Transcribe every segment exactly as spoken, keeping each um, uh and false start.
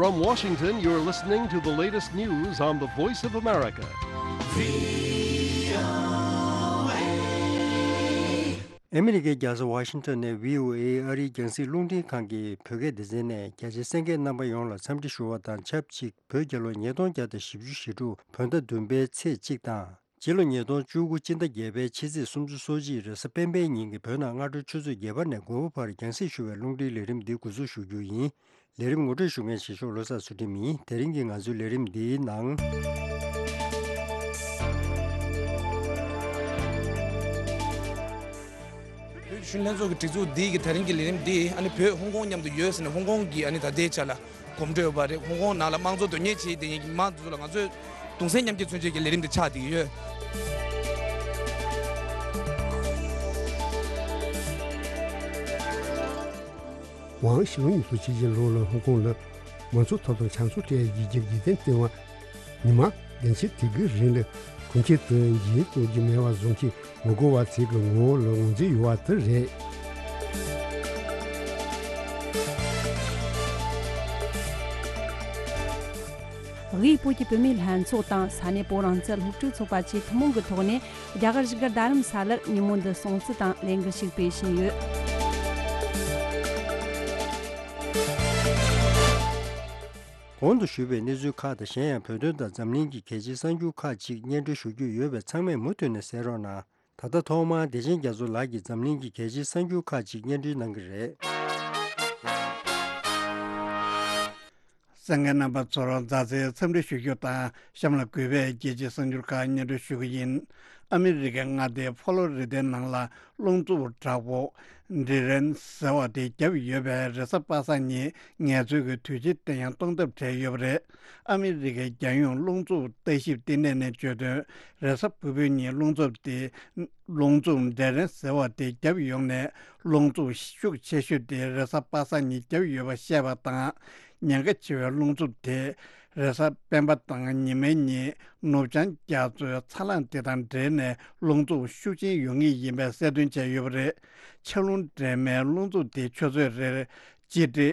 From Washington, you're listening to the latest news on the Voice of America. ཨ་མི་རི་ཀའི་རྒྱལ་ས་ཝ་ཤིང་ཊོན་ནས་བྷི་ཨོ་ཨེ་ཨ་རིའི་རྒྱང་སྲིང་རླུང་འཕྲིན་ཁང་གི་བོད་སྐད་སྡེ་ཚན་ནས་རྒྱ་ཆེའི་གསན་མཁན་རྣམ་པ་ཡོངས་ལ་འཚམས་འདྲི་ཞུ་བ་དང་ཆབས་ཅིག་བོད་རྒྱལ་ལོ་ཉིས་སྟོང་བརྒྱ་དང་བཞི་བཅུ་ཞེ་དྲུག་བོད་ཟླ་བདུན་པའི་ཚེས་གཅིག་དང་། སྤྱི་ལོ་ཉིས་སྟོང་བཅུ་དགུ་སྤྱི་ཟླ་བརྒྱད་པའི་ཕྱི་ཚེས་སུམ་ཅུ་སོ་གཅིག་རེས་གཟའ་སྤེན་པའི་ཉིན་གྱི་བོད་ནང་སྔ་དྲོའི་ཆུ་ཚོད་བརྒྱད་པ་ནས་དགོས་པ་བར་རྒྱང་སྲིང་ཞུ་བའི་རླུང་འཕྲིན་ལས་རིམ་འདི་འགོ་འཛུགས་ཞུ་རྒྱུ་ཡིན། ལས་རིམ་ངོ་སྤྲོད་ཞུ་མཁན་ཞིག་ཤོག་བློ་བཟང་ཚུལ་ཁྲིམས་ཡིན། དེ་རིང་གི་ང་ཚོའི་ལས་རིམ་འདིའི་ནང་། བོད་གཞོན་ལྷན་ཚོགས་ཀྱི་སྒྲིག་འཛུགས་འདི་གི་དེ་རིང་གི་ལས་རིམ་འདི་ཨ་ནི་བོད་ཧོང་ཀོང་མཉམ་དུ་ཡོད་ཟེར་ནས་ཧོང་ཀོང་གི་ཨ་ནི་ད་ལྟའི་ཆ་ལ་གོམ་བགྲོད་ཡོད་པ་རེད། ཧོང་ཀོང་ནང་ལ་དམངས་གཙོ་དོན་གཉེར་བྱེད་བསྡད་མཁན་གྱི་མི་མང་དེ་ཚོ་ལ་ང་ཚོས་གདུང་སེམས་མཉམ་སྐྱེད་མཚོན་ཆེད་ཀྱི་ལས་རིམ་འདི་ཆགས་བསྡད་ཀྱི་ཡོད། ཝང་ཞི་ལུང་ཉིས་སྟོང་ཕྱེད་ཀྱི་ལོ་ལ་ཧོང་ཀོང་ལ་མང་གཙོ་ཐོབ་ཐང་ཆ་ཚང་སྤྲད་ཡག་གི་རྒྱུ་རྐྱེན་བརྟེན་པ། ཉི་མ་བདུན་ཕྱེད་དེ་གའི་རིང་ལ་གྲོང་ཁྱེར་དུ་འགྱིང་རྟོགས་ཀྱི་མེད་པ་བཟོ་མཁན་ངོ་རྒོལ་བ་ཚོའི་ངོ་བོ་ལ་ངོས་འཛིན་ཡོད་པ་དེ་རེད། དབུས་བོད་ཀྱི་བུད་མེད་ལྷན་ཚོགས་དང་ས་གནས་བོད་རང་བཙན་སློབ་ཕྲུག་ཚོགས་པ་བཅས་ཐུན་མོང་གི་ཐོག་ནས་རྒྱ་གར་བཞུགས་སྒར་རྡ་རམ་ས་ལར་ཉིན་མོ་འདི་སྲུང་བརྩི་དང་ལས་འགུལ་ཞིག་སྤེལ་བཞིན་ཡོད། གོང་དུ་ཞུས་པའི་གནས་ཚུལ་ཁག་དང་གཞན་ཡང་བོད་དོན་དང་འཛམ་གླིང་གི་གལ་ཆེའི་གསར་འགྱུར་ཁག་ཅིག་སྙན་སྒྲོན་ཞུ་རྒྱུ་ཡོད་པས་ཚང་མས་མུ་མཐུད་ནས་གསན་རོགས་གནང་། ད་ལྟ་ཐོག་མར་བདེ་ཆེན་རྒྱ་མཚོ་ལགས་ཀྱིས་འཛམ་གླིང་གི་གལ་ཆེའི་གསར་འགྱུར་ཁག་ཅིག་སྙན་སྒྲོན་གནང་གི་རེད། གསན་མཁན་རྣམ་པ་ཚོར་མཛའ་བརྩེའི་འཚམས་འདྲི་ཞུ་རྒྱུ་དང་གཤམ་ལ་གུས་པས་རྒྱལ་སྤྱིའི་གསར་འགྱུར་ཁག་སྙན་སྒྲོན་ཞུ་གི་ཡིན། ཨ་མི་རི་ཀའི་མངའ་སྡེ་ཕོ་ལོ་རི་ཏའི་ནང་ལ་རླུང་འཚུབ་དྲག་པོ་ཌི་རེན་ཟེར་བ་དེ་བརྒྱབ་ཡོད་པས་རེས་གཟའ་པ་སངས་ཉིན་ངལ་རྩོལ་གྱི་དུས་ཆེན་དེ་ཡང་གཏོང་ཐབས་བྲལ་ཡོད་པ་རེད། ཨ་མི་རི་ཀའི་རྒྱལ་ཡོངས་རླུང་འཚུབ་ལྟ་ཞིབ་ལྟེ་གནས་ནས་བརྗོད་དོན། རེས་གཟའ་ཕུར་བུའི་ཉིན་རླུང་འཚུབ་དེ། རླུང་འཚུབ་ཌི་རེན་ཟེར་བ་དེ་བརྒྱབ་ཡོང་ནས་རླུང་འཚུབ་ཤུགས་ཆེ་ཤོས་དེ་རེས་གཟའ་པ་སངས་ཉིན་བརྒྱབ་ཡོད་པ་བཤད་པ་དང་། ཉེན་ཁ་ཆེ་བའི་རླུང་འཚུབ་དེ་རེས་གཟའ་སྤེན་པ་དང་ཉི་མའི་ཉིན་ནུབ་བྱང་རྒྱ་མཚོའི་ཚ་རླངས་དེ་དང་འབྲེལ་ནས་རླུང་འཚུབ་ཤུགས་ཆེན་ཡོང་ངེས་ཡིན་པའི་གསལ་སྟོན་བྱས་ཡོད་པ་རེད། ཆར་རླུང་འདྲེས་མའི་རླུང་འཚུབ་དེ་ཆུ་ཚོད་རེར་སྤྱི་ཁྲེ།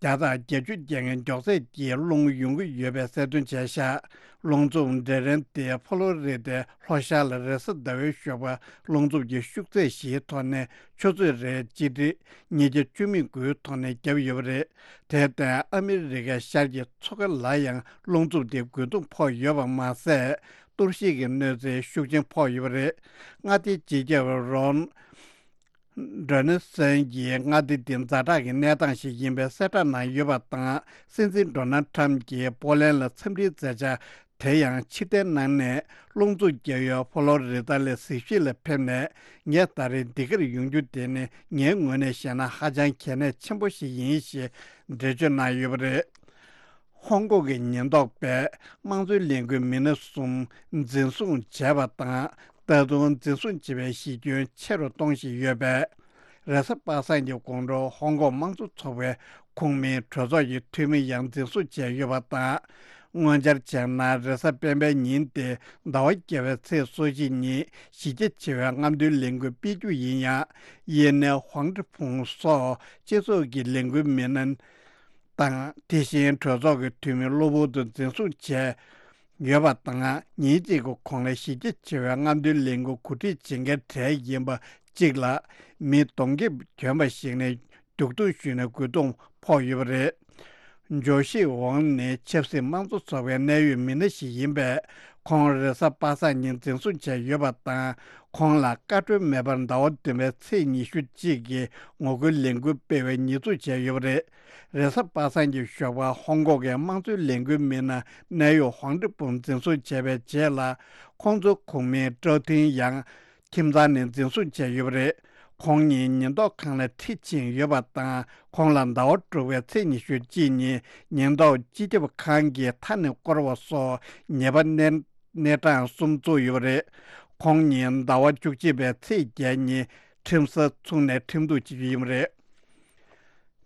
བརྒྱ་དང་བརྒྱད་ཅུ་བརྒྱབ་མཁན་མགྱོགས་ཚད་ཀྱིས་སློང་ཡོང་གི་ཡོད་པའི་གསལ་སྟོན་བྱས་ཤག་རླུང་འཚུབ་ཌི་རེན་དེ་ཕོ་ལོ་རི་ཏའི་ལྷོ་ཤར་ལ་རེས་གཟའ་ཟླ་བའི་ཞོགས་པ་རླུང་འཚུབ་ཀྱི་ཤུགས་ཚད་བཞིའི་ཐོག་ནས་ཆུ་ཚོད་རེར་སྤྱི་ཁྲེ་ཉིས་བརྒྱ་བཅུ་མེད་དགུའི་ཐོག་ནས་བརྒྱབ་ཡོད་པ་རེད། དེར་བརྟེན་ཨ་མི་རི་ཀའི་ཤར་གྱི་མཚོ་ཁ་ལ་ཡང་རླུང་འཚུབ་དེ་རྒོལ་རྡུང་ཕོག་ཡོད་པ་མ་ཟད། གཏོར་བཤིག་གི་གནོད་འཚེ་ཤུགས་ཆེན་ཕོག་ཡོད་པ་རེད། མངའ་སྡེའི་སྤྱི་ཁྱབ་རོན། ཌོ་ནལ་སན་གྱིས་མངའ་སྡེ་འདི་ཛ་དྲག་གི་གནས་སྟངས་ཤིག་ཡིན་པའི་གསལ་བསྒྲགས་གནང་ཡོད་པ་དང་། སྲིད་འཛིན་ཌོ་ནལ་ཊམ་གྱིས་པོ་ལན་ལ་འཚམས་འདྲིའི་མཛད་འཆར་དེ་ཡང་ཕྱིར་འཐེན་གནང་ནས། རླུང་འཚུབ་བརྒྱབ་ཡུལ་ཕོ་ལོ་རི་ཏ་ལས་གཟིགས་གཞིས་ལ་ཕེབས་ནས། ངས་ད་རེས་འདི་གར་ཡོང་རྒྱུ་དེ་ནི་ངའི་ངོས་ནས་བཤད་ན་ཧ་ཅང་གལ་གནད་ཆེན་པོ་ཞིག་ཡིན་ཞེས་འགྲེལ་བརྗོད་གནང་ཡོད་པ་རེད། ཧོང་ཀོང་གི་ཉེན་རྟོག་པས་དམངས་གཙོའི་ལས་འགུལ་མི་སྣ་གསུམ་འཛིན་བཟུང་བྱས་པ་དང་། ད་དུང་འཛིན་བཟུང་བྱེད་པའི་གཞི་ཁྱོན་ཆེ་རུ་གཏོང་བཞིན་ཡོད་པས། རེས་གཟའ་པ་སངས་ཀྱི་དགོང་དྲོ་ཧོང་ཀོང་དམངས་གཙོ་ཚོགས་པའི་ཁོངས་མིའི་གྲོས་ཚོགས་ཀྱི་འཐུས་མི་ཡང་འཛིན་བཟུང་བྱས་ཡོད་པ་དང་། སྔོན་ཆར་བྱས་ན་རེས་གཟའ་སྤེན་པའི་ཉིན་ཏེ་ཟླ་བ་བརྒྱད་པའི་ཚེས་སོ་གཅིག་ཉིན་གཞི་རྒྱ་ཆེ་བའི་རྔམ་སྟོན་ལས་འགུལ་སྤེལ་རྒྱུ་ཡིན་ཡང་། ཡིན་ནའི་ཧུང་ཀྲི་ཕུང་སོགས་སྤྱི་ཚོགས་ཀྱི་ལས་འགུལ་མི་སྣ། དང་། དེ་བཞིན་གྲོས་ཚོགས་ཀྱི་འཐུས་མི་གློ་བུར་དུ་འཛིན་བཟུང་བྱས་ཡོད་པ་དང་། ཉིན་གཅིག་གི་གོང་ལ་གཞི་རྒྱ་ཆེ་བའི་རྔམ་སྟོན་ལས་འགུལ་གོ་སྒྲིག་བྱེད་མཁན་གྲས་ཡིན་པ་གཅིག་ལ་མི་གདོང་ཁེབས་གྱོན་པ་ཞིག་ནས་རྒྱུག་རྡུང་ཞུས་ནས་རྒོལ་རྡུང་ཕོག་ཡོད་པ་རེད། ཇོ་ཤི་ཝང་ནི་ཆབ་སྲིད་དམངས་གཙོ་ཚོགས་པའི་གནད་ཡོད་མི་སྣ་ཞིག་ཡིན་པས། ཁོང་རེས་གཟའ་པ་སངས་ཉིན་འཛིན་བཟུང་བྱས་ཡོད་པ་དང་། ཁོང་ལ་བཀའ་འཁྲོལ་མེད་པར་ཟླ་བ་བདུན་པའི་ཚེས་ཉི་ཤུ་གཅིག་གི་ངོ་རྒོལ་ལས་འགུལ་སྤེལ་བའི་ཉེས་འཛུགས་བྱས་ཡོད་པ་རེད། རེས་གཟའ་པ་སངས་ཀྱི་ཞོགས་པར་ཧོང་ཀོང་གི་དམངས་གཙོའི་ལས་འགུལ་མི་སྣ་གནད་ཡོད་ཧོང་ཀྲི་ཕུང་འཛིན་བཟུང་བྱས་པའི་རྗེས་ལ། ཁོང་ཚོའི་ཁོངས་མི་ཀྲོའུ་ཐིང་ཡང་ཁྱིམ་ཚང་ནས་འཛིན་བཟུང་བྱས་ཡོད་པ་རེད། ཁོང་ཉིད་ཉེན་རྟོག་ཁང་ལ་ཁྲིད་ཕྱིན་ཡོད་པ་དང་། ཁོང་ལ་ཟླ་བ་དྲུག་པའི་ཚེས་ཉི་ཤུ་གཅིག་ཉིན་ཉེན་རྟོག་སྤྱི་ཁྱབ་ཁང་གིས་མཐའ་ནས་བསྐོར་བ་སོགས་ཉེས་པ་གནས་གནས་གྲངས་གསུམ་བཙུགས་ཡོད་པ་རེད། ཁོང་ཉིད་ཟླ་བ་བཅུ་གཅིག་པའི་ཚེས་བརྒྱད་ཉིན་ཁྲིམས་ས་ཚུགས་ནས་ཁྲིམས་གཏུག་བྱེད་རྒྱུ་ཡིན་པ་རེད།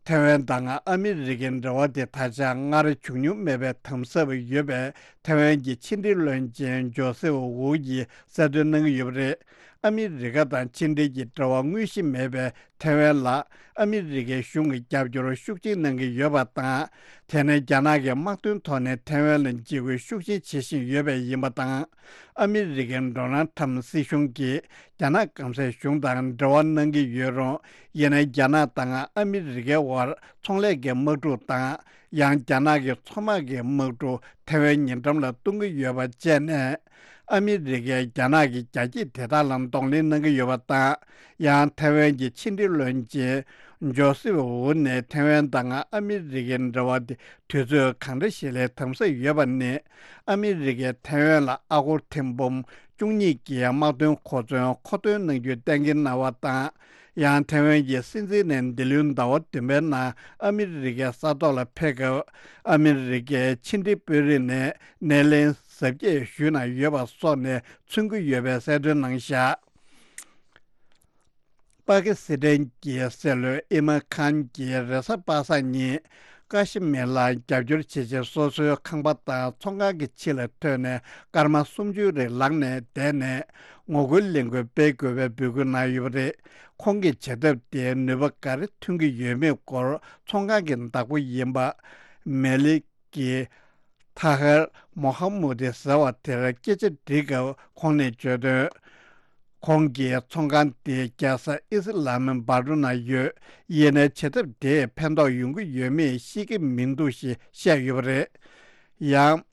ཐའེ་ཝན་དང་ཨ་མི་རི་ཀའི་འབྲེལ་བ་དེ་ད་ཆ་སྔར་བྱུང་མྱོང་མེད་པའི་དམ་ཟབ་ཡོད་པས། ཐའེ་ཝན་གྱི་ཕྱི་འབྲེལ་བློན་ཆེན་ཇོ་སེབ་ཝུའུ་ཡིས་གསལ་སྟོན་གནང་གི་ཡོད་པ་རེད། ཨ་མི་རི་ཀ་དང་ཕྱི་འབྲེལ་གྱི་འབྲེལ་བ་དངོས་གཞི་མེད་པའི་ཐེ་ཝན་ལ་ཨ་མི་རི་ཀའི་གཞུང་གིས་རྒྱབ་སྐྱོར་ཤུགས་ཆེན་གནང་གི་ཡོད་པ་དང་། དེ་ནི་རྒྱ་ནག་གིས་དམག་དོན་ཐོག་ནས་ཐེ་ཝན་ལ་འཇིགས་སྐུལ་ཤུགས་ཆེན་བྱེད་བཞིན་ཡོད་པས་ཡིན་པ་དང་། ཨ་མི་རི་ཀའི་ཌོ་ནལ་ཊམ་སྲིད་གཞུང་གིས་རྒྱ་ནག་སྐམ་སའི་གཞུང་དང་འབྲེལ་བ་གནང་གི་ཡོད་རུང་། ཡིན་ནའི་རྒྱ་ནག་དང་ཨ་མི་རི་ཀའི་དབར་ཚོང་ལས་ཀྱི་དམག་འཁྲུག་དང་། ཡང་རྒྱ་ནག་གི་མཚོ་དམག་གི་དམག་འཁྲུག་ཐེ་ཝན་ཉེ་འགྲམ་ལ་གཏོང་གི་ཡོད་པ་བཅས་ནས། ཨ་མི་རི་ཀས་རྒྱ་ནག་གི་རྒྱ་སྐྱེད་དེ་དག་ལ་གདོང་ལེན་གནང་གི་ཡོད་པ་དང་། ཡང་ཐེ་ཝན་གྱི་ཕྱི་འབྲེལ་བློན་ཆེན་ཇོ་སེབ་ཝུན་ནས་ཐེ་ཝན་དང་ཨ་མི་རི་ཀའི་འབྲེལ་བ་དེ་དུས་ཚོད་གང་འདྲ་ཞིག་ལ་དམ་ཟབ་ཡོད་པ་ནི། ཨ་མི་རི་ཀས་ཐེ་ཝན་ལ་ཨ་སྒོར་ཐེར་འབུམ་བཅུ་གཉིས་ཀྱི་དམག་དོན་མཁོ་མཚོན་མཁོ་འདོན་གནང་རྒྱུ་གཏན་འཁེལ་གནང་བ་དང་། ཡང་ཐེ་ཝན་གྱི་སྲིད་འཛིན་ནས་འདི་ལོའི་ཟླ་བ་བདུན་པའི་ནང་ཨ་མི་རི་ཀའི་ས་ཐོག་ལ་ཕེབས་སྐབས། ཨ་མི་རི་ཀའི་ཕྱི་འབྲེལ་དཔོན་རིགས་ནས་སྣེ་ལེན་གཟབ་རྒྱས་ཞུས་གནང་ཡོད་པ་སོགས་ནས་མཚོན་གྱི་ཡོད་པའི་གསལ་སྟོན་གནང་བཞག་པ་ཀི་སི་ཐན་གྱི་སྲིད་བློན་ཨི་མན་ཁཱན་གྱིས་རེས་གཟའ་པ་སངས་ཉིན་ཀ་ཤི་མིར་ལ་རྒྱབ་སྐྱོར་བྱེད་ཆེད་སོ་སོའི་ཁང་པ་དང་ཚོང་ཁང་གི་ཕྱི་ལ་ཐོན་ནས་སྐར་མ་སུམ་ཅུ་རིང་ལངས་ནས་བསྡད་ནས་ངོ་རྒོལ་ལས་འགུལ་སྤེལ་དགོས་པའི་འབོད་སྐུལ་གནང་ཡོད་པ་རེད། ཁོང་གི་བྱེད་ཐབས་དེས་ནུས་པ་ག་རེ་ཐོན་གྱི་ཡོད་མེད་སྐོར་ཚོང་ཁང་གི་བདག་པོ་ཡིན་པ་མེ་ལི་ཀི་ཐ་ཧར་མོ་ཧ་མུ་ཏི་ཟེར་བ་དེར་སྐད་ཆ་འདྲི་སྐབས་ཁོང་ནས་བརྗོད་དོན། ཁོང་གིས་ཚོང་ཁང་དེ་རྒྱལ་ས་ཨི་སི་ལམ་བྷ་ཌུ་ན་ཡོད། ཡིན་ནའི་བྱེད་ཐབས་དེས་ཕན་ཐོགས་ཡོང་གི་ཡོད་མེད་ཤེས་ཀྱི་མི་འདུག་ཞེས་བཤད་ཡོད་པ་རེད། ཡང་།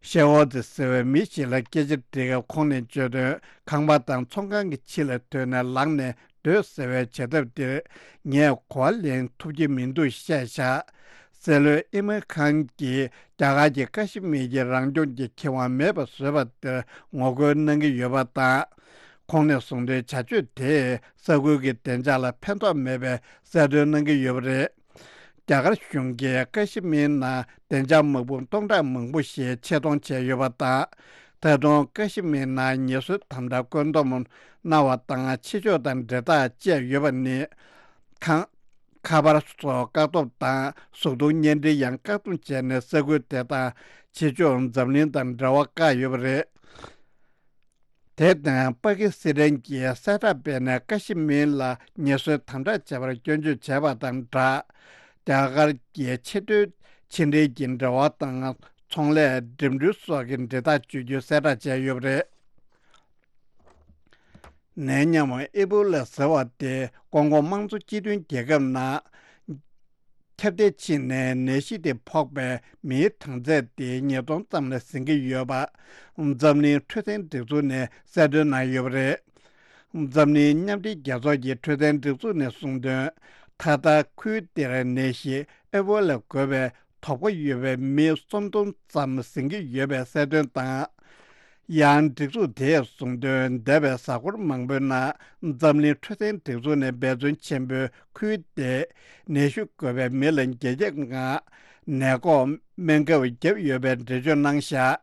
ཤེ་ཝོ་ཏི་ཟེར་བའི་མི་ཞིག་ལ་སྐད་ཆ་དྲིས་སྐབས་ཁོང་ནས་བརྗོད་དོན། ཁང་པ་དང་ཚོང་ཁང་གི་ཕྱི་ལ་ཐོན་ནས་ལངས་ནས་སྡོད་ཟེར་བའི་བྱེད་ཐབས་འདིར་ངས་གོ་བ་ལེན་ཐུབ་ཀྱི་མི་འདུག་བཤད་བཞག་སྲིད་བློན་ཨི་མན་ཁཱན་གྱིས་རྒྱ་གར་གྱིས་ཀ་ཤི་མིར་གྱི་རང་སྐྱོང་གི་ཁེ་དབང་མེད་པར་བཟོས་པ་དེར་ངོ་རྒོལ་གནང་གི་ཡོད་པ་དང་། ཁོང་ནས་གསུངས་དོན། བྱ་སྤྱོད་དེས་ས་ཁུལ་གྱི་བདེ་འཇགས་ལ་ཕན་ཐོགས་མེད་པའི་གསལ་སྟོན་གནང་གི་ཡོད་པ་རེད། རྒྱ་གར་གཞུང་གིས་ཀ་ཤི་མིར་ནང་བདེ་འཇགས་དམག་དཔུང་སྟོང་ཕྲག་མང་པོ་ཞིག་ཆེད་གཏོང་བྱས་ཡོད་པ་དང་། ད་དུང་ཀ་ཤི་མིར་ནང་ངལ་གསོའི་དམ་དྲག་བཀོད་འདོམས་གནང་བ་དང་ཕྱི་ཕྱོགས་དང་འབྲེལ་ཐག་བཅད་ཡོད་པ་ནི། ཁང་། ཁ་པར་སོགས་བཀག་སྡོམ་དང་གཟུགས་མཐོང་བརྙན་འཕྲིན་ཡང་བཀག་སྡོམ་བྱས་ནས་ས་ཁུལ་དེ་དང་ཕྱི་ཕྱོགས་འཛམ་གླིང་དང་འབྲེལ་བ་བཀག་ཡོད་པ་རེད། དེ་དང་པ་ཀི་སི་ཐན་གྱིས་གསལ་བསྒྲགས་སྤེལ་ནས་ཀ་ཤི་མིར་ལ་ངལ་གསོའི་དམ་དྲག་བྱས་པར་སྐྱོན་བརྗོད་བྱས་པ་དང་སྦྲགས། རྒྱ་གར་གྱི་ཆེས་མཐོའི་ཕྱི་འབྲེལ་གྱི་འབྲེལ་བ་དང་ཚོང་ལས་འགྲིམ་འགྲུལ་སོགས་ཀྱི་འབྲེལ་ཐག་གཅོད་རྒྱུའི་གསལ་བསྒྲགས་བྱས་ཡོད་པ་རེད། ནད་ཡམས་ཨེ་བྷོ་ལ་ཟེར་བ་དེ་ཀོང་ཀོ་དམངས་གཙོ་སྤྱི་མཐུན་རྒྱལ་ཁབ་ནང་ཁྱབ་གདལ་ཕྱིན་ནས་ནད་གཞི་དེ་ཕོག་པའི་མིའི་གྲངས་ཚད་དེ་ཉིས་སྟོང་ཙམ་ལ་ཟིན་གྱི་ཡོད་པ། འཛམ་གླིང་འཕྲོད་བསྟེན་སྒྲིག་འཛུགས་ནས་གསལ་སྟོན་གནང་ཡོད་པ་རེད། འཛམ་གླིང་མཉམ་འབྲེལ་རྒྱལ་ཚོགས་ཀྱི་འཕྲོད་བསྟེན་སྒྲིག་འཛུགས་ནས་གསུངས་དོན། ད་ལྟ་ཁུལ་དེར་ནད་གཞི་ཨེ་བྷོ་ལ་འགོས་པའི་དོགས་པ་ཡོད་པའི་མི་སུམ་སྟོང་ཙམ་ཟིན་གྱི་ཡོད་པའི་གསལ་སྟོན་དང་། ཡང་སྒྲིག་འཛུགས་དེས་གསུངས་དོན། འདས་པའི་གཟའ་འཁོར་མང་པོའི་ནང་འཛམ་གླིང་འཕྲོད་བསྟེན་སྒྲིག་འཛུགས་ནས་འབད་བརྩོན་ཆེན་པོས་ཁུལ་དེའི་ནད་གཞི་འགོས་པའི་མི་ལ་འགན་འཁྱེར་ངང་ནད་འགོག་སྨན་ཁབ་བརྒྱབ་ཡོད་པའི་འགྲེལ་བརྗོད་གནང་བཞག་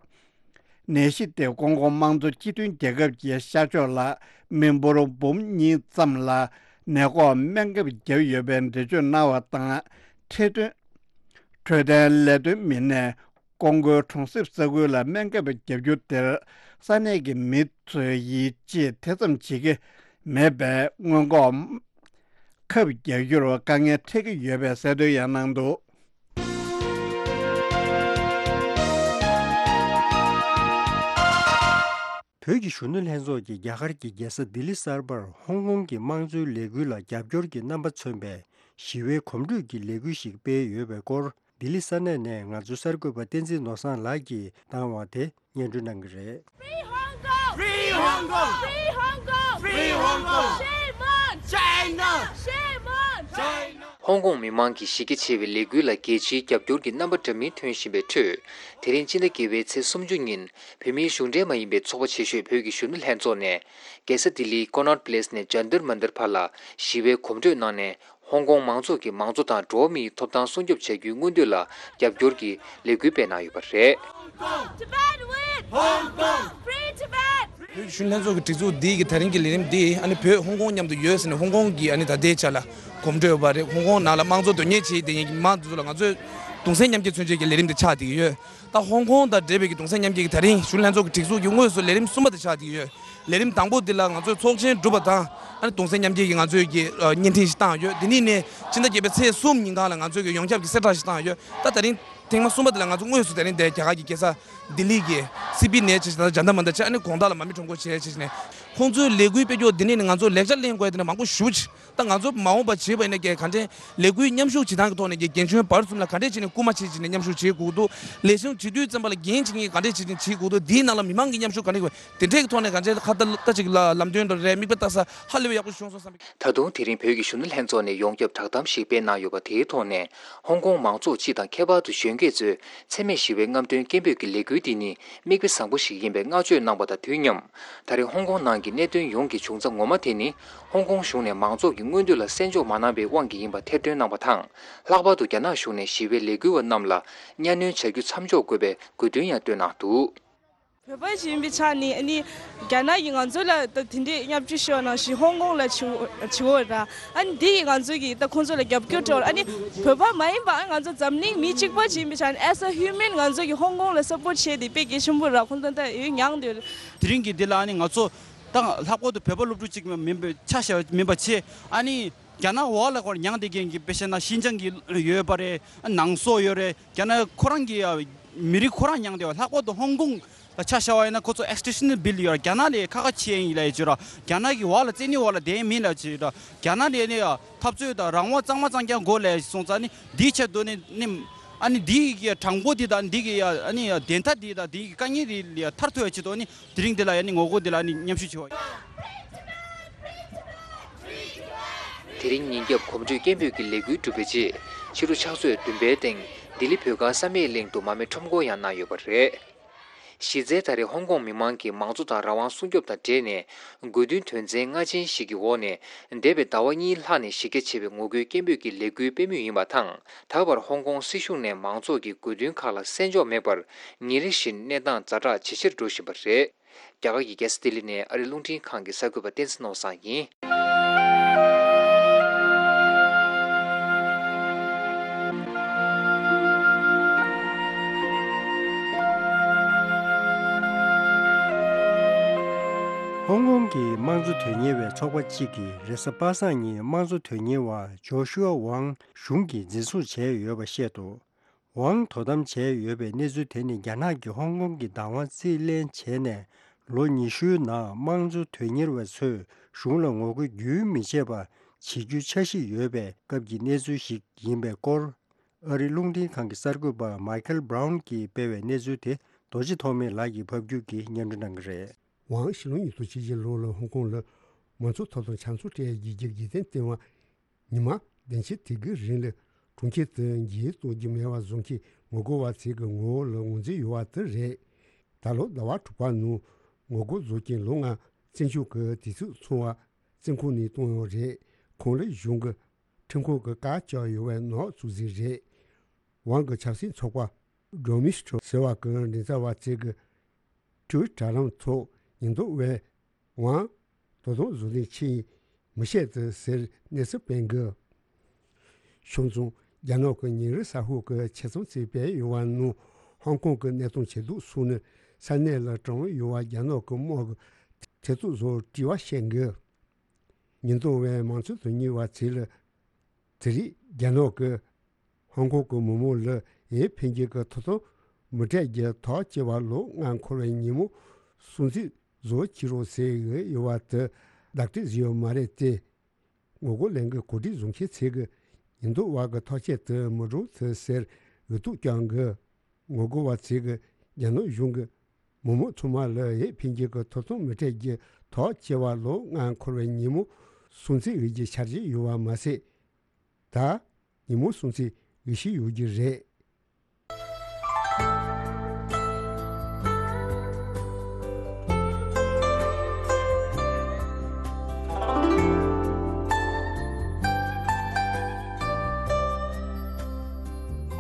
ནད་གཞི་དེ་ཀོང་ཀོ་དམངས་གཙོ་སྤྱི་མཐུན་རྒྱལ་ཁབ་ཀྱི་ཤར་ཕྱོགས་ལ་མི་འབོར་འབུམ་གཉིས་ཙམ་ལ་ནད་འགོག་སྨན་ཁབ་བརྒྱབ་ཡོད་པའི་འགྲེལ་བརྗོད་གནང་བ་དང་། འཕྲོད་བསྟེན་འཕྲོད་བསྟེན་ལས་དོན་མི་སྣས་ཀོང་ཀོའི་གྲོང་གསེབ་ས་ཁུལ་ལ་སྨན་ཁབ་བརྒྱབ་རྒྱུ་དེར་ས་གནས་ཀྱི་མི་ཚོས་ཡིད་ཆེས་དེ་ཙམ་བྱེད་ཀྱི་མེད་པས། སྔོན་འགོག་ཁབ་རྒྱག་རྒྱུར་དཀའ་ངལ་འཕྲད་ཀྱི་ཡོད་པའི་གསལ་སྟོན་ཡང་གནང་འདུག་བོད་ཀྱི་གཞོན་ནུ་ལྷན་ཚོགས་ཀྱིས་རྒྱ་གར་གྱི་རྒྱལ་ས་ལྡི་ལི་གསར་པར་ཧོང་ཀོང་གི་དམངས་གཙོའི་ལས་འགུལ་ལ་རྒྱབ་སྐྱོར་གྱི་རྣམ་པ་མཚོན་པའི་ཞི་བའི་གོམ་བགྲོད་ཀྱི་ལས་འགུལ་ཞིག་སྤེལ་ཡོད་པའི་སྐོར། ལྡི་ལི་ས་གནས་ནས་ང་ཚོའི་གསར་འགོད་པ་བསྟན་འཛིན་ནོར་བཟང་ལགས་ཀྱིས་བཏང་བ་དེ་སྙན་སྒྲོན་གནང་གི་རེད། Free Hong Kong! Free Hong Kong! Free Hong Kong! Free Hong Kong! Shame on China! Shame on China! ཧོང་ཀོང་མི་མང་གི་གཞི་རྒྱ་ཆེ་བའི་ལས་འགུལ་ལ་རྒྱལ་སྤྱིའི་རྒྱབ་སྐྱོར་གྱི་རྣམ་པ་འདྲ་མིན་ཐོན་བཞིན་པའི་ཁྲོད། དེ་རིང་སྤྱི་ཟླ་བརྒྱད་པའི་ཚེས་སུམ་ཅུ་ཉིན་བོད་མིའི་གཞུང་འབྲེལ་མ་ཡིན་པའི་ཚོགས་པ་ཆེ་ཤོས་བོད་ཀྱི་གཞོན་ནུ་ལྷན་ཚོགས་ནས། རྒྱལ་ས་ལྡི་ལིའི་ཀོ་ནོཊ་པེ་ལེས་ནས་ཇན་ཏར་མན་ཏར་བར་ལ་ཞི་བའི་གོམ་བགྲོད་གནང་ནས། ཧོང་ཀོང་མང་ཚོགས་ཀྱིས་མང་གཙོ་དང་འགྲོ་བ་མིའི་ཐོབ་ཐང་སྲུང་སྐྱོབ་བྱ་རྒྱུའི་མངོན་འདོད་ལ་རྒྱབ་སྐྱོར་གྱི་ལས་འགུལ་སྤེལ་གནང་ཡོད་པ་རེད། Tibet win! Hong Kong! Free Tibet! བོད་གཞོན་ལྷན་ཚོགས་ཀྱི་སྒྲིག་འཛུགས་འདི་གི་ད་རིང་གི་ལས་རིམ་འདི་ཨ་ནི་བོད་ཧོང་ཀོང་མཉམ་དུ་ཡོད་ཟེར་ནས་ཧོང་ཀོང་གི་ཨ་ནི་ད་ལྟའི་ཆ་ལ་གོམ་བགྲོད་ཡོད་པ་རེད། ཧོང་ཀོང་ནང་ལ་དམངས་གཙོ་དོན་གཉེར་བྱེད་བསྡད་མཁན་གྱི་མི་མང་དེ་ཚོ་ལ་ང་ཚོས་ གདུང་སེམས་མཉམ་སྐྱེད་མཚོན་བྱེད་ཀྱི་ལས་རིམ་དེ་ཆགས་བསྡད་ཀྱི་ཡོད། ད་ཧོང་ཀོང་དང་འབྲེལ་བའི་གི་གདུང་སེམས་མཉམ་སྐྱེད་ཀྱི་ད་རིང་གཞོན་ནུ་ལྷན་ཚོགས་ཀྱི་སྒྲིག་འཛུགས་ཀྱི་དངོས་སུ་ལས་རིམ་གསུམ་པ་དེ་ཆགས་བསྡད་ཀྱི་ཡོད། ལས་རིམ་དང་པོ་འདི་ལ་ང་ཚོས་ཚོགས་ཆེན་གྲུབ་པ་དང་། ཨ་ནི་གདུང་སེམས་མཉམ་སྐྱེད་ཀྱི་ང་ཚོས་ཀྱི་ཨ་བརྙན་འཕྲིན་ཞིག་བཏང་ཡོད། འདི་ནས་ནས་ཕྱི་ཟླ་བརྒྱད་པའི་ཚེས་གསུམ་ཉིན་གང་ལ་ང་ཚོས་ཀྱི་ཡོངས་ཁྱབ་ཀྱི་གསལ་བསྒྲགས་ཤིག་བཏང་ཡོད། ད་ད་རིང་ཐེངས་མ་གསུམ་པ་འདི་ལ་ང་ཚོ་དངོས་སུ་ད་རིང་འདིར་རྒྱ་གར་གྱི་རྒྱལ་ས་ལྡི་ལི་གི་སི་པི་ནེ་བྱས་ཞིང་ཇན་ཏར་མན་ཏར་བྱས། ཨ་ནི་དགོང་དག་ལ་མར་མེ་ཁྲོམ་སྐོར་བྱས་བྱས་ནས་ཁོང་ཚོའི་ལས་འགུལ་སྤེལ་རྒྱུ་འདི་ནས་ནི་ང་ཚོ་ལེགས་ཆ་ལེན་དགོས་དེ་ནི་མང་པོ་ཞེ་པོ་ཅིག་ད་ང་ཚོ་མ་འོངས་པ་བྱེད་པ་ཡིན་ན་ག་འདྲས་ལས་འགུལ་མཉམ་ཞུགས་བྱེད་སྟངས་ཀྱི་ཐོག་ནས་ཀྱི་རྒན་གཞོན་བར་གསུམ་ལ་ག་འདྲས་བྱས་ནས་སྐུལ་མ་བྱེད་བྱས་ནས་མཉམ་ཞུགས་བྱེད་དགོས་འདུག་ལས་གཞུང་བྱེད་དུས་ཙམ་པ་ལ་འགན་བྱེད་མཁན་གྱིས་ག་འདྲས་བྱེད་བྱེད་དགོས་འདུག་དེའི་ནང་ལ་མི་མང་གིས་མཉམ་ཞུགས་ག་འདྲས་དགོས། དེ་འདྲས་ཀྱི་ཐོག་ནས་ག་འདྲས་ཁ་ད་ལྟ་ཅིག་ལ་ལམ་སྟོན་དང་རེད། མིག་དཔེ་ལྟ་ས་ཧ་ལས་པའི་ཡག་པོ་བྱུང་སོང་བསམ་པའི། ད་དུང་དེ་རིང་བོད་ཀྱི་གཞོན་ནུ་ལྷན་ཚོགས་ནས་ཡོངས་ཁྱབ་བསྒྲགས་གཏམ་ཞིག་སྤེལ་གནང་ཡོད་པ། དེའི་ཐོག་ནས་ཧོང་ཀོང་མང་ཚོགས་སྤྱི་དང་ཁྱད་པར་དུ་གཞོན་སྐྱེས་ཚོས་འཚེ་མེད་ཞི་བའི་རྔམ་སྟོན་སྐད་འབོད་ཀྱི་ལས་འགུལ་འདི་ནི་མིག་དཔེ་བཟང་པོ་ཞིག་ཡིན་པའི་བསྔགས་བརྗོད་གནང་པ་དང་དུས་མཉམ། ད་རེས་ཧོང་ཀོང་ནང་གི་གནད་དོན་ཡོངས་ཀྱི་བྱུང་རྩ་ངོ་མ་དེ་ནི་ཧོང་ཀོང་གཞུང་ནས་མང་ཚོགས་ཀྱི་མངོན་འདོད་ལ་གསན་འཇོག་མ་གནང་པའི་དབང་གིས་ཡིན་པ་ཐེར་འདོན་གནང་པ་དང་། ལྷག་པར་དུ་རྒྱ་ནག་གཞུང་ནས་ཞི་བའི་ལས་འགུལ་བ་རྣམས་ལ་གཉའ་གནོན་བྱ་རྒྱུ་མཚམས་འཇོག་དགོས་པའི་དགོས་འདུན་ཡང་བཏོན་གནང་འདུག་བོད་པ་ཞིག་ཡིན་པའི་ཆ་ནས་ཨ་ནི་རྒྱ་ནག་གིས་ང་ཚོ་ལ་ད་དེ་འདྲའི་བརྙས་བཅོས་ཤོར་ནང་བཞིན་ཧོང་ཀོང་ལ་བྱེད་བྱེད་འོ་ར། ཨ་ནི་འདི་ཡིས་ང་ཚོ་གིས་ད་ཁོང་ཚོ་ལ་རྒྱབ་སྐྱོར་སྤྲོད། ཨ་ནི་བོད་པ་མ་ཡིན་པ་ང་ཚོ་འཛམ་གླིང་མི་གཅིག་པ་ཞིག་ཡིན་པའི་ཆ་ནས་as a human ང་ཚོ་གིས་ཧོང་ཀོང་ལ་སབ་པོར་བྱས་ཏེ་དཔེ་གལ་ཆེན་པོ་ར། ཁོང་ཚོ་ད་ཡོད་མྱངས་འདུག་དེ་རིང་གི་འདི་ལ་ཨ་ནི་ང་ཚོ་ད་ལྷག་པར་དུ་བོད་པ་སློབ་ཕྲུག་ཅིག་མིན་པའི་ཆ་བཞག་མིན་པ་བྱས། ཨ་ནི་རྒྱ་ནག་འོག་ལ་ཁོར་མྱངས་བསྡད་མཁན་གྱི་དཔེ་བཤད་ན་ཤིན་ཅང་གི་ཡོད་པ་རེད། ནང་སོག་ཡོད་རེད། རྒྱ་ནག་ཁོ་རང་གི་མི་རིགས་ཁོ་རང་མྱངས་བསྡད་པ། ལྷག་པར་དུ་ཧོང་ཀོང་ལ་ཆ་བཞག་པ་ཡིན་ན་ཁོ་ཚོ་extradition bill ཡོད་ར། རྒྱ་ནག་ལས་ཁ་ཁ་ཕྱེ་ཡིན་ལ་ཡོད་ཅེས་ར། རྒྱ་ནག་གི་འོག་ལ་བཙན་གནོན་འོག་ལ་བསྡད་མིན་ལ་ཅེས་ར། རྒྱ་ནག་ལས་ནི་འཐབ་རྩོད་དང་རང་དབང་གཙང་མ་གཙང་རྐྱང་དགོས་ལ་སོང་ཙང་ནི་འདིའི་ཆེད་དུ་ནི་ནི་ཨ་ནི་འདིའི་གི་གྲངས་འབོར་འདི་དང་འདི་གི་ཨ་ནི་བདེན་མཐའ་འདི་དང་འདི་གི་དཀའ་ངལ་རིགས་ལས་ཐར་ཐུབ་པའི་ཆེད་དུ་ནི་དེ་རིང་འདི་ལ་ཡ་ནི་ངོ་རྒོལ་འདི་ལ་ནི་མཉམ་ཞུགས་བྱེད་པ། དེ་རིང་ཉིན་རྒྱབ་གོམ་བགྲོད་སྐད་འབོད་ཀྱི་ལས་འགུལ་གྲུབ་པའི་རྗེས། ཕྱི་དྲོ་ཕྱག་ཚོད་བདུན་པའི་སྟེང་ལྡི་ལི་བོད་སྒར་བསམ་ཡས་གླིང་དུ་མར་མེ་ཁྲོམ་སྐོར་ཡང་གནང་ཡོད་པ་རེད། གཞི་རྩའི་ད་རེས་ཧོང་ཀོང་མི་མང་གིས་མང་གཙོ་དང་རང་དབང་སྲུང་སྐྱོབ་དང་འབྲེལ་ནས་དགོས་འདུན་དོན་ཚན་ལྔ་ཅན་ཞིག་གི་འོག་ནས་འདས་པའི་ཟླ་བ་གཉིས་ལྷག་ནས་གཞི་རྒྱ་ཆེ་བའི་ངོ་རྒོལ་སྐད་འབོད་ཀྱི་ལས་འགུལ་སྤེལ་མུས་ཡིན་པ་དང་། ད་བར་ཧོང་ཀོང་སྲིད་གཞུང་ནས་མང་ཚོགས་ཀྱི་དགོས་འདུན་ཁག་ལ་གསན་འཇོག་མེད་པར་ཉིན་རེ་བཞིན་གནས་སྟངས་ཛ་དྲག་ཇེ་ཆེར་འགྲོ་བཞིན་པ་རེད། རྒྱ་གར་གྱི་རྒྱལ་ས་ལྡི་ལི་ནས་ཨ་རི་རླུང་འཕྲིན་ཁང་གི་གསར་འགོད་པ་བསྟན་འཛིན་ནོར་བཟང་ཡིན། ཧོང་ཀོང་གི་དམངས་གཙོ་དོན་གཉེར་བའི་ཚོགས་པ་གཅིག་གིས་རེས་གཟའ་པ་སངས་ཉིན་དམངས་གཙོ་དོན་གཉེར་བ་ཇོ་ཤུའ་ཝང་གཞུང་གིས་འཛིན་བཟུང་བྱས་ཡོད་པ་བཤད་འདུག་ཝང་དོ་དམ་བྱས་ཡོད་པའི་གནས་ཚུལ་དེ་ནི་རྒྱ་ནག་གིས་ཧོང་ཀོང་གི་བདག་དབང་རྩིས་ལེན་བྱས་ནས་ལོ་ཉི་ཤུའི་ནང་དམངས་གཙོ་དོན་གཉེར་བ་ཚོས་གཞུང་ལ་ངོ་རྒོལ་རྒྱུན་མི་ཆད་པ་བྱེད་རྒྱུའི་འཆར་གཞི་ཡོད་པའི་སྐབས་ཀྱི་གནས་ཚུལ་ཞིག་ཡིན་པའི་སྐོར། ཨ་རིའི་རླུང་འཕྲིན་ཁང་གི་གསར་འགོད་པ་མའི་ཁལ་བྷ་རའུན་གྱིས་སྤེལ་བའི་གནས་ཚུལ་དེ་རྡོ་རྗེ་ཐོགས་མེད་ལགས་ཀྱིས་ཕབ་སྒྱུར་གྱིས་སྙན་སྒྲོན་གནང་གི་རེད། ཝང་ཕྱི་ལོ་ཉིས་སྟོང་ཉེར་གཅིག་ལོ་ལ་ཧོང་ཀོང་ལ་མང་གཙོ་ཐོབ་ཐང་ཆ་མཚོན་སྤྲད་རྒྱུའི་རྒྱུ་རྐྱེན་བསྟན་པ། ཉི་མ་བདུན་ཕྲག་དེ་གའི་རིང་ལ་གྲོང་ཁྱེར་དུ་འགྱེལ་གཏོང་རྒྱུ་མེད་པ་བཟོ་མཁན་ངོ་རྒོལ་བ་ཚོའི་ངོ་བོ་ལ་ངོས་འཛིན་ཡོད་པ་དེ་རེད། ད་ལོ་ཟླ་བ་དྲུག་པ་ནང་ངོ་རྒོལ་བཟོ་མཁན་ལོ་ལྔ་བཙོན་འཇུག་གི་དུས་ཚོད་སོང་བ་བཙོན་ཁང་ནས་བཏང་ཡོད་རེད། ཁོང་ལ་གཞུང་གི་ཁྲིམས་ཁང་གི་བཀའ་བཅག་ཡོད་པའི་ནག་བཙུགས་ཟིན་རེད། ཝང་གི་ཆབ་སྲིད་ཚོགས་པ་ཌོ་མི་སི་ཊོ་ཟེར་བ་གི་མགྲིན་ཚབ་པ་ཚོས་ཀྱི་ཊུའི་ཊར་ལམ་ཐོག་ཉེན་རྟོག་པས་ཝང་དོ་དམ་བཟོ་ལས་ཕྱིན་མི་ཤེས་ཏེ་ཟེར་གནས་ཚུལ་སྤེལ་འདུག་ཤོང་ཙང་རྒྱ་ནག་གི་ཉིན་རེ་གསར་ཤོག་གི་ཆེད་རྩོམ་ཚིག་སྤེལ་ཡོད་པ་ནང་ཧོང་ཀོང་གི་གནས་སྟངས་ཇེ་སྡུག་སོང་ནས་ས་གནས་ལ་གྲོངས་ཡོད་པ་རྒྱ་ནག་གི་དམག་གི་ཐེ་ཚོམ་བཟོ་དྲི་བ་བཤད་འདུག་ཉེན་རྟོག་པས་མང་གཙོ་དོན་གཉེར་བ་ཚོ་ལ་དེ་རིང་རྒྱ་ནག་གི་ཧོང་ཀོང་གི་མི་མང་ལ་འོས་འཕེན་རྒྱུ་གི་ཐོབ་ཐང་མི་སྤྲད་རྒྱུ་ཐག་བཅད་པ་ལོ་ལྔ་འཁོར་བའི་ཉིན་མོ་སྲུང་བརྩི་བཟོ་བྱེད་རོགས་ཟེར་གི་ཡོད་པ་དེ་བདག་སྤྲོད་བཟོས་ཡོད་མ་རེད་དེ། ངོ་རྒོལ་ལས་འགུལ་གོ་སྒྲིག་བཟོ་མཁན་ཚོས་ཀྱི་ཉེན་རྟོག་པ་གི་ཐག་བཅད་དེ་མི་སྒྲུབ་ཐུབ་ཟེར་འུ་ཐུག་བསྐྱངས་གི། ངོ་རྒོལ་བ་ཚོས་ཀྱི་རྒྱ་ནག་གཞུང་གི་མི་མང་ཚང་མ་ལ་འོས་འཕེན་རྒྱུ་གི་ཐོབ་ཐང་མི་སྤྲད་རྒྱུ་ཐག་བཅད་པ་ལོ་ལྔ་འཁོར་བའི་ཉིན་མོ་སྲུང་བརྩི་འོས་རྒྱུ་འཆར་གཞི་ཡོད་པ་མ་ཟད། ད་ཉིན་མོ་སྲུང་བརྩི་འོས་ཤིག་ཡོད་རྒྱུ་རེད།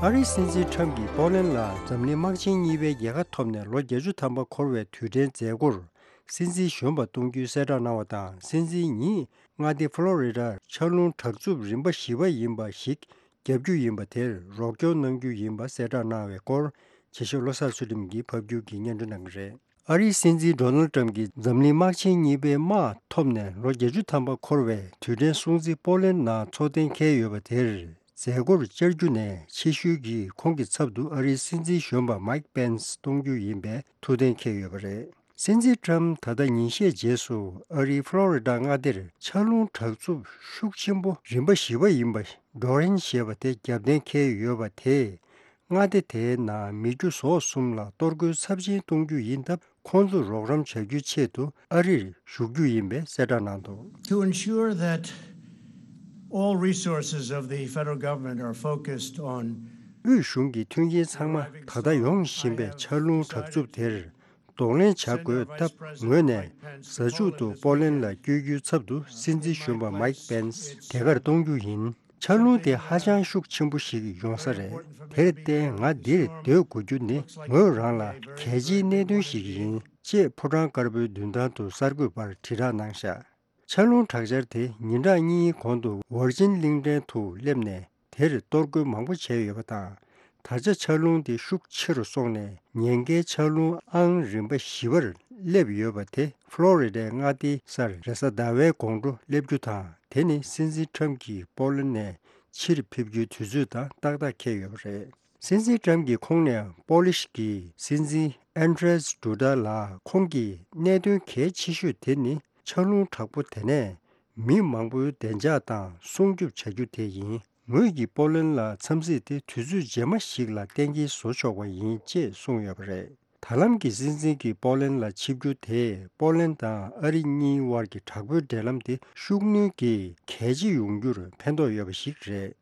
ཨ་རིའི་སྲིད་འཛིན་ཁྲམ་གྱིས་པོ་ལན་ལ་འཛམ་གླིང་དམག་ཆེན་གཉིས་པའི་རྒྱལ་ཁ་ཐོབ་ནས་ལོ་བརྒྱད་ཅུ་ཐམ་པ་འཁོར་བའི་དུས་དྲན་མཛད་སྒོར་སྲིད་འཛིན་གཞོན་པ་གཏོང་རྒྱུའི་གསལ་བསྒྲགས་གནང་བ་དང་། སྲིད་འཛིན་ཉིད་མངའ་སྡེ་ཕོ་ལོ་རི་ཌར་ཆར་རླུང་དྲག་རྩུབ་རིམ་པ་བཞི་པ་ཡིན་པ་ཞིག་ རྒྱབ་རྒྱུ་ཡིན་པ་དེར་རོགས་སྐྱོར་གནང་རྒྱུ་ཡིན་པ་གསལ་བསྒྲགས་གནང་བའི་སྐོར། ཆེ་ཤོས་བློ་བཟང་ཚུལ་ཁྲིམས་ཀྱིས་ཕབ་སྒྱུར་གྱིས་སྙན་སྒྲོན་གནང་གི་རེད། ཨ་རིའི་སྲིད་འཛིན་ཌོ་ནལ་ཊམ་གྱིས་འཛམ་གླིང་དམག་ཆེན་གཉིས་པའི་དམག་ཐོབ་ནས་ལོ་བརྒྱད་ཅུ་ཐམ་པ་འཁོར་བའི་དུས་དྲན་སྲུང་བརྩི་པོ་ལན་ནང་འཚོགས་གཏན་འཁེལ་ཡོད་པ་དེར། མཛད་སྒོར་བཅར་རྒྱུ་ནས་ཕྱི་བཤོལ་གྱིས་ཁོང་གི་ཚབ་ཏུ་ཨ་རིའི་སྲིད་འཛིན་གཞོན་པ་མའིག་པེན་སི་གཏོང་རྒྱུ་ཡིན་པའི་ཐུགས་གཏན་འཁེལ་ཡོད་པ་རེད། སྲིད་འཛིན་ཊམ་ད་ལྟ་ཉིན་ཤས་རྗེས་སུ་ཨ་རིའི་ཕློ་རི་ཌ་མངའ་སྡེར་ཆར་རླུང་དྲག་རྩུབ་ཤུགས་ཆེན་པོ་རིམ་པ་བཞི་པ་ཡིན་པ་ཌོ་རིན་ཞེས་པ་དེ་བརྒྱབ་གཏན་འཁེལ་ཡོད་པ་དེས། མངའ་སྡེ་དེའི་ནང་མི་རྒྱུ་ཟོག་གསུམ་ལ་གཏོར་རྒོལ་ཚབས་ཆེན་གཏོང་རྒྱུ་ཡིན་སྟབས། ཁོང་ཚོར་རོགས་རམ་བྱ་རྒྱུའི་ཆེད་དུ་ཨ་རིར་ཞུགས་རྒྱུ་ཡིན་པའི་གསལ་བསྒྲགས་གནང་འདུག། To ensure that all resources of the federal government are focused on དབུས་གཞུང་གི་མཐུན་རྐྱེན་ཚང་མ་ད་ལྟ་ཡོང་བཞིན་པའི་ཆར་རླུང་དྲག་རྩུབ་དེར་གདོང་ལེན་བྱ་དགོས་སྟབས། ངོས་ནས་གཟའ་མཇུག་ཏུ་པོ་ལན་ལ་བསྐྱོད་རྒྱུའི་ཚབ་ཏུ་སྲིད་འཛིན་གཞོན་པ་མའིག་པེན་སི་དེ་གར་གཏོང་རྒྱུ་ཡིན། ཆར་རླུང་དེ་ཧ་ཅང་ཤུགས་ཆེན་པོ་ཞིག་ཡོང་ས་རེད། དེར་བརྟེན་ང་འདིར་སྡོད་དགོས་རྒྱུ་ནི་ངོས་རང་ལ་གལ་ཆེའི་གནད་དོན་ཞིག་ཡིན། ཅེས་ཕོ་བྲང་དཀར་པོའི་མདུན་ཐང་དུ་གསར་འགོད་པར་དྲིལ་བསྒྲགས་གནང་བཞག། ཆར་རླུང་དྲག་ཆར་དེ་ཉིན་གྲངས་གཉིས་གོང་དུ་ཝར་ཇིན་གླིང་ཕྲན་དུ་སླེབས་ནས་དེར་གཏོར་རྒོལ་མང་པོ་བྱས་ཡོད་པ་དང་། ད་ཆ་ཆར་རླུང་དེ་ཤུགས་ཆེ་རུ་སོང་ནས་ཉེན་ཁའི་ཆར་རླུང་ཨང་རིམ་པ་བཞི་པར་སླེབས་ཡོད་པ་དེ་ཕློ་རི་ཌའི་མངའ་སྡེའི་སར་རེས་གཟའ་ཟླ་བའི་དགོང་དྲོ་སླེབས་རྒྱུ་དང་། དེ་ནི་སྲིད་འཛིན་ཊམ་གྱིས་པོ་ལན་ནས་ཕྱིར་ཕེབས་རྒྱུའི་དུས་ཚོད་དང་ཏག་ཏག་འཁེལ་ཡོད་པ་རེད། སྲིད་འཛིན་ཊམ་གྱི་ཁོངས་ནས་པོ་ལིཤ་གི་སྲིད་འཛིན་ཨན་ཌྲེས་ཌུ་ཌ་ལ། ཁོང་གིས་གནད་དོན་གལ་ཆེ་ཤོས་དེ་ནི་ཆར་རླུང་དྲག་པོ་དེ་ནས་མི་མང་པོའི་བདེ་འཇགས་དང་སྲུང་སྐྱོབ་བྱ་རྒྱུ་དེ་ཡིན། ངོས་ཀྱིས་པོ་ལན་ལ་འཚམས་གཟིགས་དེ་དུས་ཚོད་རྗེས་མ་ཞིག་ལ་གཏན་འཁེལ་བཟོ་ཆོག་པ་ཡིན་ཅེས་གསུངས་ཡོད་པ་རེད། ད་ལམ་གྱི་སྲིད་འཛིན་གྱིས་པོ་ལན་ལ་ཆིབས་བསྒྱུར་དེས་པོ་ལན་དང་ཨ་རི་གཉིས་དབར་གྱི་དྲག་པོའི་འབྲེལ་ལམ་དེ་ཤུགས་སྣོན་གྱིས་གལ་ཆེ་ཡོང་རྒྱུར་ཕན་ཐོགས་ཡོད་པ་ཞིག་རེད།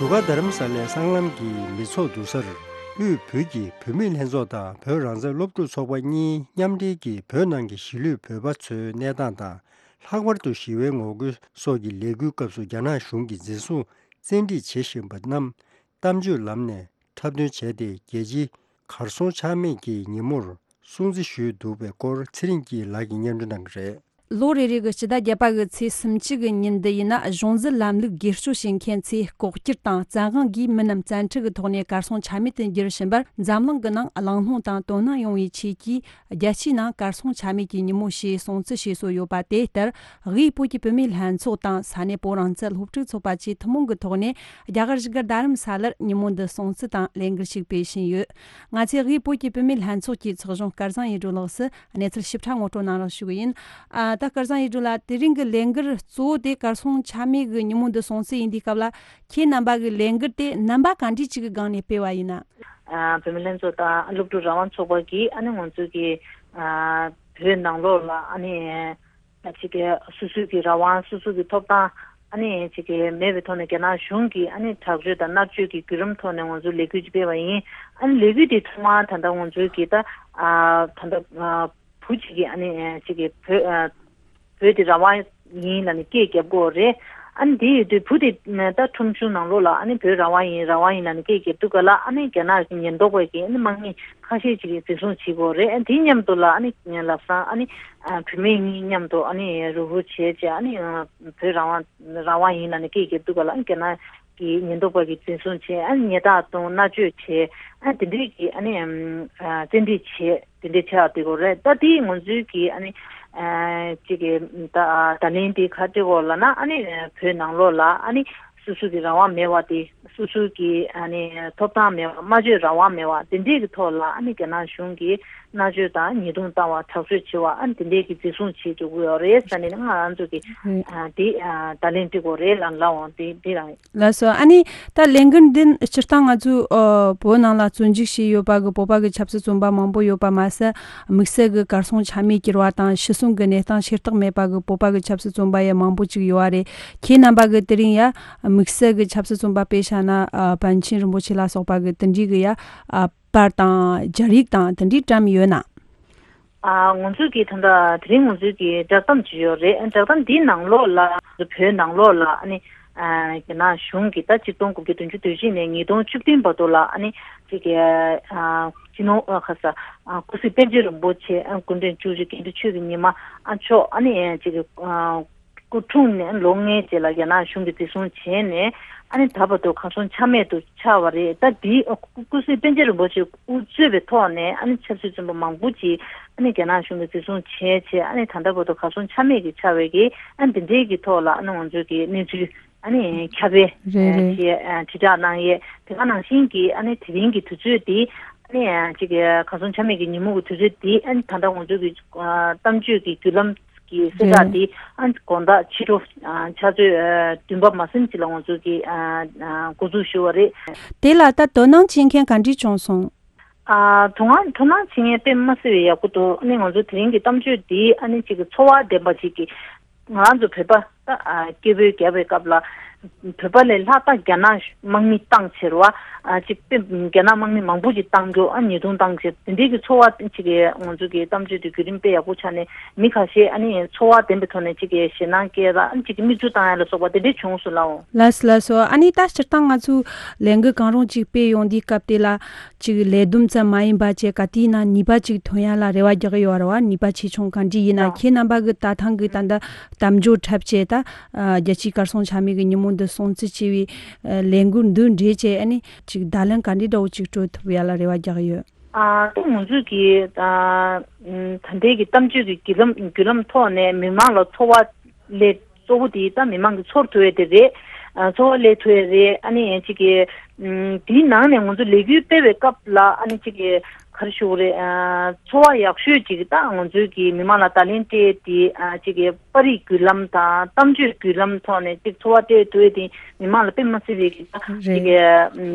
བཞུགས་སྒར་རྡ་རམ་ས་ལའི་སྲང་ལམ་གྱི་མི་ཚོགས་འདུ་སར་དབུས་བོད་ཀྱི་བུད་མེད་ལྷན་ཚོགས་དང་བོད་རང་བཙན་སློབ་ཕྲུག་ཚོགས་པ་གཉིས་མཉམ་འབྲེལ་གྱིས་བོད་ནང་གི་གཞིས་ལུས་བོད་པ་ཚོའི་གནས་སྟངས་དང་། ལྷག་པར་དུ་ཞི་བའི་ངོ་རྒོལ་སོགས་ཀྱི་ལས་འགུལ་སྐབས་སུ་རྒྱ་ནག་གཞུང་གིས་འཛིན་བཟུང་བཙན་ཁྲིད་བྱེད་བཞིན་པ་རྣམས་གཏམ་བརྗོད་ལམ་ནས་འཁྲབ་སྟོན་བྱས་ཏེ། རྒྱལ་སྤྱིའི་གར་སོང་ཆག་མེད་ཀྱི་ཉིན་མོར་སྲུང་བརྩི་ཞུས་འདུག་པའི་སྐོར་ཚེ་རིང་སྐྱིད་ལགས་ཀྱིས་སྙན་སྒྲོན་གནང་གི་རེད། ལོ་རེ་རེ་གི་སྤྱི་ཟླ་བརྒྱད་པ་གི་ཚེས་སུམ་ཅུ་གི་ཉིན་འདི་ཡིན་ན། གཞུང་འཛིན་ལམ་ལུགས་སྒེར་གཅོད་བྱེད་མཁན་ཚོས་ལྐོག་གྱུར་དང་བཙན་དབང་གིས་མི་རྣམས་བཙན་ཁྲིད་ཀྱི་ཐོག་ནས་གར་སོང་ཆ་མེད་དུ་འགྱུར་བཞིན་པར། འཛམ་གླིང་གི་ནང་གླེང་སློང་དང་དོ་སྣང་ཡོང་བའི་ཆེད་ཀྱིས། རྒྱལ་སྤྱིའི་ནང་གར་སོང་ཆ་མེད་ཀྱི་ཉིན་མོ་ཞེས་སྲུང་བརྩི་བྱེད་སྲོལ་ཡོད་པ་དེ་ལྟར། དབུས་བོད་ཀྱི་བུད་མེད་ལྷན་ཚོགས་དང་ས་གནས་བོད་རང་བཙན་སློབ་ཕྲུག་ཚོགས་པ་བཅས་ཐུན་མོང་གི་ཐོག་ནས། རྒྱ་གར་བཞུགས་སྒར་རྡ་རམ་ས་ལར་ཉིན་མོ་འདི་སྲུང་བརྩི་དང་ལས་འགུལ་ཞིག་སྤེལ་བཞིན་ཡོད། ང་ཚོས་དབུས་བོད་ཀྱི་བུད་མེད་ལྷན་ཚོགས་ཀྱི་ཚོགས་གཞོན་སྐལ་བཟང་ཡེ་སྒྲོལ་ལགས་སུ་གནས་ཚུལ་ཞིབ་ཕྲ་ངོ་སྤྲོད་གནང་རོགས་ཞུ་གི་ཡིན། ཨ། ད་སྐལ་བཟང་ཡེ་སྒྲོལ་ལགས། དེ་རིང་གི་ལས་འགུལ་གཙོ་བོ་དེ་གར་སོང་ཆ་མེད་ཀྱི་ཉིན་མོ་འདི་སྲུང་བརྩི་ཡིན་དུས་སྐབས་ལ། ཁྱེད་རྣམ་པ་གི་ལས་འགུལ་དེ་རྣམ་པ་ག་འདྲ་ཅིག་གི་སྒང་ནས་སྤེལ་བ་ཡིན་ན། ཨ། བུད་མེད་ལྷན་ཚོགས་དང་སློབ་ཕྲུག་རང་དབང་ཚོགས་པ་གིས་ཨ་ནི་ང་ཚོ་གི། ཨ། བོད་ནང་ལོགས་ལ་ཨ་ནི། ཨ། ཅིག་གི་སོ་སོའི་གི་རང་དབང་སོ་སོའི་གི་ཐོབ་ཐང་ཨ་ནི་ཅིག་གི་མེད་པའི་ཐོག་ནས་རྒྱ་ནག་གཞུང་གིས་ཨ་ནི་དྲག་སྤྱོད་དང་མནར་གཅོད་ཀྱི་བརྒྱུད་རིམ་ཐོག་ནས་ང་ཚོ་ལས་འགུལ་ཅིག་སྤེལ་བ་ཡིན། ཨ་ནི་ལས་འགུལ་དེ་ཐོག་མར་ད་ལྟ་ང་ཚོའི་གི་ད། ཨ། ད་ལྟ། ཨ། བུ་གཅིག་གིས་ཨ་ནི་ཅིག་གི་བོད། ཨ། བོད་དེ་རང་དབང་ཡིན་ལབ་ནས་སྐད་རྒྱབ་ཀྱི་ཡོད་རེད། ཨ་ནི་དེ་ཡོད་དུས་བུ་དེ་ད་ཁྲོམ་གཞུང་ནང་ལོགས་ལ་ཨ་ནི་བོད་རང་དབང་ཡིན་རང་དབང་ཡིན་ལབ་ནས་སྐད་རྒྱབ་དུས་སྐབས་ལ་ཨ་ནི་རྒྱ་ནག་གི་ཉེན་རྟོག་པ་གིས་ཨ་ནི་དམག་མི་ཁ་ཤས་ཅིག་གིས་འཛིན་བཟུང་བྱེད་ཀྱི་ཡོད་རེད། ཨ་ནི་དེ་མཉམ་དུ་ལ་ཨ་ནི་ལམ་སང་ཨ་ནི་བུད་མེད་གཉིས་མཉམ་དུ་ཨ་ནི་རུབ་རུབ་བྱས་བྱས་ཨ་ནི་བོད་རང་དབང་རང་དབང་ཡིན་ལབ་ནས་སྐད་རྒྱབ་དུས་སྐབས་ལ་ཨ་ནི་རྒྱ་ནག་གི་ཉེན་རྟོག་པ་གིས་འཛིན་བཟུང་བྱས། ཨ་ནི་ཉེས་རྡུང་བཏང་། མནར་གཅོད་བྱས། ཨ་ནི་དེ་འདྲས་ཀྱི་ཨ་ནི་ཨམ། ཨ། བཙན་ཁྲིད་བྱས། དེ་འདྲས་བྱས་པ་དེ་ཀོ་རེད། ད་དེ་ང་ཚོའི་གི་ཨ་ནི། ཨ། ཅིག་གི་ད་ད་ལན་དེ་ག་རེ་ཀོ་ལབ་ན། ཨ་ནི་བོད་ནང་ལོགས་ལ་ཨ་ནི་སོ་སོ་གི་རང་དབང་མེད་པ་དེ། སོ་སོ་གི་ཨ་ནི་ཐོབ་ཐང་མེད་པ། སྨྲ་བརྗོད་རང་དབང་མེད་པ་དེ་འདྲས་ཀྱི་ཐོག་ལ་ཨ་ནི་རྒྱ་ནག་གཞུང་གིས་མནར་གཅོད་དང་ཉེས་རྡུང་བཏང་བ། དྲག་སྤྱོད་བྱེད་པ། ཨ་ནི་དེ་འདྲས་ཀྱི་འཛིན་བཟུང་བྱེད་འཇུག་གི་ཡོད་རེད་ཟེར་ནས་ང་རང་ཚོ་གི། རེད། ཨ། དེ། ཨ། ད་ལན་དེ་ཀོ་རེད་ལབ་ལབ་འོང་། དེ་དེ་རང་ཡིན། ལགས་སོ། ཨ་ནི་ད་ལས་འགུལ་འདི་སྤྱིར་བཏང་ང་ཚོའི། ཨ། བོད་ནང་ལ་བཙན་འཇུག་བྱས་ཡོད་པ་གི་བོད་པ་གི་ཆབ་སྲིད་བཙོན་པ་མང་པོ་ཡོད་པ་མ་ཟད། དམིགས་བསལ་གི་གར་སོང་ཆ་མེད་གྱུར་བ་དང་ཤི་གསོན་གི་གནས་སྟངས་ཤེས་རྟོགས་མེད་པ་གི་བོད་པ་གི་ཆབ་སྲིད་བཙོན་པ་ཡང་མང་པོ་ཅིག་ཡོད་པ་རེད། ཁྱེད་རྣམ་པ་གི་དེ་རིང་ཡ་དམིགས་བསལ་གི་ཆབ་སྲིད་བཙོན་པ་དཔེ་བཞག་ན། ཨ། པཎ་ཆེན་རིན་པོ་ཆེ་ལ་སོགས་པ་གི་དེ་འདྲའི་གི་ཡ། ཨ། པར་དང་སྦྱར་ཡིག་དང་དེ་འདྲའི་བཀྲམ་ཡོད་ན། ཨ། ང་ཚོས་ཀྱི་ད་ལྟ་དེ་རིང་ང་ཚོས་ཀྱི་བསྒྲགས་གཏམ་ཅིག་ཡོད་རེད། བསྒྲགས་གཏམ་འདིའི་ནང་ལོགས་ལ་བོད་ནང་ལོགས་ལ་ཨ་ནི་ ཨ་རྒྱ་ནག་གཞུང་གིས་ད་ཆིག་སྟོང་དགུ་བརྒྱ་བདུན་ཅུ་དོན་བཞི་ནས་ཉིས་སྟོང་བཅུ་བདུན་བར་དུ་ལ་ཨ་ནི་ཅིག་གི་ཨ་སྤྱི་ནོར་ཨ་ཁ་ས་ཨ་སྐུ་སྲིད་པཎ་ཆེན་རིན་པོ་ཆེ་ཨ་སྐུ་ཕྲེང་བཅུ་བཞི་དགེ་འདུན་ཆོས་ཀྱི་ཉི་མ་ཨ་མཆོག་ཨ་ནི་ཅིག་གི་ཨ་སྐུ་འཁྲུངས་ནས་ལོ་ལྔའི་རྗེས་ལ་རྒྱ་ནག་གཞུང་གིས་འཛིན་བཟུང་བྱས་ནས་ཨ་ནི་ད་བར་དུ་གར་སོང་ཆ་མེད་དུ་ཆགས་པ་རེད། ད་འདི་སྐུ་སྐུ་སྲིད་པཎ་ཆེན་རིན་པོ་ཆེ་དབུ་གཙོས་པའི་ཐོག་ནས་ཨ་ནི་ཆབ་སྲིད་བཙོན་པ་མང་པོ་ཅིག་ཨ་ནི་རྒྱ་ནག་གཞུང་གིས་འཛིན་བཟུང་བྱས་བྱས་ཨ་ནི་ད་ལྟ་བར་དུ་གར་སོང་ཆ་མེད་ཀྱི་ཆགས་པའི་གི་ཨ་ནི་འདི་འདྲའི་གི་ཐོག་ལ་ཨ་ནི་ང་ཚོའི་གི་གནས་ཚུལ་ཨ་ནི་ཁྱབ་སྤེལ་རེད་རེད། བྱས་དྲིལ་བསྒྲགས་གནང་ཡས། དེ་ག་ནང་བཞིན་གྱི་ཨ་ནི་དེ་རིང་གི་དུས་ཚོད་འདི་ཨ་ནི་ཅིག་གར་སོང་ཆ་མེད་ཀྱི་ཉིན་མོ་གི་དུས་ཚོད་འདི་ཨ་ནི་ད་ལྟ་ང་ཚོའི་གི་གཏམ་བརྗོད་ཀྱི་བརྒྱུད་ལམ་གྱི་གསལ་བསྒྲགས་འདི་ཨ་ནི་དགོང་དག་ཕྱི་དྲོ་ཕྱག་ཚོད་བདུན་པ་མ་ཟིན་ཅིག་ལ་ང་ཚོས་ཀྱི་འགོ་འཛུགས་ཞུ་བ་རེད། དེ་ལ་ད་དོ་སྣང་བྱེད་མཁན་ག་འདྲས་བྱུང་སོང་། ཨ་དོ་སྣང་དོ་སྣང་བྱེད་མཁན་དཔེ་མ་སྲིད་པའི་ཡག་པོ་འདུག་ཨ་ནི་ང་ཚོ་དེ་རིང་གི་གཏམ་བརྗོད་འདི་ཨ་ནི་གཅིག་གི་ཚོར་བ་ལྡན་པ་ཅིག་གི་ང་རང་ཚོ་བོད་པ་ད་ཨ་སྐད་འབོད་རྒྱབ་པའི་སྐབས་ལ་བོད་པ་ལས་ལྷག་ད་རྒྱ་ནག་དམག་མི་བཏང་ཕྱིར་བ་ཨ་ཅིག་དཔེ་རྒྱ་ནག་དམག་མི་མང་པོ་ཅིག་བཏང་རྒྱུ་ཨ་ཉེས་རྡུང་བཏང་ཕྱིར་དེ་འདྲའི་གི་ཚོར་བ་ཅིག་གི་ང་ཚོ་གི་གཏམ་བརྗོད་འདི་བརྒྱུད་རིམ་དཔེ་ཡག་པོ་ཆགས་ནས་མི་ཁ་ཤས་ཨ་ནི་ཚོར་བ་ལྡན་པའི་ཐོག་ནས་ཅིག་གི་ཞེད་སྣང་སྐྱེས་ལ་ཨ་ནི་ཅིག་གི་མིག་ཆུ་བཏང་ཡ་ལ་སོགས་པ་དེ་འདྲའི་བྱུང་སོང་ལགས། ལགས་སོ་ལགས་སོ། ཨ་ནི་ད་སྤྱིར་བཏང་ང་ཚོ་ལས་འགུལ་གང་རུང་ཅིག་སྤེལ་ཡོང་དུས་སྐབས་དེ་ལ་ཅིག་ལས་བསྡོམས་ཙམ་མ་ཡིན་པ་བྱས་ག་དུས་ཡིན་ན་ནུས་པ་ཅིག་ཐོན་ཡ་ལ་རེ་བ་རྒྱག་གི་ཡོད་རེད་བ། ནུས་པ་ཆེ་ཆུང་གང་འདྲ་ཡིན་ན་ཨ་ཁྱེད་རྣམ་པ་གི་ད་ཐེངས་གི་ད་ལྟ་གཏམ་བརྗོད་འཁྲབ་བྱས་ད་རྒྱལ་སྤྱིའི་གར་སོང་ཆ་མེད་ཀྱི་ཉིན་མོ་འདི་སྲུང་བརྩི་བྱས་པའི་ལས་འགུལ་འདི་འདྲ་བྱས་ཨ་ནི་ཅིག་བརྡ་ལན་ག་འདྲ་འདྲ་བོ་ཅིག་སྤྲོད་ཐུབ་ཡ་ལ་རེ་བ་རྒྱག་གི་ཡོད། ཨ་ད་ང་ཚོས་ཀྱི་ད་ད་ལྟའི་གི་གཏམ་བརྗོད་ཀྱི་བརྒྱུད་ལམ་བརྒྱུད་ལམ་ཐོག་ནས་མི་མང་ལ་ཚོར་བ་ལས་གཙོ་བོ་དེ་ད་མི་མང་གི་ཚོར་ཐུབ་ཡས་དེ་རེད། ཨ་ཚོར་བ་ལས་ཐུབ་ཡས་རེད། ཨ་ནི་ཡང་གཅིག་གི་ཨམ་དེའི་ནང་ནས་ང་ཚོ་ལས་འགུལ་སྤེལ་བའི་སྐབས་ལ་ཨ་ནི་གཅིག་གི་ག་རེ་ཞུ་དགོས་རེད། ཨ་ཚོར་བ་ཡག་ཤོས་ཅིག་ད་ང་ཚོའི་གི་མི་མང་ལ་བརྡ་ལན་སྤྲད་དེ་ཨ་གཅིག་གི་པར་རིས་བརྒྱུད་ལམ་དང་གཏམ་བརྗོད་བརྒྱུད་ལམ་ཐོག་ནས་གཅིག་ཚོར་བ་སྤྲད་ཐུབ་ཡས་དེ་མི་མང་ལ་དཔེ་མ་སྲིད་པའི་གི་ད་གཅིག་གི་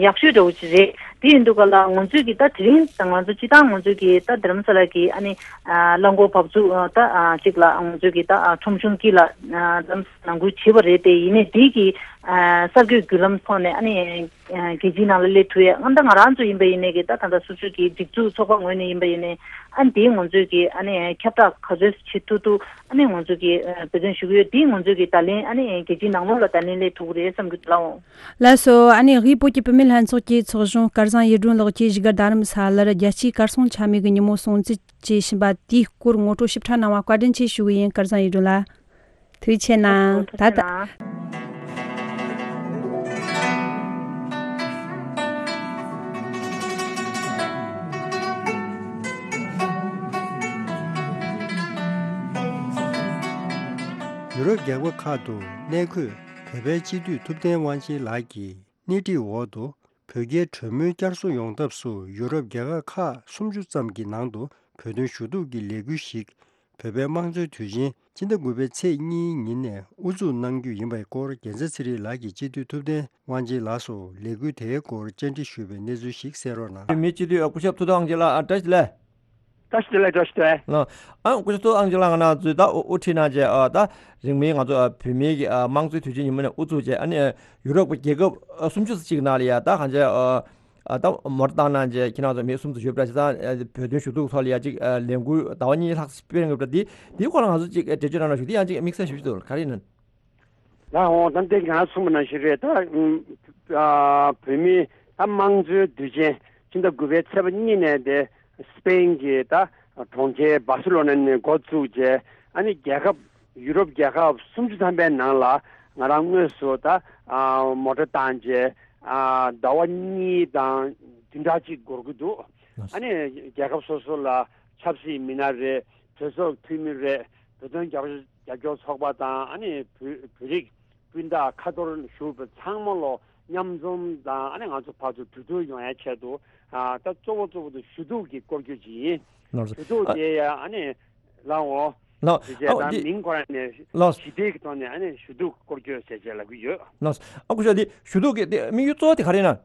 ཡག་ཤོས་འདྲ་བོ་ཅིག་རེད། དེ་ཡིན་དུས་ག་ལ་ང་ཚོའི་གི་ད་དེ་རིང་ད་ང་ཚོ་སྤྱི་བཏང་ང་ཚོའི་གི་ད་རྡ་རམ་ས་ལ་གི་ཨ་ནི་ཨ་རླངས་འཁོར་བབས་ཚུགས་ཨ་ད་ཨ་གཅིག་ལ་ང་ཚོའི་གི་ད་ཨ་ཁྲོམ་གཞུང་དཀྱིལ་ལ་ཨ་རྡ་རམ་ས་ལ་ནང་ཁུལ་བྱས་པ་རེད་དེ། ཡིན་ནའི་དེ་གི་ཨ་གསར་འགོད་བརྒྱུད་ལམ་ཐོག་ནས་ཨ་ནི་ཨ་རྒྱལ་སྤྱིའི་ནང་ལ་སླེབས་ཐུབ་ཡས་ཨ་ད་ང་རང་ཚོ་ཡིན་པ་ཡིན་ནའི་གི་ད་ད་ལྟ་སོ་སོའི་གི་སྒྲིག་འཛུགས་ཚོགས་པ་ངོས་ནས་ཡིན་པ་ཡིན་ནའི་ཨ་ནི་དེ་ང་ཚོའི་གི་ཨ་ནི་ཁྱབ་བསྒྲགས་ག་ཚོད་བྱེད་ཐུབ་ཐུབ་ཨ་ནི་ང་ཚོ་གི་འབད་བརྩོན་ཞུ་གི་ཡོད། དེ་ང་ཚོའི་གི་བརྡ་ལན་ཨ་ནི་རྒྱལ་སྤྱིའི་ནང་ལོགས་ལ་བརྡ་ལན་སླེབས་ཐུབ་ཀྱི་རེད་བསམ་གི་འདུག་ལགས། ལགས་སོ། ཨ་ནི་དབུས་བོད་ཀྱི་བུད་མེད་ལྷན་ཚོགས་ཀྱི་ཚོགས་གཞོན་སྐལ་བཟང་གཡུ་སྒྲོན་ལགས་ཀྱིས་བཞུགས་སྒར་རྡ་རམ་ས་ལར་རྒྱལ་སྤྱིའི་གར་སོང་ཆ་མེད་ཀྱི་ཉིན་མོ་སྲུང་བརྩི་བྱེད་བཞིན་པ་དེའི་སྐོར་ངོ་སྤྲོད་ཞིབ་ཕྲ་གནང་བ་བཀའ་དྲིན་ཆེ་ཞུ་གི་ཡིན། སྐལ་བཟང་གཡུ་སྒྲོན་ལགས། ཐུགས་རྗེ་ཆེ་གནང་། ད་ལྟ། ཡུ་རོབ་རྒྱལ་ཁབ་ཁག་ཏུ་གནས་འཁོད་བོད་པའི་སྤྱི་འཐུས་ཐུབ་བསྟན་དབང་ཆེན་ལགས་ཀྱིས་སྣེ་ཁྲིད་འོག་ཏུ་བོད་རྒྱའི་གྲོས་མོལ་བསྐྱར་གསོ་ཡོང་ཐབས་སུ་ཡུ་རོབ་རྒྱལ་ཁབ་ཁག་སུམ་ཅུ་ཙམ་གྱི་ནང་དུ་བོད་དོན་ཞུ་གཏུག་གི་ལས་འགུལ་ཞིག་བོད་པའི་དམངས་གཙོའི་དུས་ཆེན་སྤྱི་ཟླ་དགུ་པའི་ཚེས་གཉིས་ཉིན་ནས་དབུ་འཛུགས་གནང་རྒྱུ་ཡིན་པའི་སྐོར་རྒྱལ་མཚན་ཚེ་རིང་ལགས་ཀྱིས་སྤྱི་འཐུས་ཐུབ་བསྟན་དབང་ཆེན་ལགས་སུ་ལས་འགུལ་དེའི་སྐོར་བཅར་འདྲི་ཞུས་པའི་གནས་ཚུལ་ཞིག་གསན་རོགས་གནང་། བོད་མིའི་སྤྱི་འཐུས་སྐུ་ཞབས་ཐུབ་བསྟན་དབང་ཆེན་ལགས་བཀྲ་ཤིས་བདེ་ལེགས། བཀྲ་ཤིས་བདེ་ལེགས། བཀྲ་ཤིས་བདེ་ལེགས། ལགས། ཨ་སྐུ་ཞབས་ཐུབ་བསྟན་དབང་ཆེན་ལགས་ང་རང་ཚོས་ད་དབུ་ཁྲིད་གནང་བྱས་ཨ་ད་རིང་མིན་ང་ཚོ་ཨ་བོད་མིའི་གི་ཨ་དམངས་གཙོའི་དུས་ཆེན་ཉིན་མོ་ནས་དབུ་འཛུགས་བྱས་ཨ་ནི་ཡུ་རོབ་ཀྱི་རྒྱལ་ཁབ་ཨ་སུམ་ཅུ་ཙམ་ཅིག་ནང་ལ་ཡ་ད་གང་བྱས་ཨ་ཨ་ད་མོ་ཊ་བཏང་གནང་བྱས་ཁྱེད་རང་ཚོ་མི་སུམ་ཅུ་ཡོད་པ་འདྲ་བྱས་ཙང་ཨ་བོད་དོན་ཞུ་གཏུག་ཐོག་ལ་ཡ་ཅིག་ཨ་ལས་འགུལ་ཟླ་བ་གཉིས་ལྷག་སྤེལ་གནང་གི་འདུག་དེ་དེའི་སྐོར་ལ་ང་ཚོ་ཅིག་འགྲེལ་བརྗོད་གནང་རོགས་ཞུ། དེ་ཡང་ཅིག་དམིགས་བསལ་ཞུ་ཞུ་འདུག་ག་རེ་ཡིན་ན། ལགས་འོང་། ད་ལྟའི་ང་གསུངས་པ་ནང་བཞིན་རེད། ད་ཨ་བོད་མིའི་ད་དམངས་གཙོའི་དུས་ཆེན་ཕྱི་ཟླ་དགུ་པའི་ཚེས་པ་གཉིས་ནས་དེ་སི་པེན་གྱི་ད་གྲོང་ཁྱེར་སྦར་སེ་ལོ་ན་ནས་འགོ་བཙུགས་བྱས་ཨ་ནི་རྒྱལ་ཁབ་ཡུ་རོབ་རྒྱལ་ཁབ་སུམ་ཅུ་ཐམ་པའི་ནང་ལ་ང་རང་དངོས་སུ་ད་ཨ་མོ་ཊ་བཏང་བྱས་ཨ་ཟླ་བ་གཉིས་དང་བདུན་ཕྲག་གཅིག་འགོར་གྱི་འདུག་ཨ་ནི་རྒྱལ་ཁབ་སོ་སོ་ལ་ཆབ་སྲིད་མི་སྣ་རེད། གྲོས་ཚོགས་འཐུས་མི་རེད། བོད་དོན་རྒྱབ་སྐྱོར་ཚོགས་པ་དང་ཨ་ནི་བོད་བོད་རིགས་སྤུན་ཟླ་ཁ་ཐོར་བཞུགས་པ་ཚང་མ་ལོ་མཉམ་འཛོམས་དང་ཨ་ནི་ང་ཚོ་བར་དུ་གྲོས་བསྡུར་ཡོང་ཡའི་ཆེད་དུ་ཨ་ད་གཙོ་བོ་གཙོ་བོ་དེ་ཞུ་གཏུག་གི་སྐོར་སྐྱོད་ཅིག་ཡིན། ལགས་སོ། ཞུ་གཏུག་ཨ་དེ་ཡ་ཨ་ནི་ལགས་འོ། ལགས། དེ་བྱས་ཨ་ད་འདི་མིང་ཁོ་རང་ནས་ལགས། ཞི་བདེ་གི་ཐོག་ནས་ཨ་ནི་ཞུ་གཏུག་སྐོར་སྐྱོད་ཟེར་བྱས་ལབ་ཀྱི་ཡོད། ལགས། ཨ་སྐུ་ཞབས་འདི་ཞུ་གཏུག་གི་དེ་དམིགས་ཡུལ་གཙོ་བོ་དེ་ག་རེ་ཡིན་ན།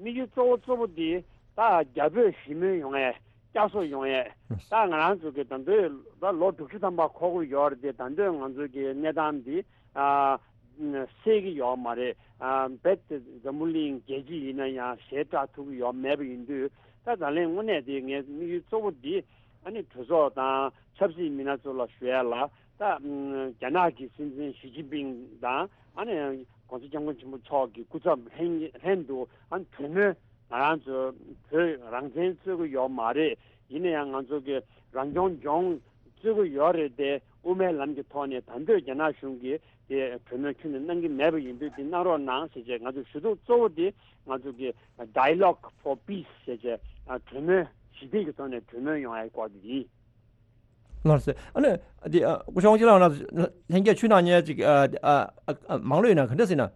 དམིགས་ཡུལ་གཙོ་བོ་གཙོ་བོ་འདི་ད་རྒྱ་བོད་ཞི་མོལ་ཡོང་ཡས་བསྐྱར་གསོ་ཡོང་ཡས་ད་ང་རང་ཚོ་གི་ད་འདོད་ད་ལོ་དྲུག་ཅུ་ཐམ་པ་འཁོར་གྱི་ཡོད་རེད་དེ། ད་འདོད་ང་ཚོ་གི་གནས་སྟངས་འདི་ཨ་སེལ་གྱི་ཡོད་མ་རེད། ཨ་རྦད་དེ་འཛམ་བུ་གླིང་རྒྱལ་སྤྱི་ཡིན་ན་ཡང་ཞེ་དྲག་ཐུབ་ཀྱི་ཡོད་མེད་པ་ཡིན་དུས་ད་ད་ལན་དངོས་གནས་དེ་ངའི་དམིགས་ཡུལ་གཙོ་བོ་འདི་ཨ་ནི་གྲོས་ཚོགས་དང་ཆབ་སྲིད་མི་སྣ་ཚོ་ལ་ཞུ་ཡ་ལ་ ད་ཨམ་རྒྱ་ནག་གི་སྲིད་འཛིན་ཞི་ཅིན་ཕིང་དང་ཨ་ནི་༸གོང་ས་༸སྐྱབས་མགོན་ཆེན་པོ་མཆོག་གི་སྐུ་ཚབ་ལྷན་ལྷན་དུ་ཨ་ནི་གྲོས་མོལ་ང་རང་ཚོ་བོད་རང་བཙན་རྩོད་ཀྱི་ཡོད་མ་རེད། ཡིན་ན་ཡང་ང་ཚོ་གི་རང་སྐྱོང་ལྗོངས་རྩོད་ཀྱི་ཡོད་རེད་དེ། དབུ་མའི་ལམ་གྱི་ཐོག་ནས་ད་འདོད་རྒྱ་ནག་གཞུང་གིས་དེ་གྲོས་མོལ་ཁྱོན་ནས་གནང་གི་མེད་པ་ཡིན་དུས་དེ་གནང་རོགས་གནང་ཟེར་བྱས། ང་ཚོ་ཞུ་གཏུག་གཙོ་བོ་དེ་ང་ཚོ་གི་Dialogue for Peace ཟེར་བྱས་ཨ་གྲོས་མོལ་ཞི་བདེ་གི་ཐོག་ནས་གྲོས་མོལ་ཡོང་ཡའི་སྐོར་དེ་ཡིན། ལགས་སོ། ཨ་ནི་འདི་ཨ་སྐུ་ཞབས་དབང་ཕྱུག་ལགས་ན་ལྷན་རྒྱས་ཆུ་ནང་ཉལ་ཅིག་ཨ་ཨ་ཨ་མང་ལོས་ཡིན་ན་ག་འདྲ་ཟེར་ན།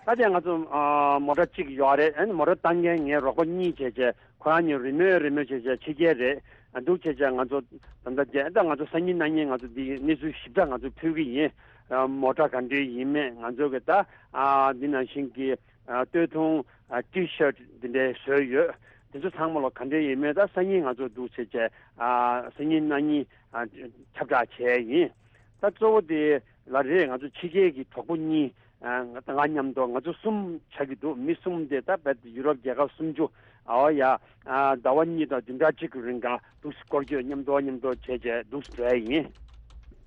ད་ལྟ་ང་ཚོ་ཨ་མོ་ཊ་གཅིག་ཡོད་རེད། ཨ་ནི་མོ་ཊ་བཏང་མཁན་ངའི་རོགས་པ་གཉིས་བྱས་བྱས་ཁོ་རང་གཉིས་རེས་མོས་རེས་མོས་བྱས་བྱས་ཕྱི་རྒྱལ་རེད། ཨ་འདུག་བྱས་བྱས་ང་ཚོ་ད་ལྟ་རྒྱ་ད་ང་ཚོ་སང་ཉིན་གནངས་ཉིན་ང་ཚོ་འདི་གནས་ཚུལ་ཞིབ་ཕྲ་ང་ཚོ་ཕུལ་གི་ཡིན། ཨ་མོ་ཊ་ག་འདྲས་ཡིན་མེད་ང་ཚོ་གི་ད་ཨ་འདི་ནང་བཞིན་གྱི་ཨ་སྟོད་ཐུང་ཨ་ཊི་ཤར་འདི་འདྲའི་བཟོས་ཡོད། དེ་ཚོ་ཚང་མ་ལ་ག་འདྲས་ཡིན་མེད་ད་སང་ཉིན་ང་ཚོ་འདུག་བྱས་བྱས་ཨ་སང་ཉིན་གནངས་ཉིན་ཨ་ཁྱབ་བསྒྲགས་བྱས་ཡིན། ད་གཙོ་བོ་དེ་ལ་རེད། ང་ཚོ་ཕྱི་རྒྱལ་གྱི་གྲོགས་པོ་གཉིས་ཨ་ང་ང་མཉམ་དུ་ང་ཚོ་གསུམ་ཆགས་ཀྱི་འདུག་མི་གསུམ་དེ་ད་བལ་ཡུ་རོབ་རྒྱལ་ཁབ་སུམ་ཅུ་ཨ་ཡ་ཨ་ཟླ་བ་གཉིས་དང་བདུན་ཕྲག་གཅིག་གི་རིང་ག་འདུག་སྐོར་སྐྱོད་མཉམ་དུ་མཉམ་དུ་བྱས་བྱས་འདུག་འགྲོ་ཡ་ཡིན།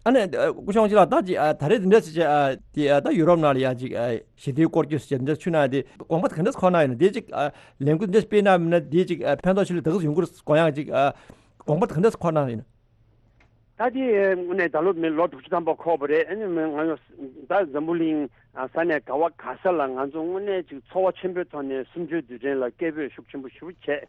ཨ་ནི་ཨ་སྐུ་ཞབས་དབང་ཕྱུག་ལགས་ད་ཅིག་ཨ་ད་རེས་འདི་འདྲ་ཞིག་བྱས་ཨ་དེ་ཨ་ད་ཡུ་རོབ་ནང་ལ་ཡ་ཅིག་ཨ་ཞི་བདེའི་སྐོར་སྐྱོད་ཞིག་བྱས་འདི་འདྲ་ཆུ་ནང་དེ་དགོངས་པ་ག་འདྲ་འཁོར་གནང་ཡོད་ན། དེ་ཅིག་ཨ་ལས་འགུལ་འདི་འདྲ་སྤེལ་གནང་མིན་ན་དེ་ཅིག་ཨ་ཕན་ཐོགས་ཆེ་ལོས་ད་ག་ཟེ་ཡོང་གི་རེད་དགོངས་ཡག་ཅིག་ཨ་དགོངས་པ་ག་འདྲ་འཁོར་གནང་ཡོད་ན། ད་དེ་དངོས་གནས་ད་ལོ་མི་ལོ་དྲུག་ཅུ་ཐམ་པ་འཁོར་བ་རེད། ཨ་ནི་མི་ང་ད་འཛམ་བུ་གླིང་ས་གནས་ག་བ་ག་ས་ལ་ང་ཚོ་དངོས་གནས་ཅིག་ཚོར་བ་ཆེན་པོའི་ཐོག་ནས་གསུམ་བཅུའི་དུས་དྲན་ལ་སྐད་འབོད་ཤུགས་ཆེན་པོ་ཞེ་པོ་བྱས།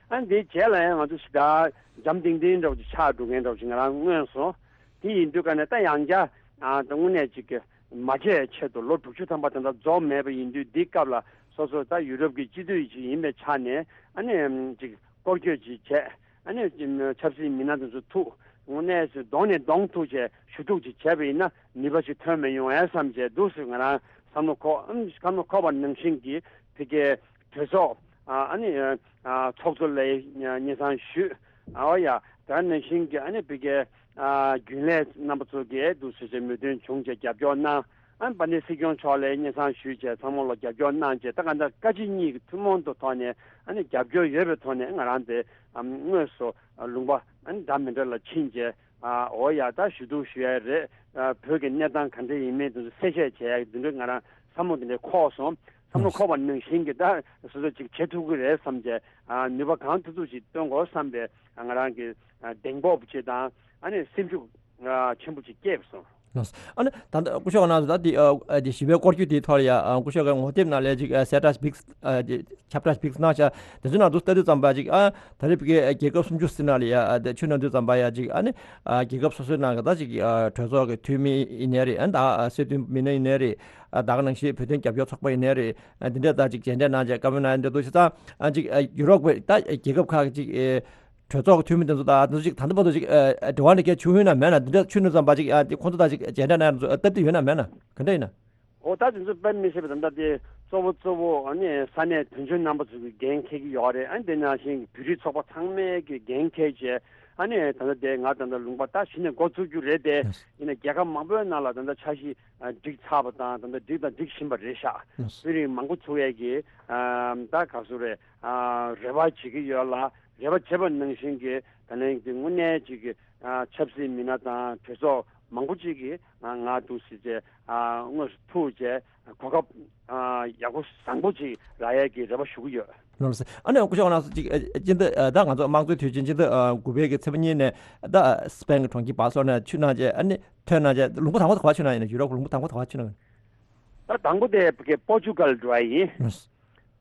ཨ་ནི་དེའི་རྗེས་ལ་ཡང་ང་ཚོ་ཞེ་དྲག་འཇམ་ཐིང་ཐིང་འདྲ་བོ་ཅིག་ཆགས་འགྲོ་མཁན་འདྲ་བོ་ཅིག་ང་རང་མངོན་སོང་། དེ་ཡིན་དུས་ཀ་ནས་ད་ཡང་བསྐྱར་ཨ་ད་དངོས་གནས་ཅིག་མ་བརྗེད་ཆེད་དུ་ལོ་དྲུག་ཅུ་ཐམ་པ་ད་ལྟ་རྫོགས་མེད་པ་ཡིན་དུས། འདི་སྐབས་ལ་སོ་སོ་ད་ཡུ་རོབ་ཀྱི་སྤྱི་འཐུས་ཅིག་ཡིན་པའི་ཆ་ནས་ཨ་ནི་ཅིག་སྐོར་སྐྱོད་ཅིག་བྱས། ཨ་ནི་ཆབ་སྲིད་མི་སྣ་དེ་ཚོ་ཐུག་དངོས་གནས་སུ་གདོང་ནས་གདོང་ཐུག་བྱས་ཞུ་གཏུག་ཅིག་བྱས་པ་ཡིན་ན་ནུས་པ་ཞིག་ཐོན་མི་ཡོང་ཨེ་བསམ་བྱས་འདུག་སེ་ང་རང་བསམ་བློ་འཁོར། ཨམ་བསམ་བློ་འཁོར་བ་ནང་བཞིན་གྱི་ཕ་གིའི་གྲོས་ཚོགས་ཨ་ཨ་ནི་ཨ་ཚོགས་གཙོ་ལ་སྙན་སེང་ཞུས། ཨ་ཡ་ད་ནང་བཞིན་གྱི་ཨ་ནི་ཕ་གིའི་ཨ་རྒྱུན་ལས་རྣམ་པ་ཚོ་གིས་འདུག་སེ་བྱས་མོས་མཐུན་བྱུང་བྱས་རྒྱབ་སྐྱོར་གནང་། ཨ་ནི་དཔལ་ལྡན་སྲིད་སྐྱོང་མཆོག་ལ་སྙན་སེང་ཞུས་བྱས་ཚང་མ་ལ་རྒྱབ་སྐྱོར་གནང་བྱས། ད་ག་འདྲ་བཀའ་སྤྱི་གཉིས་ཀྱི་ཐུན་མོང་དུ་ཐོག་ནས་ཨ་ནི་རྒྱབ་སྐྱོར་ཡོད་པའི་ཐོག་ནས་ང་རང་དེ་ཨམ་དངོས་སུ་ལུང་པ་ཨ་ནི་འདྲ་མི་འདྲ་ལ་ཕྱིན་བྱས། ཨ་འོ་ཡ་ད་ཞུ་གཏུག་ཞུ་ཡ་རེད། ཨ་བོད་ཀྱི་གནས་སྟངས་ག་འདྲ་ཡིན་མིན་དེ་ཚོ་གསལ་བཤད་བྱས་ཡ་འདི་འདྲ་ང་རང་བསམ་བློ་འདི་འདྲ་འཁོར་སོང་། བསམ་བློ་འཁོར་བ་ནང་བཞིན་གྱི་ད་སོ་སོ་ཅིག་བྱེད་ཐུབ་ཀྱི་རེད་བསམ་བྱས། ཨ་ནུས་པ་གང་ཐུབ་ཐུབ་ཅིག་བཏོན་དགོས་བསམ་པའི་ཨ་ང་རང་གི་ཨ་གདེང་སྤོབས་ཅིག་དང་ཨ་ནི་སེམས་ཤུགས་ཨ་ཆེན་པོ་ཅིག་སྐྱེས་སོང་། ལགས་སོ། ཨ་ནི་ད་ལྟ་སྐུ་ཞབས་ང་རང་ཚོ་ད་འདི་ཨ་འདི་ཞི་བའི་སྐོར་སྐྱོད་དེའི་ཐོག་ལ་ཡ་ཨ་སྐུ་ཞབས་ཀྱི་ངོ་དེབ་ནང་ལ་ཅིག་ཨ་གསལ་བསྒྲགས་ཤིག་ཨ་འདི་ཁྱབ་བསྒྲགས་ཤིག་གནང་ཤག་དེ་ཚོའི་ནང་དུ་ལྟ་དུས་ཙམ་པ་ཅིག་ཨ་ད་རེས་ཕ་གིའི་རྒྱལ་ཁབ་སུམ་ཅུ་ཟེར་ནང་ལ་ཡ་ཨ་དེ་ཆུ་ནང་དུས་ཙམ་པ་ཡ་ཅིག་ཨ་ནི་ཨ་རྒྱལ་ཁབ་སོ་སོའི་ནང་གི་ད་ཅིག་ཨ་གྲོས་ཚོགས་ཀྱི་འཐུས་མི་ཡིན་ནའི་རེད། ཨ་ད་ཨ་སྲིད་དོན་མི་སྣ་ཡིན་ནའི་རེད། ཨ་ད་ག་ནང་བཞིན་བོད་དོན་རྒྱབ་སྐྱོར་ཚོགས་པ་ཡིན་ནའི་རེད། ཨ་འདི་འདྲ་ད་ཅིག་མཇལ་འཕྲད་གནང་བྱས་བཀའ་མོལ་གནང་ཡ་འདྲ་འདུག་ཤག་ད་ཨ་ཅིག་ཨ་ཡུ་རོབ་ཀྱི་ད་རྒྱལ་ཁབ་ཁག་གི་ཅིག་ཨེ་གྲོས་ཚོགས་ཀྱི་འཐུས་མི་དེ་ཚོ་དང་དེ་ཚོ་ཅིག་ད་ལྟ་བར་དུ་ཅིག་ཨ་ཨ་འབྲེལ་བ་འདྲ་སྐད་བྱུང་ཡོད་ན་མེད་ན། འདི་འདྲ་ཆུ་ནང་ཙམ་པ་ཅིག་ཨ་དེ་ཁོང་ཚོ་དང་ཅིག་མཇལ་འཕྲད་གནང་ཡ་སྟབས་བདེ་ཡོད་ན་མེད་ན་ག་འདྲ་ཡིན་ན། འོ་ད་དེ་ཚོ་དཔེ་མི་སྲིད་པ་ད་ལྟ་དེ་གཙོ་བོ་གཙོ་བོ་ཨ་ནི་ས་གནས་དོན་གཅོད་རྣམ་པ་ཚོ་གི་འགན་འཁྱེར་གྱི་ཡོད་རེད། ཨ་ནི་དེ་ནང་བཞིན་བོད་རིགས་ཚོགས་པ་ཚང་མས་ཀྱི་འགན་འཁྱེར་བྱས། ཨ་ནི་ད་ལྟ་དེ་ང་ད་ལྟ་ལུང་པ་ད་གཞི་ནས་འགོ་བཙུགས་རྒྱུ་རེད་དེ། ཡིན་ན་རྒྱལ་ཁབ་མང་པོའི་ནང་ལ་ད་ལྟ་འཆར་གཞི་ཨ་སྒྲིག་ཚར་བ་དང་ད་ལྟ་སྒྲིག་དང་སྒྲིག་བཞིན་པ་རེད་ཤག་བོད་རིགས་མང་པོ་ཚོ་ཡས་ཀྱི་ཨ་ད་ག་ཚོད་རེད། ཨ་རེ་བ་བྱེད་ཀྱི་ཡོད་ལ། རེ་བ་བྱེད་པ་ནང་བཞིན་གྱི་ད་ལན་གྱི་དངོས་གནས་ཅིག་གི་ཨ་ཆབ་སྲིད་མི་སྣ་དང་གྲོས་ཚོགས་མང་པོ་ཅིག་གིས་ང་ང་འདུག་སེ་བྱས་ཨ་དངོས་སུ་ཐུག་བྱས་གོ་སྐབས་ཨ་ཡག་པོ་བཟང་པོ་ཅིག་རག་ཡས་ཀྱི་རེ་བ་ཞུ་གི་ཡོད། ལགས་སོ། ཨ་ནི་སྐུ་ཞབས་ང་ཚོ་ཅིག་ཨ་སྤྱི་ཟླ་ཨ་ད་ང་ཚོ་དམངས་གཙོའི་དུས་ཆེན་སྤྱི་ཟླ་ཨ་དགུ་པའི་གི་ཚེས་པ་གཉིས་ནས་ད་སི་པན་གྱི་གྲོང་ཁྱེར་བར་སོགས་ནས་ཆུ་ནང་བྱས། ཨ་ནི་ཐོན་ནང་བྱས། ལུང་པ་དང་པོ་ག་པར་ཆུ་ནང་ཡིན་ན། ཡུ་རོབ་ལུང་པ་དང་པོ་ག་པར་ཆུ་ནང་ཡིན་ན། ད་དང་པོ་དེ་ཕ་གི་པོར་ཅུ་གལ་འགྲོ་ཡ་ཡིན། ལགས་སོ།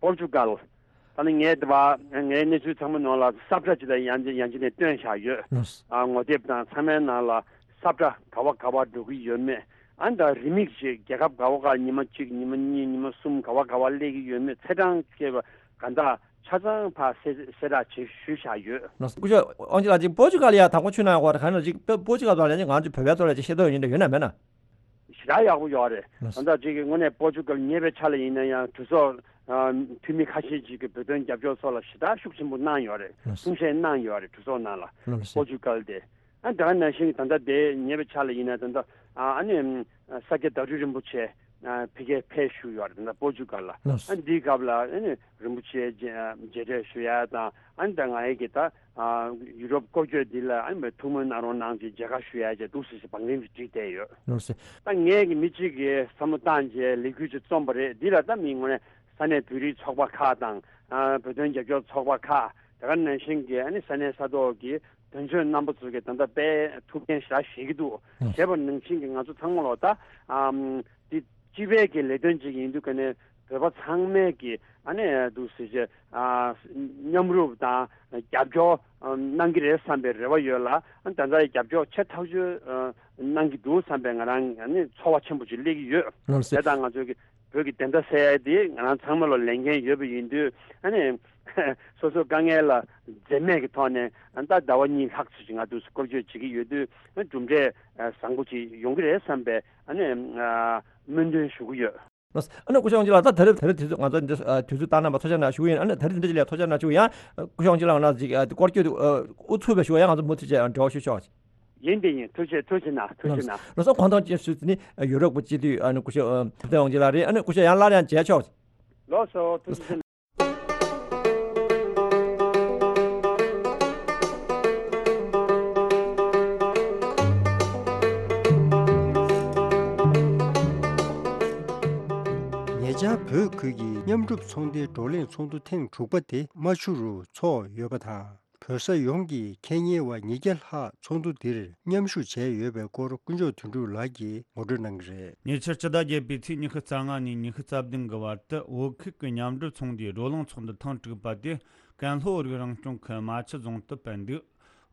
པོར་ཅུ་གལ། ད་ནི་ངས་དེ་བ་ངའི་གནས་ཚུལ་ཚང་མ་ནང་ལ་ས་བཀྲ་ཅིག་ལ་ཡང་ཡང་ཅིག་ནས་བཏོན་བཞག་ཡོད། ལགས་སོ། ཨ་ངོ་དེབ་དང་ཚང་མའི་ནང་ལ་ས་བཀྲ་ག་བ་ག་བ་འགྲོ་གི་ཡོད་མེད། ཨ་ནི་ད་རེའུ་མིག་ཅིག་རྒྱལ་ཁབ་ག་བ་ག་ཉི་མ་གཅིག་ཉི་མ་གཉིས་ཉི་མ་གསུམ་ག་བ་ག་བ་སླེབས་ཀྱི་ཡོད་མེད་ཚེས་གྲངས་བཅས་པ་ག་འདྲ་ཆ་ཚང་ཕར་གསལ་གསལ་བསྒྲགས་བྱེད་ཞུས་བཞག་ཡོད། ལགས་སོ། སྐུ་ཞབས་དབང་ཕྱུག་ལགས་ཅིག་པོར་ཅུ་གལ་ཡ་དང་པོ་ཆུ་ནང་ཡོང་བ་ག་ནས་ཅིག་པོར་ཅུ་གལ་བ་ལ་ཅིག་ང་ཚོ་བོད་པའི་ཐོག་ལ་ཅིག་ཤེས་རྟོགས་ཡོད་མཁན་ཡོད་ན་མེད་ན། ཞེ་དྲག་ཡག་པོ་ཡོད་རེད། ལགས་སོ། ད་ལྟ་ཅིག་གི་དངོས་གནས་པོར་ཅུ་གལ་ཉེ་བའི་ཆ་ལ་ཡིན་ན་ཡང་གྲོས་ཚོགས་ཨ་འཐུས་མི་ཁ་ཤས་ཅིག་གིས་བོད་དོན་རྒྱབ་སྐྱོར་སོགས་ལ་ཞེ་དྲག་ཤུགས་ཆེན་པོ་གནང་ཡོད་རེད། ལགས་སོ། གསུང་བཤད་གནང་ཡོད་རེད་གྲོས་ཚོགས་ནང་ལ། ལགས་སོ། པོར་ཅུ་གལ་དེ། ཨ་ད་ག་ནང་བཞིན་ད་ལྟ་དེ་ཉེ་བའི་ཆ་ལ་ཡིན་ན་ད་ལྟ་ཨ་ཨ་ནི་ཨམ་ས་སྐྱ་བདག་སྤྲུལ་རིན་པོ་ཆེ་ ཕ་གིར་ཕེབས་བཞུགས་ཡོད་རེད་ན། པོར་ཅུ་གལ་ལ། ལགས་སོ། ཨ་འདིའི་སྐབས་ལ་ཨ་ནི་རིན་པོ་ཆེ་མཇལ་མཇལ་འཕྲད་ཞུ་ཡ་དང་། ཨ་ནི་ད་ང་ཡི་གི་ད་ཡུ་རོབ་སྐོར་སྐྱོད་འདི་ལ་ཨ་ནི་ཐུགས་སྨོན་གནང་རོགས་གནང་ཅེས་མཇལ་ཁ་ཞུ་ཡ་ཅེས་འདུག་ཟེར་ཞེས་བང་རིམ་ཞིག་བསྒྲིགས་བསྡད་ཡོད། ལགས་སོ། ད་ངས་གི་མི་གཅིག་གིས་བསམ་བློ་བཏང་རྗེས་ལས་འགུལ་ཅིག་རྩོམ་པ་རེད། འདི་ལ་ད་མི་ངོ་ནས་ས་གནས་བོད་རིགས་ཚོགས་པ་ཁག་དང་། ཨ་བོད་དོན་རྒྱབ་སྐྱོར་ཚོགས་པ་ཁག་དེ་ག་ནང་བཞིན་གྱི་ཨ་ནི་ས་གནས་ས་ཐོག་གི་དོན་གཅོད་རྣམ་པ་ཚོ་གིས་ད་ལྟ་དཔེ་ཐུགས་འགན་ཞེ་དྲག་བཞེས་ཀྱི་འདུག། ཨ་བྱས་པ་ནང་བཞིན་གྱི་ང་ཚོ་ཚང་མ་ལོ་ད་ཨམ་འདི་སྤྱི་པའི་གི་ལས་དོན་ཅིག་ཡིན་དུས་ཀ་ནས་བོད་པ་ཚང་མས་ཀྱི་ཨ་ནི་འདུག་ཟེར་བྱས་ཨ་མཉམ་རུབ་དང་རྒྱབ་སྐྱོར་ཨམ་གནང་གི་རེད་བསམ་པའི་རེ་བ་ཡོད་ལ། ཨ་ད་ལྟ་རྒྱབ་སྐྱོར་ཆེ་ཐག་ཆོད་ཨ་གནང་གི་འདུག་བསམ་པའི་ང་རང་ཨ་ནི་ཚོར་བ་ཆེན་པོ་ཅིག་སླེབས་ཀྱི་ཡོད། ལགས་སོ། དེ་དང་ང་ཚོའི་གི་བོད་ཀྱི་བདེན་མཐའ་གསལ་ཡ་དེ་ང་རང་ཚང་མ་ལ་ལས་འགན་ཡོད་པ་ཡིན་དུས། ཨ་ནི་སོ་སོ་དཀའ་ངལ་ལ་འཛེམ་མེད་ཀྱི་ཐོག་ནས་ཨ་ད་ཟླ་བ་གཉིས་ལྷག་ཙམ་ཅིག་ང་འདུག་སེ་སྐོར་སྐྱོད་བྱེད་ཀྱི་ཡོད་དུས། ཨ་གྲུབ་འབྲས་ཨ་བཟང་པོ་ཅིག་ཡོང་གི་རེད་བསམ་པའི་ཨ་ནི་ཨ་སྨོན་འདུན་ཞུ་གི་ཡོད། ལགས་སོ། ཨ་ནི་སྐུ་ཞབས་དབང་ཕྱུག་ལགས། ད་ད་རེས་ད་རེས་དུས་ཚོད་ང་ཚོ་འདི་ཨ་དུས་ཚོད་བཏང་གནང་བར་ཐུགས་རྗེ་གནང་ཞུ་གི་ཡིན། ཨ་ནི་ད་རེས་འདི་འདྲ་ཅིག་ལ་ཐུགས་རྗེ་གནང་ཞུ་གི་ཡིན། ཨ་ནི་སྐུ་ཞབས་དབང་ཕྱུག་ལགས་ང་ཚོ་ཅིག་ཨ་སྐོར་སྐྱོད་དུ་ཨ་དབུ་ཚུགས་པའི་ཞུ་བ་ཡང་ང་ཚོ་མུ་མཐུད་བྱས་ཨ་འབྲེལ་བ་ཞུ་ཆོག། ཡིན་དེ་ཡིན། ཐུགས་རྗེ་ཐུགས་རྗེ་གནང་། ཐུགས་རྗེ་གནང་། ལགས་སོ། གོ་སྟོན་ཅིག་ཞུ་ནི་ཡུ་རོབ་ཀྱི་སྤྱི་འཐུས་ཨ་ནི་སྐུ་ཞབས་ཨ་ཐུབ་བསྟན་དབང་ཕྱུག་ལགས་རེད། ཨ་ནི་སྐུ་ཞབས་ཡང་སླར་ཡང་མཇལ་ཆོག། ལགས་སོ། ཐུགས་རྗེ་ཆེ། ཉེ་ཆར་བོད་ཁུལ་གྱི་མཉམ་རུབ་ཚོང་སྡེའི་བགྲོ་གླེང་ཚོགས་འདུ་ཐེངས་དྲུག་པ་དེ་རྨ་ཆུ་རུ་ཚོགས་ཡོད་པ་དང་། བོད་ས་ཡོངས་ཀྱི་ཁེ་གཉེར་བ་ཉིས་བརྒྱ་ལྷག་ཚོགས་འདུ་འདིར་མཉམ་ཞུགས་བྱས་ཡོད་པའི་སྐོར་དཀོན་མཆོག་དོན་གྲུབ་ལགས་ཀྱིས་ངོ་སྤྲོད་གནང་གི་རེད། ཉེ་ཆར་སྤྱི་ཟླ་བརྒྱད་པའི་ཚེས་ཉི་ཤུ་རྩ་ལྔ་ནས་ཉི་ཤུ་རྩ་བདུན་གྱི་བར་དུ་བོད་ཁུལ་གྱི་མཉམ་འབྲེལ་ཚོང་སྡེའི་བགྲོ་གླེང་ཚོགས་འདུ་ཐེངས་དྲུག་པ་དེ་ཀན་ལྷོ་རིགས་རང་སྐྱོང་ཁུལ་རྨ་ཆུ་རྫོང་དུ་སྤེལ་འདུག།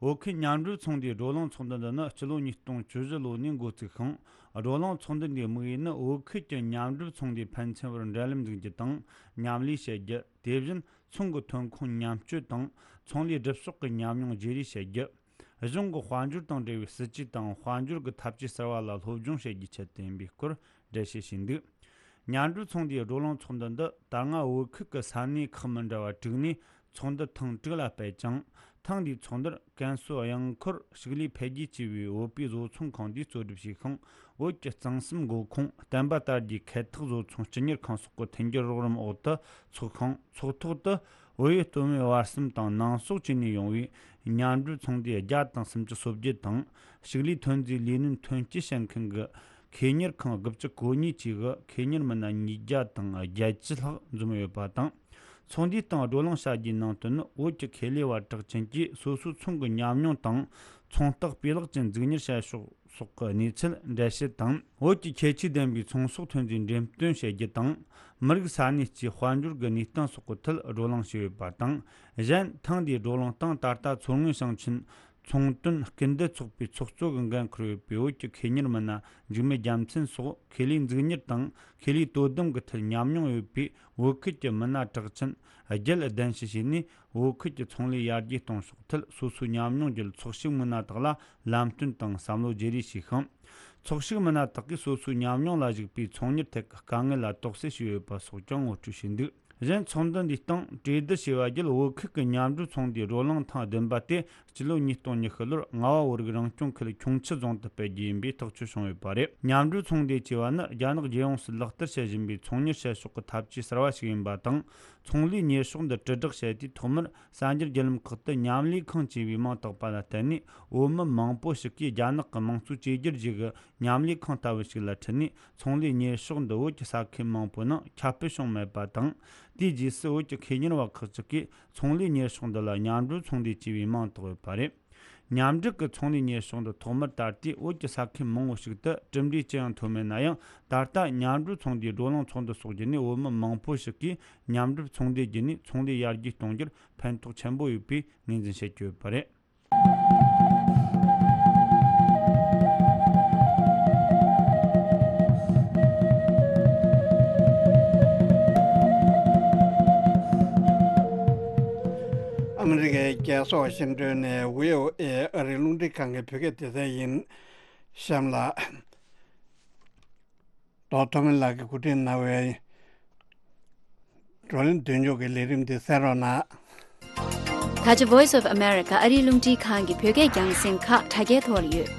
བོད་ཁུལ་མཉམ་འབྲེལ་ཚོང་སྡེའི་བགྲོ་གླེང་ཚོགས་འདུ་འདི་ནི་སྤྱི་ལོ་ཉིས་སྟོང་བཅུ་བཞི་ལོ་ནས་འགོ་བཙུགས་ཤིང་། བགྲོ་གླེང་ཚོགས་འདུ་འདིའི་དམིགས་ཡུལ་ནི་བོད་ཁུལ་གྱི་མཉམ་འབྲེལ་ཚོང་སྡེའི་ཕན་ཚུན་བར་འབྲེལ་ལམ་འཛུགས་རྒྱུ་དང་མཉམ་ལས་བྱེད་རྒྱུ། དེ་བཞིན་ཚོང་གི་ཐོན་ཁུངས་མཉམ་སྤྱོད་དང་ཚོང་ལས་སྒྲུབ་ཕྱོགས་ཀྱི་ཉམས་མྱོང་བརྗེ་རེས་བྱེད་རྒྱུ། གཞུང་གི་དཔལ་འབྱོར་དང་འབྲེལ་བའི་སྲིད་ཇུས་དང་དཔལ་འབྱོར་གྱི་འཐབ་ཇུས་གསར་བ་ལ་སློབ་སྦྱོང་བྱེད་རྒྱུའི་ཆེད་དུ་ཡིན་པའི་སྐོར་འགྲེལ་བཤད་བྱས་འདུག། མཉམ་འབྲེལ་ཚོང་སྡེའི་བགྲོ་གླེང་ཚོགས་འདུ་འདི་ད་སྔ་བོད་ཁུལ་གྱི་ས་གནས་ཁག་མི་འདྲ་བ་དྲུག་ནས་ཚོགས་འདུ་ཐེངས་དྲུག་ལ་སྤེལ་ཅིང་། ཐེངས་འདིའི་ཚོགས་འདུར་ཀན་སུའུ་གཡང་འཁོར་ཕྱུགས་ལས་འཕེལ་རྒྱས་ཆེ་བའི་བོད་པའི་བཟོ་ཚོང་ཁང་དེས་གཙོ་སྒྲུབ་བྱས་ཤིང་། བོད་ཀྱི་གཙང་གསུམ་མགོ་ཁུངས་བསྟན་པ་དར་རྒྱས་འཁེལ་འཐག་བཟོ་ཚོང་སྤྱི་གཉེར་ཁང་སོགས་ཀྱི་མཐུན་འགྱུར་རོགས་རམ་འོག་ཏུ་ཚོགས་ཤིང་། ཚོགས་ཐོག་ཏུ་བོད་ཡུལ་སྟོད་སྨད་བར་གསུམ་དང་ནང་སོག་བཅས་ནས་ཡོང་བའི་མཉམ་འབྲེལ་ཚོང་སྡེ་བརྒྱ་དང་སུམ་ཅུ་སོ་བརྒྱད་དང་། ཕྱུགས་ལས་ཐོན་རྫས་ལས་སྣོན་ཐོན་སྐྱེད་བྱེད་མཁན་གྱི་ཁེ་གཉེར་ཁང་དགུ་བཅུ་གོ་གཉིས་བཅས་ཀྱི་ཁེ་གཉེར་མི་སྣ་ཉིས་བརྒྱ་དང་བརྒྱད་ཅུ་ལྷག་འཛོམས་ཡོད་པ་དང་། ཚོགས་འདུའི་སྟེང་བགྲོ་གླེང་བྱ་རྒྱུའི་ནང་དོན་ནི། བོད་ཀྱི་ཁེ་ལས་པ་གྲགས་ཅན་གྱིས་སོ་སོའི་ཚོང་གི་ཉམས་མྱོང་དང་། ཚོང་རྟགས་སྤུས་ལེགས་ཅན་འཛུགས་གཉེར་བྱ་ཕྱོགས་སོགས་ཀྱི་གནས་ཚུལ་འགྲེལ་བཤད་དང་། བོད་ཀྱི་ཁྱད་ཆོས་ལྡན་པའི་ཚོང་ཟོག་ཐོན་རྫས་འགྲེམས་སྟོན་བྱེད་རྒྱུ་དང་། མི་རིགས་ས་གནས་སྤྱིའི་དཔལ་འབྱོར་གྱི་གནས་སྟངས་སོགས་ཀྱི་ཐད་བགྲོ་གླེང་བྱས་ཡོད་པ་དང་། གཞན་ཐེངས་འདིའི་བགྲོ་གླེང་སྟེང་ད་ལྟ་མཚོ་སྔོན་ཞིང་ཆེན་ཚོང་དོན་སྐུལ་འདེད་ཚོགས་པའི་ཚོགས་གཙོ་གི་འགན་འཁུར་ཡོད་པའི་བོད་ཀྱི་ཁེ་གཉེར་མི་སྣ་འཇིགས་མེད་རྒྱལ་མཚན་སོགས། ཁེ་ལས་འཛུགས་གཉེར་དང་ཁེ་ལས་དོ་དམ་གྱི་ཐད་ཉམས་མྱོང་ཡོད་པའི་བོད་ཁུལ་གྱི་མི་སྣ་གྲགས་ཅན་བརྒྱད་གདན་ཞུ་བྱས་ནས། བོད་ཁུལ་གྱི་ཚོང་ལས་ཡར་རྒྱས་གཏོང་ཕྱོགས་ཐད་སོ་སོའི་ཉམས་མྱོང་བརྒྱུད། ཚོགས་ཞུགས་མི་སྣ་དག་ལ་ལམ་སྟོན་དང་བསམ་བློ་བརྗེ་རེས་བྱས་ཤིང་། ཚོགས་ཞུགས་མི་སྣ་དག་གིས་སོ་སོའི་ཉམས་མྱོང་ལ་གཞིགས་པའི་ཚོང་གཉེར་ཐད་ཀྱི་དཀའ་ངལ་ལ་དོགས་སེལ་བྱས་ཡོད་པ་སོགས་ཀྱང་ངོ་སྤྲོད་བྱས་འདུག། གཞན་ཚོགས་འདུ་འདིའི་སྟེང་གྲོས་བསྡུར་བྱས་པ་བརྒྱུད། བོད་ཁུལ་གྱི་མཉམ་འབྲེལ་ཚོང་སྡེའི་བགྲོ་གླེང་ཐེངས་བདུན་པ་དེ་སྤྱི་ལོ་ཉིས་སྟོང་ཉི་ཤུ་ལོར་རྔ་བ་བོད་རིགས་རང་སྐྱོང་ཁུལ་ཁྱུང་མཆུ་རྫོང་དུ་སྤེལ་རྒྱུ་ཡིན་པའི་ཐག་གཅོད་བྱུང་ཡོད་པ་རེད། མཉམ་འབྲེལ་ཚོང་སྡེ་ཅེས་པ་ནི་རྒྱ་ནག་རྒྱལ་ཡོངས་སུ་ལག་བསྟར་བྱེད་བཞིན་པའི་ཚོང་གཉེར་བྱེད་ཕྱོགས་ཀྱི་ཐབས་ཇུས་གསར་བ་ཞིག་ཡིན་པ་དང་། ཚོང་ལས་གཉེར་ཕྱོགས་འདི་དྲིལ་བསྒྲགས་བྱས་ཏེ། ཐོག་མར་གསར་འགྱུར་བརྒྱུད་ལམ་ཁག་ཏུ་མཉམ་ལས་ཁང་ཅེས་པའི་མིང་བཏགས་པ་ལ་བརྟེན་ནས། བོད་མི་མང་པོ་ཞིག་གིས་རྒྱ་ནག་གི་དམངས་གཙོའི་བཅོས་བསྒྱུར་བརྒྱུད་ཀྱི་མཉམ་ལས་ཁང་ལྟ་བུ་ཞིག་ལ་ཁྲིད་ནས། ཚོང་ལས་གཉེར་ཕྱོགས་འདི་བོད་ཀྱི་ས་ཁུལ་མང་པོའི་ནང་ཁྱབ་སྤེལ་བྱུང་མེད་པ་དང་། དེའི་རྗེས་སུ་བོད་ཀྱི་ཁེ་གཉེར་བ་ཁག་ཅིག་གིས་ཚོང་ལས་གཉེར་ཕྱོགས་འདི་ལ་མཉམ་འབྲེལ་ཚོང་སྡེ་ཅེས་པའི་མིང་བཏགས་ཡོད་པ་རེད། མཉམ་འབྲེལ་གྱི་ཚོང་ལས་གཉེར་ཕྱོགས་འདི་ཐོག་མར་ད་ལྟའི་བོད་ཀྱི་ས་ཁུལ་མང་བོ་ཞིག་ཏུ་གྲུབ་འབྲས་ཅི་ཡང་ཐོན་མེད་ན་ཡང་། ད་ལྟ་མཉམ་འབྲེལ་ཚོང་སྡེའི་བགྲོ་གླེང་ཚོགས་འདུ་སོགས་བརྒྱུད་ནས་བོད་མི་མང་པོ་ཞིག་གིས་མཉམ་འབྲེལ་ཚོང་སྡེ་བརྒྱུད་ནས་ཚོང་ལས་ཡར་རྒྱས་གཏོང་རྒྱུར་ཕན་ཐོགས་ཆེན་པོ་ཡོད་པའི་ངོས་འཛིན་བྱེད་ཀྱི་ཡོད་པ་རེད། ཨ་མི་རི་ཀའི་རྒྱལ་ས་ཝ་ཤིང་ཏོན་ནས་བྷི་ཨོ་ཨེ་ཨ་རིའི་རླུང་འཕྲིན་ཁང་གི་བོད་སྐད་སྡེ་ཚན་ཡིན། གཤམ་ལ། རྡོ་ཐོ་མི་ལགས་ཀྱིས་གོ་སྒྲིག་གནང་བའི་བགྲོ་གླེང་མདུན་ལྕོག་གི་ལས་རིམ་འདི་གསན་རོགས་གནང་། ད་ཆ་Voice of America ཨ་རིའི་རླུང་འཕྲིན་ཁང་གི་བོད་སྐད་རྒྱང་སྲིང་ཁག་དྲ་རྒྱའི་ཐོག་ལ་ཡོད།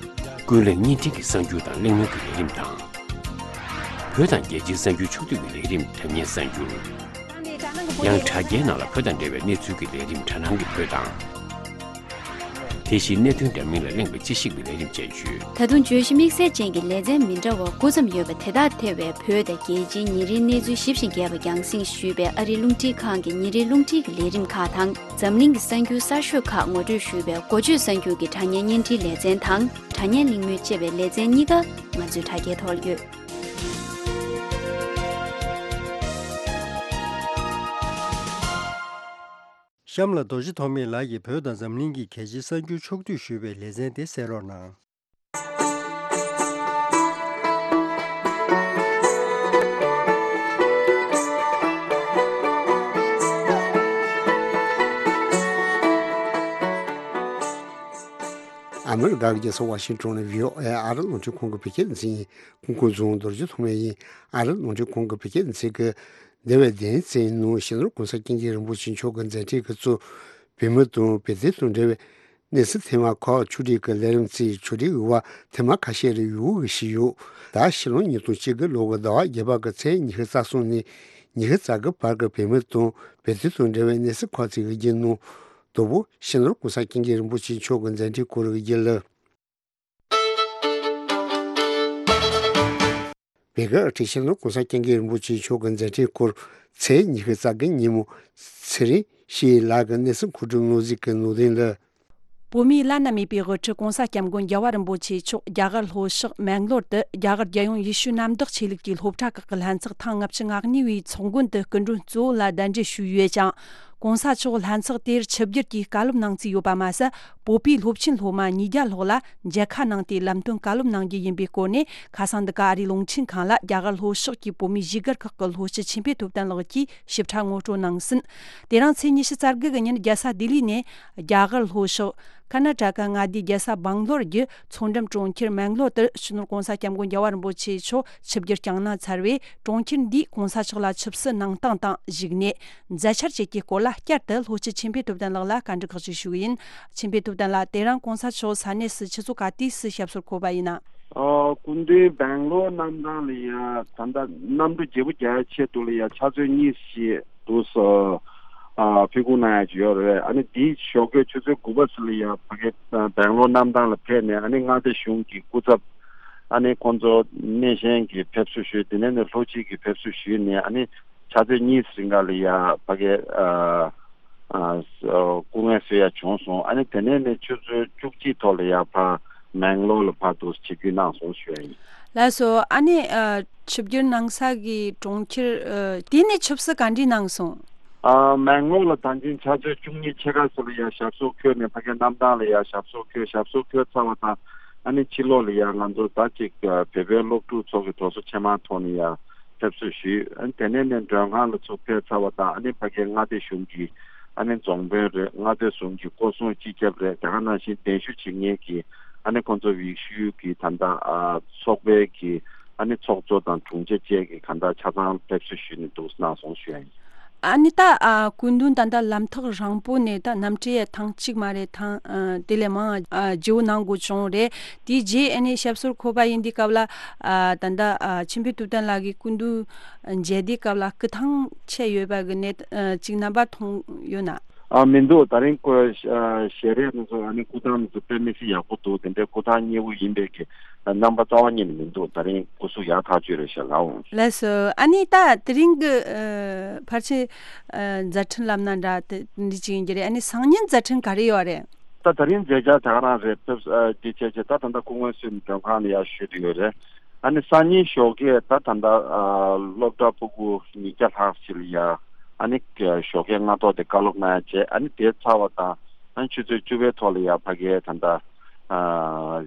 ཀུན་གླེང་བརྙན་འཕྲིན་གྱི་གསར་འགྱུར་དང་གླེང་མོལ་གྱི་ལས་རིམ་དང་། བོད་དང་རྒྱལ་སྤྱིའི་གསར་འགྱུར་ཕྱོགས་བསྡུས་ཀྱི་ལས་རིམ་དྲ་བརྙན་གསར་འགྱུར། ཡང་དྲ་རྒྱའི་ནང་ལ་བོད་དང་འབྲེལ་བའི་གནས་ཚུལ་གྱི་ལས་རིམ་དྲ་སྣང་གི་བོད་དང་། དེ་བཞིན་གནད་དོན་འདྲ་མིན་ལ་གླེང་བའི་དཔྱད་ཞིབ་ཀྱི་ལས་རིམ་བཅས་ཡོད། ད་དུང་བརྗོད་གཞི་དམིགས་བསལ་ཅན་གྱི་ལེ་ཚན་མི་འདྲ་བ་དགུ་ཙམ་ཡོད་པ་དེ་དག་ཐེ་བའི་བོད་དང་རྒྱལ་སྤྱིའི་ཉིན་རེའི་གནས་ཚུལ་ཞིབ་ཅིང་རྒྱས་པ་རྒྱང་སྲིང་ཞུས་པའི་ཨ་རིའི་རླུང་འཕྲིན་ཁང་གི་ཉིན་རེའི་རླུང་འཕྲིན་གྱི་ལས་རིམ་ཁག་དང་། འཛམ་གླིང་གི་གསར་འགྱུར་གསར་ཤོས་ཁག་ངོ་སྤྲོད་ཞུས་པའི་འགོ་བརྗོད་གསར་འགྱུར་གྱི་དྲ་བརྙན་བརྙན་འཕྲིན་ལེ་ཚན་དང་། དྲ་བརྙན་གླེང་མོལ་ཅེས་པའི་ལེ་ཚན་གཉིས་ཀ་ང་ཚོའི་དྲ་རྒྱའི་ཐོག་ཡོད། གཤམ་ལ་རྡོ་རྗེ་ཐོགས་མེད་ལགས་ཀྱིས་བོད་དང་འཛམ་གླིང་གི་གལ་ཆེའི་གསར་འགྱུར་ཕྱོགས་བསྡུས་ཞུས་པའི་ལེ་ཚན་དེ་གསན་རོགས་གནང་། ཨ་མི་རི་ཀ་གི་རྒྱལ་ས་ཝ་ཤིང་ཊོན་ནས་བྷི་ཨོ་ཨེ་ཨ་རི་རླུང་འཕྲིན་ཁང་གི་བོད་སྐད་སྡེ་ཚན་ཡིན། ཁོང་ཁོང་རྫོང་རྡོ་རྗེ་ཐོགས་མེད་ཡིན། ཨ་རི་རླུང་འཕྲིན་ཁང་གི་བོད་སྐད་སྡེ་ཚན་གྱི་འདས་པའི་བདུན་ཙམ་ནང་སྤྱི་ནོར་གོང་ས་སྐྱབས་མགོན་རིན་པོ་ཆེ་མཆོག་གི་མཛད་འཕྲིན་གྱིས་གཙོས་བོད་མི་དང་བོད་དོན་དང་འབྲེལ་བའི་གནས་ཚུལ་ཐེངས་མ་ཁག་ཕྱོགས་སྒྲིག་གི་ལས་རིམ་གཙོས་ཕྱོགས་སྒྲིག་འོས་པ་ཐེངས་མ་ཁ་ཤས་རེ་ཡོད་ཞུས་ཡོད། ད་ཕྱི་ལོ་ཉིས་སྟོང་བཅུ་དགུ་ལོ་གི་ཟླ་བ་བརྒྱད་པ་གི་ཚེས་ཉི་ཤུ་རྩ་གསུམ་ནས་ཉི་ཤུ་རྩ་དགུ་བར་གྱི་བོད་མི་དང་བོད་དོན་དང་འབྲེལ་བའི་གནས་ཚུལ་ཁག་ཅིག་གི་རྒྱུན་ནང་དང་པོ་སྤྱི་ནོར་གོང་ས་སྐྱབས་མགོན་རིན་པོ་ཆེ་མཆོག་གི་མཛད་འཕྲིན་སྐོར་གྱི་རྒྱུན་ལ། བོད་ཀྱི་སྤྱི་ནོར་གོང་ས་སྐྱབས་མགོན་རིན་པོ་ཆེ་མཆོག་གི་མཛད་འཕྲིན་སྐོར་ཚེས་ཉི་ཤུ་རྩ་དགུ་ཉིན་མོ་ཚེ་རིང་སྐྱིད་ལགས་ཀྱི་གནས་ཚུལ་མཁོ་སྒྲུབ་སྙན་ཞུ་གི་ནང་དོན་ལ། བོད་མིའི་བླ་ན་མེད་པའི་དབུ་ཁྲིད་གོང་ས་སྐྱབས་མགོན་རྒྱལ་བ་རིན་པོ་ཆེ་མཆོག་རྒྱ་གར་ལྷོ་ཕྱོགས་མེང་ལོར་དུ་རྒྱ་གར་རྒྱལ་ཡོངས་ཡེ་ཤུ་གནམ་བདག་ཆོས་ལུགས་ཀྱི་སློབ་གྲྭ་ཁག་གི་ལྷན་ཚོགས་ཐེངས་ལྔ་བཅུ་ང་གཉིས་པའི་ཚོགས་མགོན་དུ་སྐུ་མགྲོན་གཙོ་བོ་ལ་གདན་འདྲེན་ཞུས་ཡོད་ཅིང་། གོང་ས་མཆོག་ལྷན་ཚོགས་དེར་ཆིབས་བསྒྱུར་གྱིས་བཀའ་སློབ་གནང་རྩིས་ཡོད་པ་མ་ཟད། བོད་པའི་སློབ་ཆེན་སློབ་མ་ཉིས་བརྒྱ་ལྷག་ལ་མཇལ་ཁ་གནང་སྟེ་ལམ་སྟོན་བཀའ་སློབ་གནང་རྒྱུ་ཡིན་པའི་སྐོར་ནས། ཁ་སང་འདི་ག་ཨ་རིའི་རླུང་འཕྲིན་ཁང་ལ་རྒྱ་གར་ལྷོ་ཕྱོགས་ཀྱི་བོད་མིའི་བཞུགས་སྒར་ཁག་གི་ལྷོ་སྤྱི་ཆོས་འཕེལ་ཐུབ་བསྟན་ལགས་ཀྱིས་ཞིབ་ཕྲ་ངོ་སྤྲོད་གནང་ཟིན། དེ་རིང་ཚེས་ཉི་ཤུ་རྩ་དགུ་གི་ཉིན་རྒྱལ་ས་ལྡི་ལི་ནས་རྒྱ་གར་ལྷོ་ཕྱོགས་ཀར་ན་ཊ་ཀ་མངའ་སྡེའི་རྒྱལ་ས་སྦང་ལོར་གྱི་མཚོ་འགྲམ་གྲོང་ཁྱེར་མེང་ལོར་དུ་སྤྱི་ནོར་གོང་ས་སྐྱབས་མགོན་རྒྱལ་བ་རིན་པོ་ཆེ་མཆོག་ཆིབས་བསྒྱུར་བསྐྱངས་གནང་ཚར་བས། གྲོང་ཁྱེར་འདིས་གོང་ས་མཆོག་ལ་ཆབ་སྲིད་གནང་སྟངས་དང་བཞུགས་གནས། མཛད་འཆར་བཅས་ཀྱི་སྐོར་ལ་བསྐྱར་དུ་ལྷོ་སྤྱི་ཆོས་འཕེལ་ཐུབ་བསྟན་ལགས་ལ་བཀའ་འདྲི་ཁག་ཅིག་ཞུ་གི་ཡིན། ཆོས་འཕེལ་ཐུབ་བསྟན་ལགས། དེ་རིང་གོང་ས་མཆོག་ས་གནས་སུ་ཆུ་ཚོད་ག་དུས་སུ་ཞབས་སོར་འཁོད་པ་ཡིན་ན། ཨ། སྐུ་མདུན་སྦེང་ལོར་གནམ་ཐང་ལ་ཡ་ད་ལྟ་གནམ་གྲུ་བརྗེ་པོ་རྒྱག་ཡ་ཆེད་དུ་ལ་ཡ་ཆུ་ཚོད་གཉིས་ཤིག་འདུག་སེ། ཨ། ཕེབས་སྒུག་གནང་ཡ་ཅིག་ཡོད་རེད། ཨ་ནི་དེའི་ཞོགས་ཀས་ཆུ་ཚོད་དགུ་པ་ཙམ་ལ་ཡ་ཕ་གི་སྦེང་ལོར་གནམ་ཐང་ལ་ཕེབས་ནས། ཨ་ནི་མངའ་སྡེ་གཞུང་གི་སྐུ་ཚབ། ཨ་ནི་ཁོང་ཚོ་སྣེ་ཤན་གྱིས་ཕེབས་བསུ་ཞུས། དེ་ནས་ནི་ལྷོ་སྤྱི་གིས་ཕེབས་བསུ་ཞུས་ནས། ཨ་ནི་ཕྱག་ཚོད་གཉིས་རིང་ག་ལ་ཡ་ཕ་གི་ཨ་ཨ་སྐུ་ངལ་གསོ་ཡ་བྱུང་སོང་། ཨ་ནི་དེ་ནས་ནི་ཆུ་ཚོད་བཅུ་གཅིག་ཐོག་ལ་ཡ་ཕར་མེང་ལོར་ལ་ཕར་འདུག་ཆིབས་བསྒྱུར་གནང་སོང་ཞུ་ཡ་ཡིན། ལགས་སོ། ཨ་ནི་ཨ་ཆིབས་བསྒྱུར་གནང་ས་གི་གྲོང་ཁྱེར་ཨ་དེ་ནས་ཆབ་སྲིད་ག་འདྲ་གནང་སོང་། ཨ་མེང་ལོར་ལ་ད་གིན་ཕྱག་ཚོད་བཅུ་གཉིས་ཕྱེད་ཀ་ཙམ་ལ་ཡ་ཞབས་སོར་འཁོད་ནས་ཕ་གི་གནམ་ཐང་ལ་ཡ་ཞབས་སོར་འཁོད། ཞབས་སོར་འཁོད་ཚར་བ་དང་། ཨ་ནི་ཕྱི་ལོགས་ལ་ཡ་ང་ཚོ་ད་ཅིག་བོད་པའི་སློབ་ཕྲུག་ཚོ་གི་དོགས་ཟོན་ཆེན་མོའི་ཐོག་ནས་ཡ་ཕེབས་བསུ་ཞུས། ཨ་ནི་དེ་ནས་ནས་མགྲོན་ཁང་ལ་ཚུར་ཕེབས་ཚར་བ་དང་། ཨ་ནི་ཕ་གིའི་མངའ་སྡེ་གཞུང་གི་ཨ་ནི་རྫོང་དཔོན་རེད། མངའ་སྡེ་གཞུང་གི་སྐོར་སྲུང་སྤྱི་ཁྱབ་རེད། དེ་ག་ནང་བཞིན་གདན་ཞུ་བྱེད་མཁན་གྱི་ཨ་ནི་ཁོང་ཚོ་ཡེ་ཤུ་གི་ད་ལྟ་ཨ་ཚོགས་པའི་གི་ཨ་ནི་ཚོགས་གཙོ་དང་དྲུང་ཆེ་བཅས་ཀྱིས་གང་ལྟར་ཆ་ཚང་ཕེབས་བསུ་ཞུས་ནས་འདུག་གནང་སོང་ཞུ་ཡ་ཡིན། ཨ་ནི་ད་ཨ་སྐུ་མདུན་ད་ལྟ་ལམ་ཐག་རིང་པོ་ནས་ད་གནམ་གྲུ་ཡ་ཐེངས་གཅིག་མ་རེད། ཐེངས་ཨ་དེ་ལས་མང་ཨ་བརྗེ་པོ་གནང་དགོས་བྱུང་རེད། དེའི་རྗེས་ཨ་ནི་ཞབས་སོར་འཁོད་པ་ཡིན་དུས་སྐབས་ལ་ཨ་ད་ལྟ་ཨ་ཆོས་འཕེལ་ཐུབ་བསྟན་ལགས་ཀྱིས་སྐུ་མདུན་མཇལ་དུས་སྐབས་ལ་སྐུ་ཐང་ཆད་ཡོད་པ་གི་གནས་ཨ་ཅིག་རྣམ་པ་མཐོང་ཡོད་ན། ཨ་མི་འདུག་ད་རིང་སྐུ་ཨ་ཞལ་རས་དེ་ཚོ་ཨ་ནི་སྐུ་ཐང་དེ་ཚོ་དཔེ་མི་སྲིད་ཡག་པོ་འདུག་དེ་འདྲའི་སྐུ་ཐང་མཉེས་པོ་ཡིན་པའི་གི་རྣམ་པ་རྩ་བ་ཉིད་ནས་མི་འདུག་ད་རིང་སྐུ་གཟུགས་ཡག་ཐག་ཆོད་རེད་ཤག་ལགས། ལགས་སོ། ཨ་ནི་ད་དེ་རིང་གི་ཨ་ཕལ་ཆེར་ཨ་མཛད་འཕྲིན་ལབ་ན་འདྲ་དེ་འདྲ་ཅིག་ཡིན་གྱི་རེད། ཨ་ནི་སང་ཉིན་མཛད་འཕྲིན་ག་རེ་ཡོད་རེད། ད་ད་རིང་མཛད་འཆར་དེ་ག་རང་རེད། ཕེབས་ཨ་དེ་བྱས་བྱས་ད་ད་ལྟ་སྐུ་ངལ་གསོས་ནས་མགྲོན་ཁང་ལ་ཡར་བཞུགས་བསྡད་ཡོད་རེད། ཨ་ནི་སང་ཉིན་ཞོགས་ཀས་ད་ད་ལྟ་ཨ་སློབ་གྲྭ་ཕྲུ་གུ་ཉིས་བརྒྱ་ལྷག་ཅིག་ལ་ཡ་ཨ་ནི་ཞོགས་ཀས་སྔ་ཐོག་དེ་བཀའ་སློབ་གནང་ཡ་བྱས། ཨ་ནི་དེ་ཚར་བ་དང་ཨ་ནི་ཆུ་ཚོད་བཅུ་པའི་ཐོག་ལ་ཡ་ཕ་གིའི་ད་ལྟ་ཨ་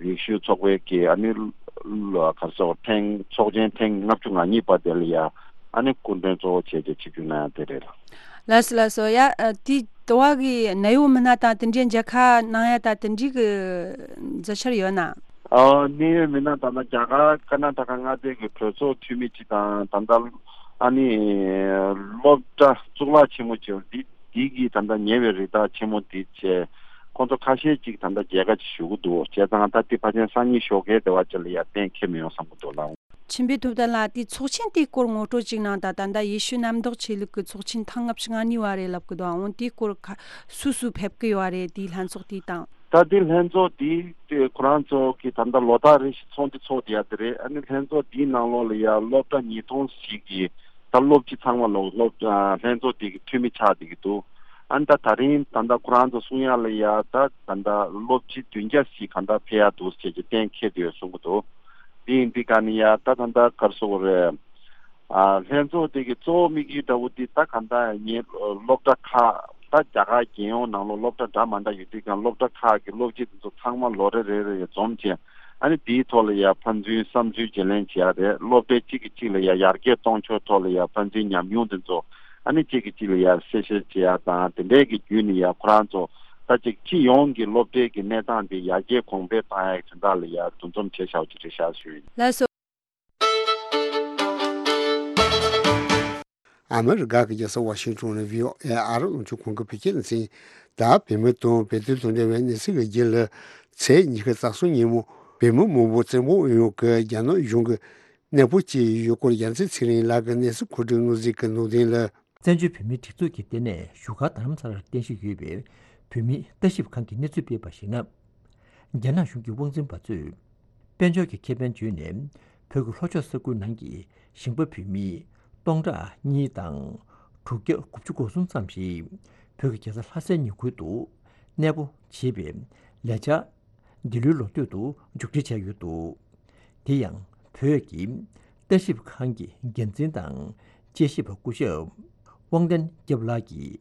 ཡེ་ཤུ་ཚོགས་པའི་གི་ཨ་ནི་ལ་ག་རེ་ཟེར་ཐེངས་ཚོགས་ཆེན་ཐེངས་ལྔ་བཅུ་ང་གཉིས་པ་དེ་ལ་ཡ་ཨ་ནི་སྐུ་མགྲོན་གཙོ་བོ་བྱས་ཏེ་ཆིབས་བསྒྱུར་གནང་ཡ་དེ་རེད། ལགས་སོ་ལགས་སོ། ཡ་ཨ་དེ་དོ་བ་གི་ནད་གཡོག་མི་སྣ་དང་དེ་འདྲའི་མཇལ་ཁ་གནང་ཡ་ད་དེ་འདྲའི་གི་མཛད་འཆར་ཡོད་ན། ཨ་གནད་ཡོད་མི་སྣ་ད་ལྟ་རྒྱ་གར་ཀར་ན་ཊ་ཀ་མངའ་སྡེ་གི་གྲོས་ཚོགས་འཐུས་མི་གཅིག་དང་། ད་ལྟ་ཨ་ནི་སློབ་གྲྭ་གཙུག་ལག་ཆེན་མོ་གཅིག་འདི་འདི་གི་ད་ལྟ་ཉེ་བའི་རི་དྭགས་ཆེན་མོ་འདི་བྱས། ཁོང་ཚོ་ཁ་ཤས་ཅིག་ད་ལྟ་མཇལ་ཁ་ཅིག་ཞུ་གི་འདུག་བྱས་ཙང་ད་འདི་ཕལ་ཆེར་སང་ཉིན་ཞོགས་ཀའི་དེ་བ་ཅིག་ལ་ཡ་གཏན་འཁེལ་མི་ཡོང་བསམ་གི་འདུག་ལགས། ཆིན་པེ་ཐུབ་བསྟན་ལགས། དེའི་ཚོགས་ཆེན་དེའི་སྐོར་ངོ་སྤྲོད་ཅིག་གནང་དང་། ད་ལྟ་ཡེ་ཤུ་གནམ་བདག་ཆོས་ལུགས་ཀྱི་ཚོགས་ཆེན་ཐེངས་ལྔ་བཅུ་ང་གཉིས་པ་རེད་ལབ་ཀྱི་འདུག་འོ་དེའི་སྐོར་ག་སུ་སུ་ཕེབས་ཀྱི་ཡོད་རེད། དེའི་ལྷན་ཚོགས་དེའི་སྟེང་། ད་དེ་ལྷན་ཚོགས་དེ་དེ་ཁོ་རང་ཚོ་གི་ད་ལྟ་ལོ་ལྟར་རེ་བཞིན་ཚོགས་འདུ་ཚོགས་བསྡད་ཡ་དེ་རེད། ཨ་ནི་ལྷན་ཚོགས་དེའི་ནང་ལོགས་ལ་ཡ་སློབ་གྲྭ་ཉིས་སྟོང་ཞིག་གི་ད་སློབ་སྤྱི་ཚང་མ་ལོག་སློབ་ལྷན་ཚོགས་དེ་གི་འཐུས་མི་ཆགས་བསྡད་ཀྱི་འདུག་ཨ་ནི་ད་ད་རིང་ད་ལྟ་ཁོ་རང་ཚོ་གསུང་ཡ་ལ་ཡ་ད་ད་ལྟ་སློབ་སྤྱི་བདུན་བརྒྱ་ཞིག་ག་འདྲ་ཕེབས་ཡ་འདུག་ཟེར་གྱི་གཏན་འཁེལ་བསྡད་ཡོད་གསུང་གི་འདུག་དེ་ཡིན་དུས་ག་ནི་ཡ་ད་ད་ལྟ་ག་རེ་ཟེར་དགོས་རེད། ཨ་ལྷན་ཚོགས་དེ་གི་གཙོ་བོ་དམིགས་ཡུལ་འདྲ་བོ་དེ་ད་ག་འདྲ་ངས་སློབ་གྲྭ་ཁག་ད་རྒྱ་གར་རྒྱལ་ཡོངས་ནང་ལོགས་སློབ་གྲྭ་འདྲ་མ་འདྲ་ཡོད་དུས་ཀྱང་སློབ་གྲྭ་ཁག་གི་སློབ་སྤྱི་དེ་ཚོ་ཚང་མ་ལོ་རེ་རེ་རེ་འཛོམས་བྱས། ཨ་ནི་དེའི་ཐོག་ལ་ཡ་ཕན་ཚུན་བསམ་ཚུལ་བརྗེ་ལེན་བྱེད་ཡ་རེད། སློབ་གྲྭའི་གཅིག་གིས་གཅིག་ལ་ཡ་ཡར་རྒྱས་གཏོང་ཕྱོགས་ཐོག་ལ་ཡ་ཕན་ཚུན་ཉམས་མྱོང་དེ་ཚོ་ཨ་ནི་གཅིག་གིས་གཅིག་ལ་ཡ་གསལ་བཤད་བྱེད་ཡ་དང་། དེ་འདྲའི་གི་བརྒྱུད་ནས་ཡ་ཁོ་རང་ཚོ་ད་ཅིག་སྤྱི་ཡོངས་ཀྱི་སློབ་གྲྭའི་གི་གནས་སྟངས་དེ་ཡར་རྒྱས་གོང་འཕེལ་བཏང་ཡ་གི་དོན་དག་ལ་ཡ་འདུ་འཛོམས་བྱས་བཞག་པ་ཅིག་རེད་ཤག་ཞུ་ཡིན། ལགས་སོ། ཨ་མི་རི་ཀ་གི་རྒྱལ་ས་ཝ་ཤིང་ཊོན་ནས་བྷི་ཨོ་ཨེ་ཨ་རི་རླུང་འཕྲིན་ཁང་གི་བོད་སྐད་སྡེ་ཚན། ད་བོད་མི་དང་བོད་དོན་དང་འབྲེལ་བའི་གནས་ཚུལ་གྱི་རྒྱུན་ལ། ཚེས་ཉི་ཤུ་རྩ་གསུམ་ཉིན་མོ་བོད་མི་མང་པོ་བཙན་པོ་ཨུ་ཡོན་གྱི་རྒྱ་ནག་གཞུང་གི་གནས་སྤོ་བྱས་ཡོད་སྐོར་རྒྱལ་མཚན་ཚེ་རིང་ལགས་ཀྱི་གནས་ཚུལ་མཁོ་སྒྲུབ་སྣུར་འཛིན་གྱི་ནང་དོན་ལ། བཙན་བྱོལ་བོད་མིའི་སྒྲིག་འཛུགས་ཀྱི་ལྟེ་གནས་བཞུགས་སྒར་རྡ་རམ་ས་ལར་རྟེན་གཞི་ཡོད་པའི་བོད་མིའི་ལྟ་ཞིབ་ཁང་གིས་གནས་ཚུལ་སྤེལ་བར་གཞིགས་ན། རྒྱ་ནག་གཞུང་གི་དབང་འཛིན་པ་ཚོས་དཔལ་འབྱོར་གྱི་ཁེ་ཕན་བརྗོད་ནས་བོད་ཀྱི་ལྷོ་ཕྱོགས་ས་ཁུལ་ནང་གི་ཞིང་པ་བོད་མི་སྟོང་ཕྲག་གཉིས་དང་དྲུག་བརྒྱ་དགུ་བཅུ་གོ་གསུམ་ཙམ་ཞིག་བོད་ཀྱི་རྒྱལ་ས་ལྷ་སའི་ཉེ་ཁུལ་དུ་གནས་སྤོ་བྱེད་པའི་ལས་འཆར་འདི་ལོའི་ལོ་སྟོད་དུ་མཇུག་སྒྲིལ་བྱས་ཡོད་འདུག་དེ་ཡང་བོད་ཀྱི་ལྟ་ཞིབ་ཁང་གི་འགན་འཛིན་དང་དཔྱད་ཞིབ་པ་སྐུ་ཞབས་དབང་ལྡན་སྐྱབས་ལགས་ཀྱིས་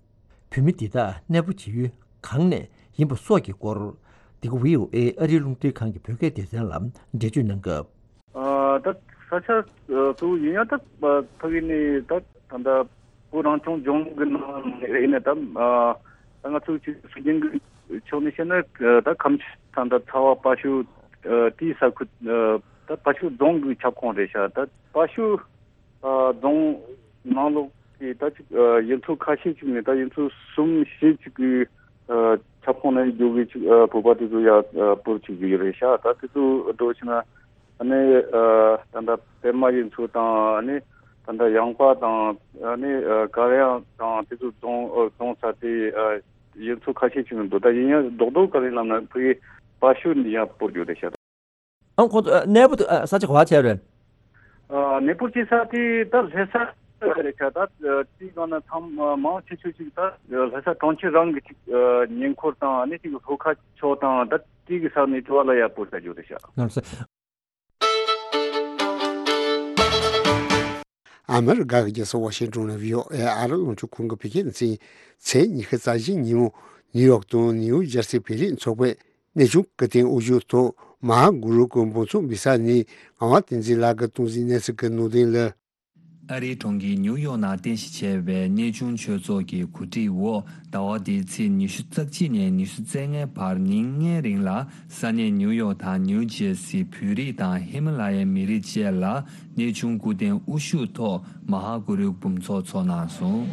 བོད་མི་འདི་དག་གནས་སྤོ་བྱེད་ཡུལ་གང་ནས་ཡིན་པ་སོགས་ཀྱི་སྐོར། འདི་ག་བྷི་ཨོ་ཨེ་ཨ་རིའི་རླུང་འཕྲིན་ཁང་གི་བོད་སྐད་སྡེ་ཚན་ལ་འགྲེལ་བརྗོད་གནང་སྐབས། ཨ་ད་ས་ཆ་ཨ་གཙོ་བོ་ཡིན་ཡང་ད་ཨ་ཕ་གི་ནས་ད་ད་ད་བོད་རང་སྐྱོང་ལྗོངས་ཀྱི་ནང་ནས་ཡིན་ན་ད་ཨ་ད་ང་ཚོ་ཅིག་སྲིད་འཛིན་གྱི་ཕྱོགས་ནས་བཤད་ན་ཨ་ད་ཁམས་ད་ད་ཚ་བ་དཔའ་ཤོད་ཨ་དེའི་ས་ཁུལ་ཨ་ད་དཔའ་ཤོད་རྫོང་གི་ཁྱབ་ཁོངས་རེད་ཤག་ད་དཔའ་ཤོད་ཨ་རྫོང་ནང་ལོགས་ཀྱི་ད་ཅིག་ཨ་ཡུལ་ཚོ་ཁ་ཤས་ཅིག་ནས་ད་ཡུལ་ཚོ་གསུམ་བཞི་ཅིག་གི་ཨ་ཁྱབ་ཁོངས་ནས་རྒྱུག་གི་ཅིག་ཨ་བོད་པ་དེ་ཚོ་ཡ་ཨ་སྤོར་བྱེད་ཀྱི་ཡོད་རེད་ཤག་ད་དེ་ཚོ་འགྲོ་ཕྱིན་ན་ཨ་ནི་ཨ་ད་ལྟ་པད་མ་ཡུལ་ཚོ་དང་ཨ་ནི་ད་ལྟ་ཡངས་པ་དང་ཨ་ནི་ཨ་དཀར་ཡང་དང་དེ་ཚོ་རྫོང་ཨ་རྫོང་ས་དེ་ཨ་ཡུལ་ཚོ་ཁ་ཤས་ཅིག་ནས་འདུག་ད་ཡིན་ཡང་རྡོག་རྡོག་ག་རེ་ལབ་ན་ཕ་གི་དཔའ་ཤོད་ནས་ཡ་སྤོར་རྒྱུ་རེད་ཤག་ཨང་ཁོང་ཚོ་ཨ་གནས་སྤོ་ཨ་ས་ཆ་ག་པར་བྱས་རེད། ཨ་གནས་སྤོ་བྱེད་ས་དེ་ད་ལྷ་ས་རེད་ཤག་ད་ཨ་དེའི་ནང་ན་ཚང་མ་མང་ཆེ་ཤོས་ཅིག་ད་ཨ་ལྷ་ས་གྲོང་ཁྱེར་རང་གི་ཅིག་ཨ་ཉེ་འཁོར་དང་ཨ་ནི་ཅིག་ལྷོ་ཁ་ཕྱོགས་དང་ད་དེ་གི་ས་ནས་དྲི་བ་ལ་ཡ་སྤོ་བྱ་རྒྱུ་རེད་ཤག་ལགས་སོ། ཨ་མི་རི་ཀ་གི་རྒྱལ་ས་ཝ་ཤིང་ཊོན་ནས་བྷི་ཨོ་ཨེ་ཨ་རི་རླུང་འཕྲིན་ཁང་གི་བོད་སྐད་སྡེ་ཚན། ཚེས་ཉི་ཤུ་རྩ་བཞི་ཉིན་མོ་ནིའུ་ཡོག་དང་ནིའུ་ཇར་སི་བོད་རིགས་ཚོགས་པས་གནས་ཆུང་སྐུ་རྟེན་དབུ་བཞུགས་ཐོག་མ་ཧཱ་གུ་རུ་གི་འབུམ་ཚོགས་འབུལ་ས་ནས་ངག་དབང་བསྟན་འཛིན་ལགས་ཀྱིས་སྟོང་འཛིན་གནས་ཚུལ་གྱི་ནང་དོན་ལ། ཨ་རིའི་གྲོང་ཁྱེར་ཉིའུ་ཡོག་ནང་རྟེན་གཞི་བྱས་པའི་གནས་ཆུང་ཆོས་ཚོགས་ཀྱི་གོ་སྒྲིག་འོག་ཟླ་བ་འདིའི་ཚེས་ཉི་ཤུ་རྩ་གཅིག་ནས་ཉི་ཤུ་རྩ་ལྔའི་བར་ཉིན་ལྔའི་རིང་ལ་ས་གནས་ཉིའུ་ཡོག་དང་ནིའུ་ཇེར་སི་བོད་རིགས་དང་ཧི་མ་ལ་ཡའི་མི་རིགས་བཅས་ལ་གནས་ཆུང་སྐུ་རྟེན་དབུ་བཞུགས་ཐོག་མ་ཧཱ་གུ་རུའི་འབུམ་ཚོགས་འཚོགས་གནང་སོང་།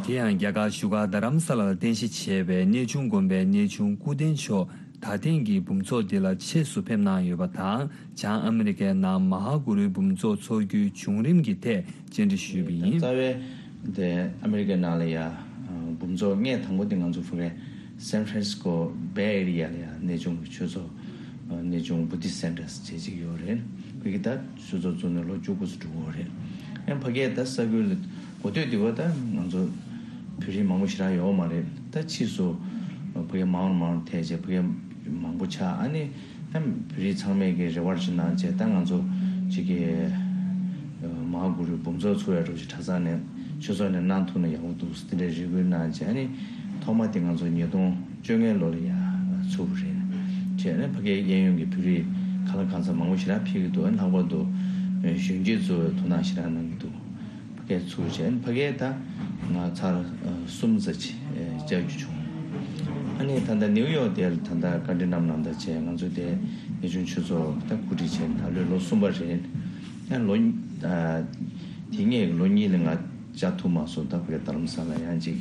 དེ་ཡང་རྒྱ་གར་བཞུགས་སྒར་རྡ་རམ་ས་ལར་རྟེན་གཞི་བྱས་པའི་གནས་ཆུང་དགོན་པའི་གནས་ཆུང་སྐུ་རྟེན་མཆོག་ད་ཐེངས་ཀྱི་འབུམ་ཚོགས་འདི་ལ་ཆེད་དུ་ཕེབས་གནང་ཡོད་པ་དང་། བྱང་ཨ་མི་རི་ཀའི་ནང་མ་ཧཱ་གུ་རུའི་འབུམ་ཚོགས་འཚོགས་རྒྱུའི་བྱུང་རིམ་གྱི་ཐད་བཅར་འདྲི་ཞུས་པ་ཡིན། རྩ་བའི་དེ་ཨ་མི་རི་ཀའི་ནང་ལ་ཡ་འབུམ་ཚོགས་སྔས་དང་པོ་དེ་ང་ཚོ་ཕ་གའི་སན་ཧྥ་རན་སི་ཀོ་བྷེ་ཨེ་རི་ཡ་ལ་ཡ་གནས་ཆུང་གི་ཆོས་ཚོགས་གནས་ཆུང་བུ་དྷིསྚ་སེན་ཊར་ཟེར་ཅིག་ཡོད་རེད། ཕ་གི་ད་ཆོས་ཚོགས་བཙུགས་ནས་ལོ་བཅུ་དགུ་ཙམ་འགྲོ་གི་ཡོད་རེད། ཡང་ཕ་གའི་ད་ས་ཁུལ་ལ་གོ་ཐོས་འདི་བ་ད་ང་ཚོ་བོད་རིགས་མང་པོ་ཞེ་དྲག་ཡོད་མ་རེད། ད་ཕྱིས་སུ་ཕ་གི་མང་རུ་མང་རུ་ཐལ་རྗེས་ཕ་གི་མང་པོ་ཆགས། ཨ་ནི་ཡང་བོད་རིགས་ཚང་མས་ཀྱི་རེ་བ་ཞིག་གནང་རྗེས་ད་ང་ཚོ་ཅིག་གི་མ་ཧཱ་གུ་རུའི་འབུམ་ཚོགས་ཚུགས་ཡ་འགྲོ་ཅིག་གྲྭ་ཚང་ནས་ཆོས་ཚོགས་ནས་གནང་ཐུབ་ན་ཡག་པོ་འདུག་དེ་འདྲའི་རེ་སྐུལ་གནང་རྗེས། ཨ་ནི་ཐོག་མ་དེ་ང་ཚོ་ཉིས་སྟོང་བཅོ་ལྔའི་ལོ་ལ་ཡ་ཚུགས་པ་རེད། བྱས་ནས་ཕ་གིའི་གཡས་གཡོན་གྱི་བོད་རིགས་གང་ལ་གང་འཚམ་མང་པོ་ཞེ་དྲག་ཕེབས་ཀྱི་འདུག་ལྷག་པར་དུ་གཞོན་སྐྱེས་ཚོས་ཐུགས་སྣང་ཞེ་དྲག་གནང་གི་འདུག་ཕ་གིར་ཚུགས་བྱས་ནས་ཕ་གིར་ད་ང་ཚར་གསུམ་ཙམ་ཅིག་བཅར་རྒྱུ་བྱུང་། ཨ་ནི་ད་ལྟ་ནིའུ་ཡོག་དེར་ད་ལྟ་བཀའ་འདྲི་གནང་གནང་ད་བྱས་ང་ཚོ་དེ་གནས་ཆུང་ཆོས་ཚོགས་ད་གོ་སྒྲིག་བྱས་ནས་ད་ལོའི་ལོ་གསུམ་པ་རེད། ཡང་ལོ་དེ་སྔའི་ལོ་གཉིས་ལ་ང་བཅར་ཐུབ་མ་སོང་། ད་ཕ་གིར་རྡ་རམ་ས་ལ་ཡང་ཅིག་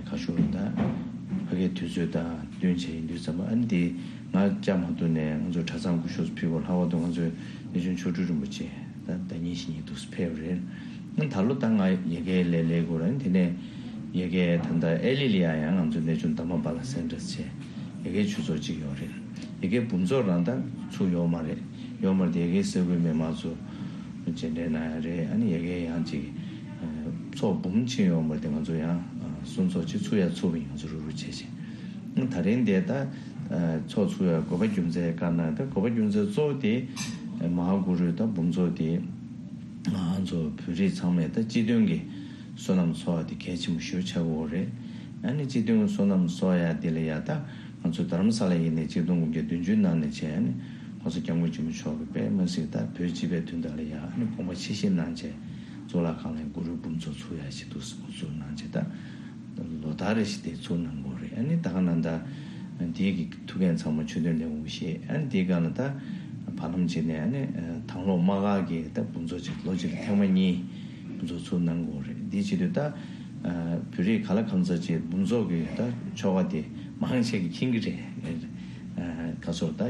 ཁ་ཤུར་ད་ དུས་ཚོད་དང་བསྟུན་བྱས་ཡིན་དུས་ཙམ་པ། ཨ་ནི་དེ་ང་བཅར་མ་ཐུབ་ནས་ང་ཚོ་གྲྭ་ཚང་སྐུ་ཞབས་ཕུལ་བ། ལྷག་པར་དུ་ང་ཚོའི་གནས་ཆུང་མཆོག་སྤྲུལ་རིན་པོ་ཆེ་ད་ཟླ་ཉིན་བཞི་ཉིན་འདུག་སེ་ཕེབས་རེད། ཨ་ནི་ད་ལོ་ད་ང་ཡ་གིར་སླེབས་སླེབས་དགོས་རེད། དེ་ནས་ཡ་གིར་ད་ལྟ་ཨེ་ལི་ལ་ཡ་ཡང་ང་ཚོ་གནས་ཆུང་དྷརྨ་པཱ་ལ་སེན་ཊར་བྱས་ཡ་གིར་ཆོས་ཚོགས་གཅིག་ཡོད་རེད། ཡ་གིར་འབུམ་ཚོགས་རང་ད་ཚུགས་ཡོད་མ་རེད། ཡོད་མ་རེད་དེ་ཡ་གིར་ས་ཁུལ་མི་མང་ཚོ་མཇལ་འཕྲད་གནང་ཡ་རེད། ཨ་ནི་ཡ་གིར་ཡང་ཅིག་ཚོགས་འབུམ་ཕྱིན་ཡོད་མ་རེད་དེ་ང་ཚོ་ཡང་གསུང་ཚོགས་ཅིག་ཚུགས་ཡ་ཚུགས་པ་ཡིན། ང་ཚོ་རུག་རུག་བྱས་བྱས། ད་རིང་དེ་ད་ཚོགས་ཚུགས་ཡ་དགོས་པ་རྒྱུ་མཚན་བཀའ་གནང་། ད་དགོས་པ་རྒྱུ་མཚན་གཙོ་བོ་དེ་མ་ཧཱ་གུ་རུའི་ད་འབུམ་ཚོགས་དེ་ང་ཚོ་བོད་རིགས་ཚང་མས་ད་སྤྱི་མཐུན་གྱི་བསོད་ནམས་ཚོགས་ཡ་དེ་གལ་ཆེན་པོ་ཞེ་པོ་ཆགས་ཀྱི་ཡོད་རེད། ཨ་ནི་སྤྱི་མཐུན་གྱི་བསོད་ནམས་ཚོགས་ཡ་དེ་ལ་ཡ་ད་ང་ཚོ་དྷ་རམ་ས་ལ་ཡིན་ནའི་ཆིག་སྟོང་དགུ་བརྒྱ་བདུན་ཅུ་ནང་ནས་བྱས། ཨ་ནི་༸གོང་ས་༸སྐྱབས་མགོན་ཆེན་པོ་མཆོག་གིས་དཔེ་མི་སྲིད་ད་བོད་སྤྱི་པའི་དོན་དག་ལ་ཡ་ཨ་ནི་དགོངས་པ་ཆེ་བཞེས་གནང་བྱས། གཙུག་ལག་ཁང་ལ་གུ་རུའི་འབུམ་ཚོགས་ཚུགས་ཡ་ཞིག་འདུག་སེ་འགོ་འཛུགས་གནང་བྱས། ད་ལོ་ལྟར་རེ་བཞིན་དེ་ཚུགས་གནང་གི་ཡོད་རེད། ཨ་ནི་ད་ག་ནང་ད་དེའི་གི་ཐུགས་འགན་ཚང་མ་ཆོས་དོན་ལས་ཁུངས་བཞེས། ཨ་ནི་དེའི་སྒང་ལ་ད་བར་ལམ་བྱས་ནས་ཨ་ནི་དང་ལོག་དམག་སྒར་གྱི་ད་འབུམ་ཚོགས་ཅིག་ལོ་གཅིག་ལ་ཐེངས་མ་གཉིས་འབུམ་ཚོགས་ཚུགས་གནང་གི་ཡོད་རེད། འདི་བྱེད་དུས་ད་བོད་རིགས་ག་ལ་གང་འཚམ་ཅིག་འབུམ་ཚོགས་ཀྱི་ད་ཆོ་ག་དེ་མང་ཆེ་གིས་མཁྱེན་གྱི་རེད། ཁ་སོར་ད་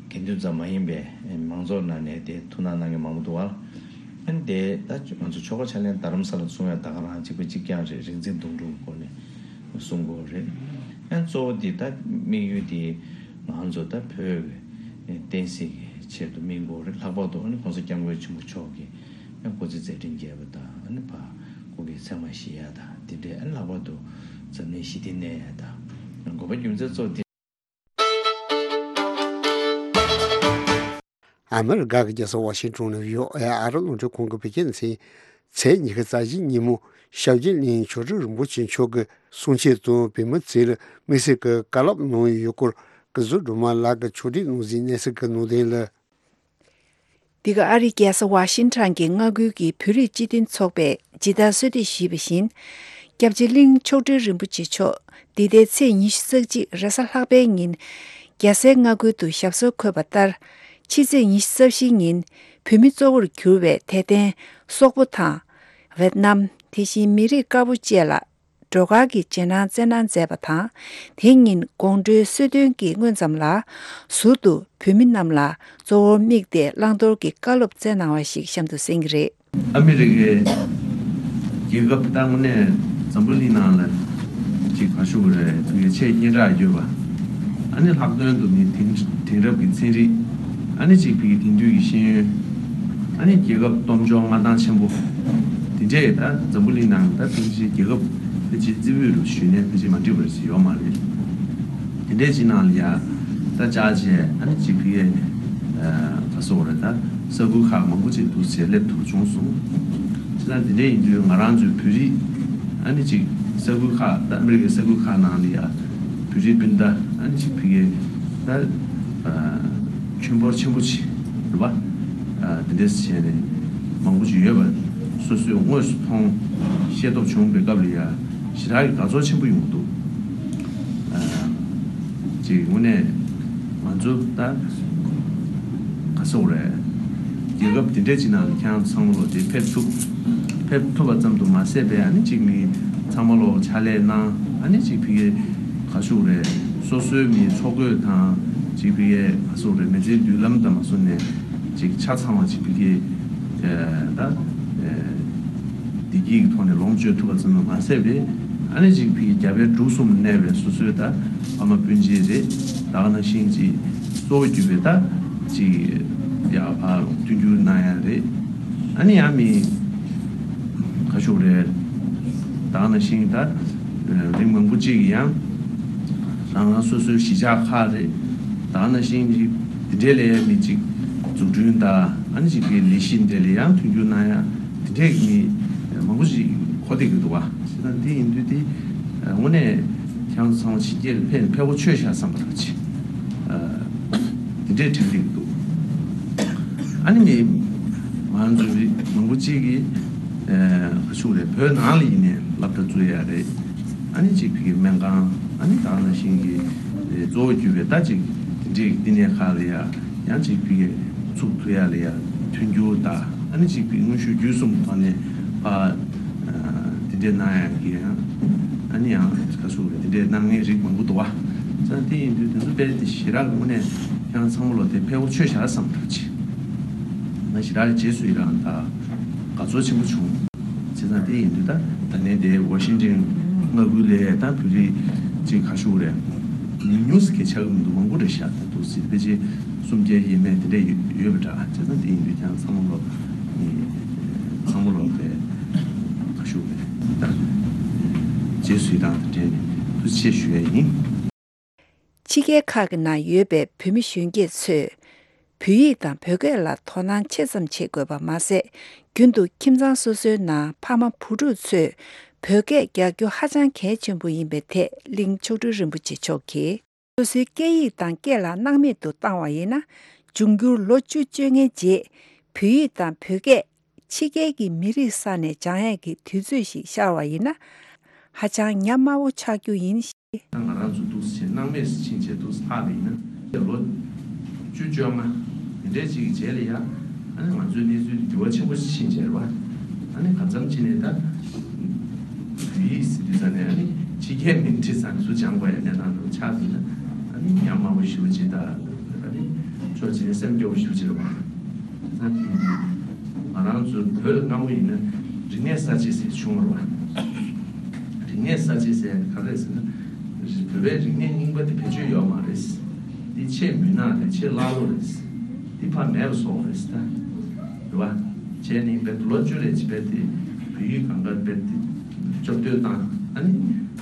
དགེ་འདུན་ཙམ་མ་ཡིན་པའི་མང་ཚོགས་ནང་ནས་དེ་ཐུགས་སྣང་གནང་མཁན་མང་པོ་འདུག་བ། ཨ་ནི་དེ་ད་ང་ཚོ་ཆོ་ག་ཕྱག་ལེན་དྷ་རམ་ས་ལ་གསུང་ཡ་ད་ག་རང་གཅིག་པ་གཅིག་རྐྱང་རེད། རིག་འཛིན་དུང་སྒྲུང་སྐོར་ནས་གསུང་གི་ཡོད་རེད། ཨ་ནི་གཙོ་བོ་དེ་ད་དམིགས་ཡུལ་དེ་ང་ཚོ་ད་བོད་ཀྱི་བསྟན་སྲིད་ཀྱི་ཆེད་དུ་དམིགས་དགོས་རེད། ལྷག་པར་དུ་ཨ་ནི་༸གོང་ས་༸སྐྱབས་མགོན་ཆེན་པོ་མཆོག་གིས་ཨ་སྐུ་ཚེ་མཛད་འཕྲིན་རྒྱས་པ་དང་། ཨ་ནི་ཕ་སྐུ་གི་མཚན་མ་བཞེས་ཡ་དང་དེ་འདྲའི། ཨ་ནི་ལྷག་པར་དུ་འཛམ་གླིང་ཞི་བདེ་གནས་ཡ་དང་དགོས་པ་རྒྱུ་མཚན་གཙོ་བོ་དེ། ཨ་མི་རི་ཀ་གི་རྒྱལ་ས་ཝ་ཤིང་ཊོན་ནས་བྷི་ཨོ་ཨེ་ཨ་རི་རླུང་འཕྲིན་ཁང་གི་བོད་སྐད་སྡེ་ཚན། ཚེས་ཉི་ཤུ་རྩ་བཞི་ཉིན་མོ་ཞབས་རྗེས་གླིང་མཆོག་སྤྲུལ་རིན་པོ་ཆེ་མཆོག་གི་གསུང་ཆོས་དང་། བོད་མི་ཚོས་དམིགས་བསལ་གྱི་བཀའ་སློབ་གནང་ཡོད་སྐོར་སྐུ་ཟུར་སྒྲོལ་མ་ལགས་ཀྱིས་ཕྱོགས་སྒྲིག་གནང་ཟིན་གནས་ཚུལ་གྱི་ནང་དོན་ལ། འདི་ག་ཨ་རིའི་རྒྱལ་ས་ཝ་ཤིང་ཊོན་གྱི་མངའ་ཁུལ་གྱི་བོད་རིགས་སྤྱི་མཐུན་ཚོགས་པས་ཇི་ལྟར་གསོལ་འདེབས་ཞུས་པ་བཞིན། སྐྱབས་རྗེ་གླིང་མཆོག་སྤྲུལ་རིན་པོ་ཆེ་མཆོག་འདི་ཟླའི་ཚེས་ཉི་ཤུ་རྩ་གཅིག་རེས་གཟའ་ལྷག་པའི་ཉིན། རྒྱལ་སའི་མངའ་ཁུལ་དུ་ཞབས་སོར་འཁོད་པ་ལྟར། ཕྱི་ཚེས་ཉི་ཤུ་རྩ་བཞིའི་ཉིན་བོད་མི་གཙོ་བོར་གྱུར་བའི་དད་ལྡན་སོག་པོ་དང་། ཝེད་ནམ། དེ་བཞིན་མི་རིགས་དཀར་པོ་བཅས་ལ་སྒྲོལ་དཀར་གྱི་རྗེས་གནང་སྩལ་གནང་མཛད་པ་དང་། དེ་ཉིན་དགོང་དྲོའི་གསོལ་སྟོན་གྱི་སྔོན་ཙམ་ལ་ཟུར་དུ་བོད་མི་རྣམས་ལ་གཙོ་བོར་དམིགས་ཏེ་བླང་དོར་གྱི་བཀའ་སློབ་སྩལ་གནང་བ་ཞིག་གཤམ་དུ་གསན་གྱི་རེད། ཨ་མི་རི་ཀའི་རྒྱལ་ཁབ་ད་དངོས་གནས་འཛམ་བུ་གླིང་ནང་ལ་ཅིག་ག་ཞུ་དགོས་རེད། ཕ་གིའི་ཆེས་སྙན་གྲགས་ཡོད་པ། ཨ་ནི་ལྷག་དོན་དུ་ནི་དེང་དེང་རབས་ཀྱི་ཚན་རིག་ཨ་ནི་ཅིག་ཕ་གིའི་དེང་དུས་ཀྱི་ཤེས་ཡོན། ཨ་ནི་རྒྱལ་ཁབ་སྟོབས་འབྱོར་མངའ་ཐང་ཆེན་པོ། དེ་འདྲས་ད་འཛམ་བུ་གླིང་ནང་ད་ཕལ་ཆེར་རྒྱལ་ཁབ་ཕལ་ཆེར་རྩེ་ཕུད་རུ་ཞུས་ནས་ཕལ་ཆེར་མ་འགྲིག་པ་ཞིག་ཡོད་མ་རེད། དེ་འདྲས་ཅིག་ནང་ལ་ཡ་ད་བཅར་བྱས་ཨ་ནི་ཅིག་ཕ་གིའི་ག་ཟེར་དགོས་རེད། ད་ས་ཁུལ་ཁག་མང་པོ་ཅིག་འདུག་སེ་སླེབས་ཐུབ་བྱུང་སོང་། བྱས་ཙང་དེ་འདྲས་ཡིན་དུས་ང་རང་ཚོའི་བོད་རིགས་ཨ་ནི་ཅིག་ས་ཁུལ་ཁག་ད་ཨ་མི་རི་ཀའི་ས་ཁུལ་ཁག་ནང་ལ་ཡ་བོད་རིགས་སྤུན་ཟླ་ཨ་ནི་ཅིག་ཕ་གིའི་ད་ཁྱོན་འབོར་ཆེན་པོ་ཅིག་རེད་པ། དེ་འདྲས་བྱས་ནས་མང་པོ་ཅིག་ཡོད་པ་སོ་སོས་དངོས་སུ་མཐོང་ཤེས་རྟོགས་བྱུང་བའི་སྐབས་ལ་ཡ་ཞེ་དྲག་གི་དགའ་ཚོར་ཆེན་པོ་ཡོང་གི་འདུག་ཅིག་དངོས་གནས་ང་ཚོ་ད་ག་ཟེར་དགོས་རེད། རྒྱལ་ཁབ་དེ་འདྲས་ཅིག་ནང་ལ་ཁྱེད་རང་ཚང་མ་ལོག་དེ་ཕེབས་ཐུབ། ཕེབས་ཐུབ་པ་ཙམ་དུ་མ་ཟད་པའི་ཨ་ནི་ཅིག་མི་ཚང་མ་ལོག་ཕྱག་ལས་གནང་། ཨ་ནི་ཅིག་ཕ་གིའི་ག་ཞུ་དགོས་རེད། སོ་སོའི་མི་འཚོ་གོས་དང་ཅིག་ཕ་གིའི་ག་ཞུ་དགོས་རེད། མི་ཚེའི་མདུན་ལམ་དང་མ་སོ་ནས་ཅིག་ཆ་ཚང་བ་ཅིག་ཕ་གིའི་ད་བདེ་སྐྱིད་ཀྱི་ཐོག་ནས་ལོངས་སྤྱོད་ཐུབ་པ་ཙམ་དུ་མ་ཟད་པའི་ཨ་ནི་ཅིག་ཕ་གིའི་རྒྱ་བལ་འབྲུག་གསུམ་གནས་པའི་སོ་སོའི་ད་ཕ་མ་སྤུན་མཆེད་རེད། ད་ག་ནང་བཞིན་ཅིག་གཙོ་བོ་གྱུར་པའི་ད་ཅིག་ཡར་ཕར་མཐུན་འགྱུར་གནང་ཡ་རེད། ཨ་ནི་ཡང་མི་ག་ཞུ་དགོས་རེད། ད་ག་ནང་བཞིན་ད་རིང་མང་པོ་ཅིག་ཡང་རང་རང་སོ་སོའི་གཞིས་ཆགས་ཁག་རེད། ད་ག་ནང་བཞིན་ཅིག་དེ་འདྲའི་ལས་མི་ཅིག་འཛུགས་སྐྲུན་དང་ཨ་ནི་ཅིག་གི་ལས་གཞི་འདྲ་ལ་ཡང་མཐུན་འགྱུར་གནང་ཡ་དེ་འདྲའི་མི་མང་པོ་ཅིག་གོ་བསྡད་ཀྱི་འདུག་བ། བྱས་ཙང་འདི་ཡིན་དུས་འདི་དངོས་གནས་ཁྱེད་རང་ཚོ་ཚང་མ་ཕྱི་རྒྱལ་ལ་ཕེབས་ཕེབས་པ་ཆོས་བཞག་བསམ་པ་རང་ཆེ། དེ་འདྲའི་དྲན་གྱི་འདུག་ཨ་ནི་ནི་ང་ཚོ་རིགས་མང་པོ་གཅིག་གིས་ག་ཞུ་དགོས་རེད། བོད་ནང་ལ་ཡིན་ནའི་སློབ་གྲྭ་བཙུགས་ཡ་རེད། ཨ་ནི་གཅིག་ཕ་གིའི་སྨན་ཁང་ཨ་ནི་ད་ག་ནང་བཞིན་གྱི་གཙོ་བོ་གྱུར་པའི་ད་གཅིག་དེ་འདྲའི་བསྟི་གནས་ཁག་ལ་ཡ་ཡང་གཅིག་ཕ་གིའི་ཚུགས་ཐུབ་ཡ་ལ་ཡ་མཐུན་འགྱུར་དང་ཨ་ནི་གཅིག་ཕ་གིའི་དངོས་ཤུགས་བརྒྱུད་གསུམ་ཐོག་ནས་ཕར་དེ་འདྲའི་གནང་ཡ་གི་ཡང་། ཨ་ནི་ཡང་ག་ཚོད་རེད། དེ་འདྲའི་གནང་མཁན་རིགས་མང་པོ་འདུག་བ། ཙང་དེ་ཡིན་དུས་དེ་ཚོ་དཔེ་དེ་ཞེ་དྲག་གི་དངོས་གནས་ཁྱེད་རང་ཚང་མ་ལོ་དེ་ཕལ་པོ་ཆོས་བྱ་བསམ་འགྲོ་ཅི། ང་ཞེ་དྲག་རྗེས་སུ་ཡི་རང་དང་དགའ་ཚོར་ཆེན་པོ་བྱུང་། བྱས་ཙང་དེ་ཡིན་དུས་ད་ད་ནས་དེ་ཝ་ཤིང་ཊོན་མངའ་ཁུལ་ལ་ད་བོད་རིགས་ཅིག་ག་ཤུག་རེད། ཉུང་ཉུང་ཟིག་གི་ཆགས་ཀྱི་མི་འདུག་མང་པོ་རེད་ཤག་ད་འདུག་ཟེར་ཕལ་ཆེར་སུམ་བརྒྱ་ཡས་མས་དེ་འདྲ་ཡོད་པ་འདྲ། བྱས་ཙང་དེ་ཡིན་དུས་ཀྱང་ཚང་མ་ལོ་ཚང་མ་ལོ་དེ་ག་ཤུག་རེད་ད་རྗེས་སུ་ཡི་རང་དང་འབྲེལ་ནས་ཐུགས་རྗེ་ཆེ་ཞུ་ཡ་ཡིན། ཕྱི་རྒྱལ་ཁག་གི་ནང་ཡོད་པའི་བོད་མི་གཞོན་སྐྱེས་ཚོས་བོད་ཡིག་དང་བོད་སྐད་ལ་དོ་སྣང་ཆེ་ཙམ་བྱེད་དགོས་པ་མ་ཟད། རྒྱུན་དུ་ཁྱིམ་ཚང་སོ་སོའི་ནང་ཕ་མ་བུ་ཕྲུག་ཚོས་བོད་སྐད་རྒྱག་རྒྱུ་ཧ་ཅང་གལ་ཆེན་པོ་ཡིན་པའི་ཐད་གླིང་མཆོག་སྤྲུལ་རིན་པོ་ཆེ་མཆོག་གིས། སོ་སོའི་སྐད་ཡིག་དང་སྐད་ལ་སྣང་མེད་དུ་བཏང་བ་ཡིན་ན། འབྱུང་འགྱུར་ལོ་བཅུ་བཅོ་ལྔའི་རྗེས་བོད་ཡིག་དང་བོད་སྐད་ཕྱི་རྒྱལ་གྱི་མི་རིགས་ས་ནས་སྦྱང་ཡས་ཀྱི་དུས་ཚོད་ཞིག་ཤར་བ་ཡིན་ན། ཧ་ཅང་ཉམས་དམའ་བོ་ཆགས་རྒྱུ་ཡིན། ད་ང་རང་ཚོ་འདུག་སེ་བྱས་སྣང་མེད་སུ་ཕྱིན་བྱས་འདུག་སེ་ལྷག་པ་ཡིན་ན། ལོ་བཅུ་བཅོ་ལྔ་དེ་འདྲའི་ཅིག་གི་རྗེས་ལ་ཡ། ཨ་ནི་ང་ཚོའི་གནས་ཚུལ་དེ་འགྱུར་བ་ཆེན་པོ་ཕྱིན་བྱས་རེད་བ། ཨ་ནི་གང་འཚམ་ཕྱིན་ནས་ད་བོད་ཡིག་ཟེར་དུས་ཙང་ནས་ཨ་ནི་ཕྱི་རྒྱལ་མིང་བྲིས་ཙང་ཚུར་སྦྱང་དགོས་ཡ་གནས་སྟངས་འདྲ་བོ་ཆགས་འདུག་ན། ཨ་ནི་ཉམས་དམའ་བོ་ཞེ་པོ་ཅིག་དང་། ཨ་ནི་ཕྱོགས་གཅིག་ནས་སེམས་སྐྱོ་བོ་ཞེ་པོ་ཅིག་རེད་བ། ང་རང་ཚོ་བོད་ལ་སྔ་མོ་ཡིན་ན་རིག་གནས་གསར་བརྗེ་ཟེར་བྱུང་བ་རེད་བ། རིག་གནས་གསར་བརྗེ་ཟེར་ཡ་དེ་ག་རེ་རེད་ཟེར་ན། བོད་པའི་རིག་གནས་རྙིང་པ་དེ་བེད་སྤྱོད་ཡོད་མ་རེད། འདི་ཆེས་མུན་ནག་རེད། ཆེས་ཀླ་ཀློ་རེད། འདི་ཕར་མེད་པ་བཟོ་དགོས་རེད་ད། རེད་བ། བྱས་ནས་དཔེ་ལོ་བཅུ་རེ་ཅིག་དཔེ་དེ་བོད་ཡིག་གང་ག་དཔེ་དེ་སྐྱོབ་གཏོད་བཏང་། ཨ་ནི་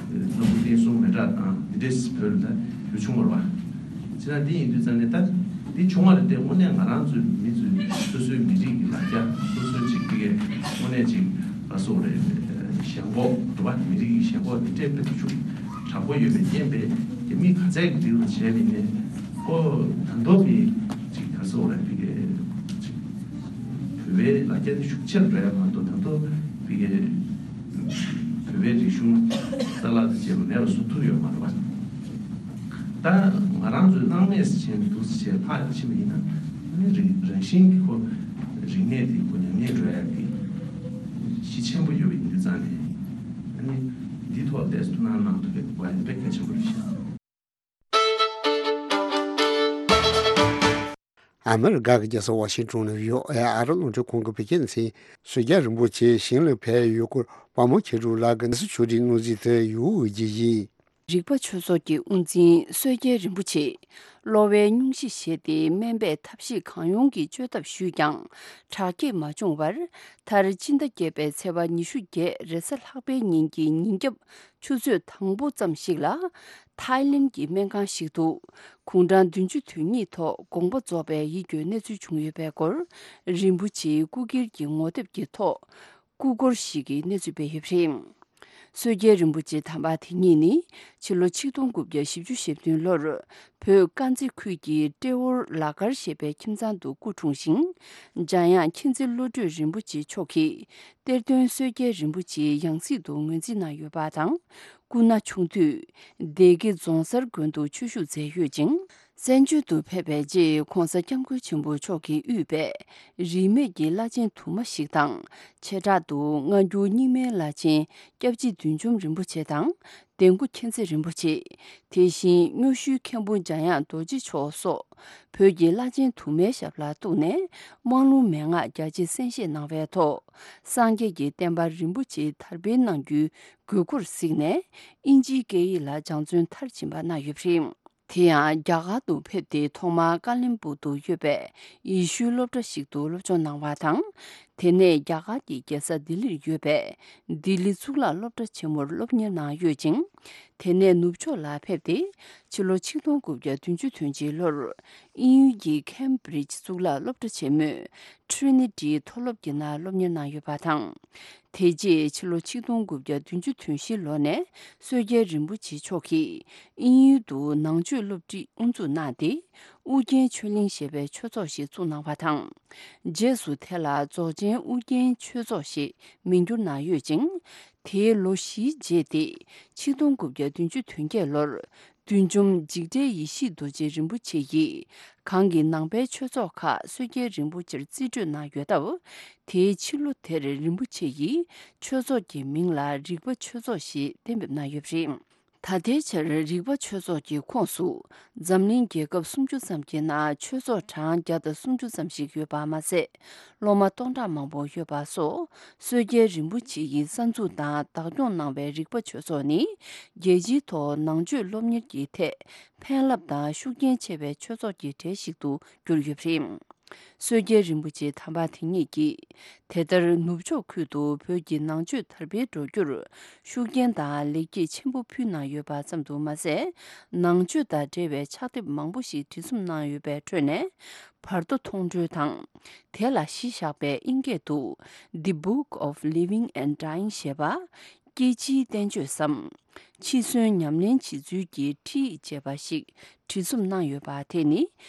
སྣ་ཁུག་བསྟན་སྲུང་མེ་སྲེག་བཏང་། འདི་འདྲས་བོད་ལ་ཡོད་བྱུང་བ་རེད་བ། བྱས་ན་འདི་ཡིན་དུས་ཙང་ནས་ད་འདི་བྱུང་བ་རེད་དེ། དངོས་གནས་ང་རང་ཚོའི་མི་ཚོའི་སོ་སོའི་མི་རིགས་ཀྱི་ལ་རྒྱ། སོ་སོའི་ཅིག་དེ་གའི་དངོས་གནས་ཅིག་ལ་སོགས་རེད། ཞེན་ཁོག་རེད་བ། མི་རིགས་ཀྱི་ཞེན་ཁོག་དེ་འདྲས་དཔེ་ཤུགས་དྲག་པོ་ཡོད་པའི་རྐྱེན་པས། དེ་མི་ག་ཚད་ཀྱི་རིགས་ལ་བྱས་པ་ཡིན་ནའི་ཁོ་ད་མདོ་མི་ཅིག་ལ་སོགས་རེད། དེ་གའི་ཅིག་བོད་པའི་ལ་རྒྱ་དེ་ཤུགས་ཆེར་འགྲོ་ཡ་མ་གཏོགས། ད་མདོ་དེ་གའི་བོད་པའི་རིག་གཞུང་རྩ་བརླག་དང་བཅས་པ་མེད་པ་བཟོ་ཐུབ་ཡོད་མ་རེད་བ། ད་ང་རང་ཚོའི་སྣང་མེད་སུ་ཕྱིན་འདུག་ཟེར་ལྷག་ཕྱིན་པ་ཡིན་ན། ཨ་ནི་རང་རང་བཞིན་གྱིས་ཁོ་རིག་གནས་དེ་ཁོ་ཉམས་ཉེས་འགྲོ་ཡ་གི་གཞི་ཆེན་པོ་ཡོད་པ་ཡིན་དུས་ཙང་ནས། ཨ་ནི་འདིའི་ཐོག་ལ་ཏོག་ཙམ་ཐུགས་སྣང་གནང་ཐུབ་པ་ཡིན་ན་དཔེ་གལ་ཆེན་པོ་རེད་ཤག་ཨ་མི་རི་ཀ་གི་རྒྱལ་ས་ཝ་ཤིང་ཊོན་ནང་ཡོད་ཨེ་ཨ་རི་རླུང་འཕྲིན་ཁང་གི་བོད་སྐད་སྡེ་ཚན། སྲོལ་རྒྱལ་རིན་པོ་ཆེ་ཞིང་ལ་ཕེབས་ཡོད་སྐོར་དཔའ་མོ་མཁས་གྲུབ་ལགས་ཀྱི་གནས་ཚུལ་ཕྱོགས་སྒྲིག་སྣུར་སྲིད་དེ་ཡོད་ཀྱི་ཡིན། རིག་པ་ཆོས་ཚོགས་ཀྱི་དབུ་འཛིན་སྲོལ་རྒྱལ་རིན་པོ་ཆེས་གློ་བའི་སྙུང་གཞི་བཞེས་ཏེ་སྨན་པའི་ཐབས་ཤེས་གང་ཡོང་གིས་བཅོས་ཐབས་ཞུས་ཀྱང་དྲག་སྐྱེད་མ་བྱུང་བར། མཐར་སྤྱི་ཟླ་བརྒྱད་པའི་ཚེས་པ་ཉི་ཤུ་བརྒྱད་རེས་གཟའ་ལྷག་པའི་ཉིན་གྱི་ཉིན་རྒྱབ་ཆུ་ཚོད་དང་པོ་ཙམ་ཞིག་ལ་ཐའི་ལེན་གྱི་སྨན་ཁང་ཞིག་ཏུ་དགུང་གྲངས་བདུན་ཅུ་དོན་གཉིས་ཐོག་དགོངས་པ་རྫོགས་པའི་ཡིད་སྐྱོའི་གནས་ཚུལ་བྱུང་ཡོད་པའི་སྐོར། རིན་པོ་ཆེའི་སྐུ་སྒེར་གྱི་ངོ་དེབ་ཀྱི་ཐོག་སྐུ་འཁོར་ཞིག་གི་གནས་ཚུལ་སྤེལ་ཡོད་པ་རེད། སྲོལ་རྒྱལ་རིན་པོ་ཆེ་དམ་པ་དེ་ཉིད་ནི་ཕྱི་ལོ་ཆིག་སྟོང་དགུ་བརྒྱ་བཞི་བཅུ་ཞེ་བདུན་ལོར་བོད་དཀར་མཛེས་ཁུལ་གྱི་ཏྲེ་ཧོར་ལ་དཀར་ཞེས་པའི་ཁྱིམ་ཚང་དུ་སྐུ་འཁྲུངས་ཤིང་། འཇམ་དབྱངས་མཁྱེན་བརྩེ་བློ་གྲོས་རིན་པོ་ཆེ་མཆོག་གིས་གཏེར་སྟོན་སྲོལ་རྒྱལ་རིན་པོ་ཆེའི་ཡང་སྲིད་དུ་ངོས་འཛིན་གནང་ཡོད་པ་དང་། སྐུ་ན་ཆུང་དུས་སྡེ་དགེ་རྫོང་གསར་དགོན་དུ་ཆོས་ཞུགས་མཛད་ཡོད་ཅིང་། བཙན་བྱོལ་དུ་ཕེབས་པའི་རྗེས་གོང་ས་སྐྱབས་མགོན་ཆེན་པོ་མཆོག་གིས་དབུས་པའི་རིས་མེད་ཀྱི་བླ་ཆེན་དུ་མ་ཞིག་དང་། བྱེ་བྲག་ཏུ་སྔ་འགྱུར་རྙིང་མའི་བླ་ཆེན་སྐྱབས་རྗེ་བདུད་འཇོམས་རིན་པོ་ཆེ་དང་། འདན་སྐུ་མཁྱེན་བརྩེ་རིན་པོ་ཆེ། དེ་བཞིན་སྨྱོ་ཤུལ་མཁན་པོ་འཇམ་དབྱངས་རྡོ་རྗེ་མཆོག་སོགས་བོད་ཀྱི་བླ་ཆེན་དུ་མའི་ཞབས་ལ་གཏུགས་ནས་དམངས་ལུང་མན་ངག་རྒྱ་ཆེ་གསན་བཞེས་གནང་བའི་ཐོག་སངས་རྒྱས་ཀྱི་བསྟན་པ་རིན་པོ་ཆེ་དར་སྤེལ་གནང་རྒྱུའི་དགོས་མཁོར་གཟིགས་ནས་དབྱིན་ཇིའི་སྐད་ཡིག་ལ་སྦྱང་བརྩོན་མཐར་ཕྱིན་པ་གནང་ཡོད་པ་རེད། དེ་ཡང་རྒྱ་གར་དུ་ཕེབས་ཏེ་ཐོག་མར་ཀ་ལིམ་པུང་དུ་ཡོད་པའི་ཡེ་ཤུའི་སློབ་གྲྭ་ཞིག་ཏུ་སློབ་སྦྱོང་གནང་བ་དང་། དེ་ནས་རྒྱ་གར་གྱི་རྒྱལ་ས་ལྡི་ལིར་ཡོད་པའི་ལྡི་ལི་གཙུག་ལག་སློབ་གྲྭ་ཆེན་མོར་སློབ་གཉེར་གནང་ཡོད་ཅིང་། དེ་ནས་ནུབ་ཕྱོགས་ལ་ཕེབས་ཏེ་ཕྱི་ལོ་ཆིག་སྟོང་དགུ་བརྒྱ་བདུན་ཅུ་དོན་གཅིག་ལོར་དབྱིན་ཡུལ་གྱི་ཁེམ་བྷི་རིཇ་གཙུག་ལག་སློབ་གྲྭ་ཆེན་མོའི་ཊི་རི་ནི་ཊི་མཐོ་སློབ་ཀྱི་ནང་སློབ་གཉེར་གནང་ཡོད་པ་དང་། དེ་རྗེས་ཕྱི་ལོ་ཆིག་སྟོང་དགུ་བརྒྱ་བདུན་ཅུ་དོན་བཞི་ལོ་ནས་སྲོལ་རྒྱལ་རིན་པོ་ཆེ་མཆོག་གིས་དབྱིན་ཡུལ་དུ་ནང་ཆོས་སློབ་ཁྲིད་དབུ་འཛུགས་གནང་སྟེ། ཨུ་རྒྱན་ཆོས་གླིང་ཞེས་པའི་ཆོས་ཚོགས་ཤིག་བཙུགས་གནང་བ་དང་། རྗེས་སུ་དེ་ལ་རྫོགས་ཆེན་ཨུ་རྒྱན་ཆོས་ཚོགས་ཞེས་མིང་བསྒྱུར་གནང་ཡོད་ཅིང་། དེའི་ལོ་བཞིའི་རྗེས་ཏེ་ཆིག་སྟོང་དགུ་བརྒྱ་བདུན་ཅུ་དོན་བརྒྱད་ལོར་ བདུད་འཇོམས་འཇིགས་བྲལ་ཡེ་ཤེས་རྡོ་རྗེ་རིན་པོ་ཆེ་ཡིས་གང་གི་ནང་པའི་ཆོས་ཚོགས་ཁག་བསོད་རྒྱལ་རིན་པོ་ཆེར་རྩིས་སྤྲོད་གནང་ཡོད་སྟབས། དེའི་ཕྱི་ལོ་དེར་རིན་པོ་ཆེ་ཡིས་ཆོས་ཚོགས་ཀྱི་མིང་ལ་རིག་པ་ཆོས་ཚོགས་ཞེས་གཏན་འབེབས་གནང་ཡོད་པ་རེད། ད་ལྟའི་ཆར་རིག་པ་ཆོས་ཚོགས་ཀྱི་ཁོངས་སུ་འཛམ་གླིང་རྒྱལ་ཁབ་སུམ་ཅུ་ཙམ་གྱི་ནང་ཆོས་ཚོགས་གྲངས་བརྒྱ་དང་སུམ་ཅུ་ཙམ་ཞིག་ཡོད་པ་མ་ཟད། སློབ་མ་སྟོང་ཕྲག་མང་པོ་ཡོད་པ་སོགས། བསོད་རྒྱལ་རིན་པོ་ཆེ་ཡིས་གསར་འཛུགས་དང་བདག་སྐྱོང་གནང་བའི་རིག་པ་ཆོས་ཚོགས་ནི། རྒྱལ་སྤྱིའི་ཐོག་ནང་ཆོས་སློབ་གཉེར་གྱི་ཐད་ཕན་རླབས་དང་ཤུགས་རྐྱེན་ཆེ་བའི་ཆོས་ཚོགས་ཀྱི་གྲས་ཤིག་ཏུ་གྱུར་ཡོད་པ་རེད། བསོད་རྒྱལ་རིན་པོ་ཆེ་དམ་པ་དེ་ཉིད་ཀྱིས། དེ་ལྟར་ནུབ་ཕྱོགས་ཁུལ་དུ་བོད་ཀྱི་ནང་ཆོས་དར་སྤེལ་འགྲོ་རྒྱུར་ཤུགས་རྐྱེན་དང་ལེགས་སྐྱེས་ཆེན་པོ་ཕུལ་གནང་ཡོད་པ་ཙམ་དུ་མ་ཟད། ནང་ཆོས་དང་འབྲེལ་བའི་ཕྱག་དེབ་མང་པོ་ཞིག་བྲིས་རྩོམ་གནང་ཡོད་པའི་ཁྲོད་ནས། བར་དོ་མཐོང་གྲོལ་དང་། དེ་ལ་གཞི་བཞག་པའི་ཨིན་སྐད་དུ། The Book of Living and Dying ཞེས་པ། སྐྱེ་འཆིའི་བསྟན་བཅོས་སམ། འཆི་གསོན་ཉམས་ལེན་བྱེད་ཚུལ་གྱི་ཁྲིད་ཡིག་ཅེས་པ་ཞིག་བྲིས་རྩོམ་གནང་ཡོད་པ་དེ་ནི།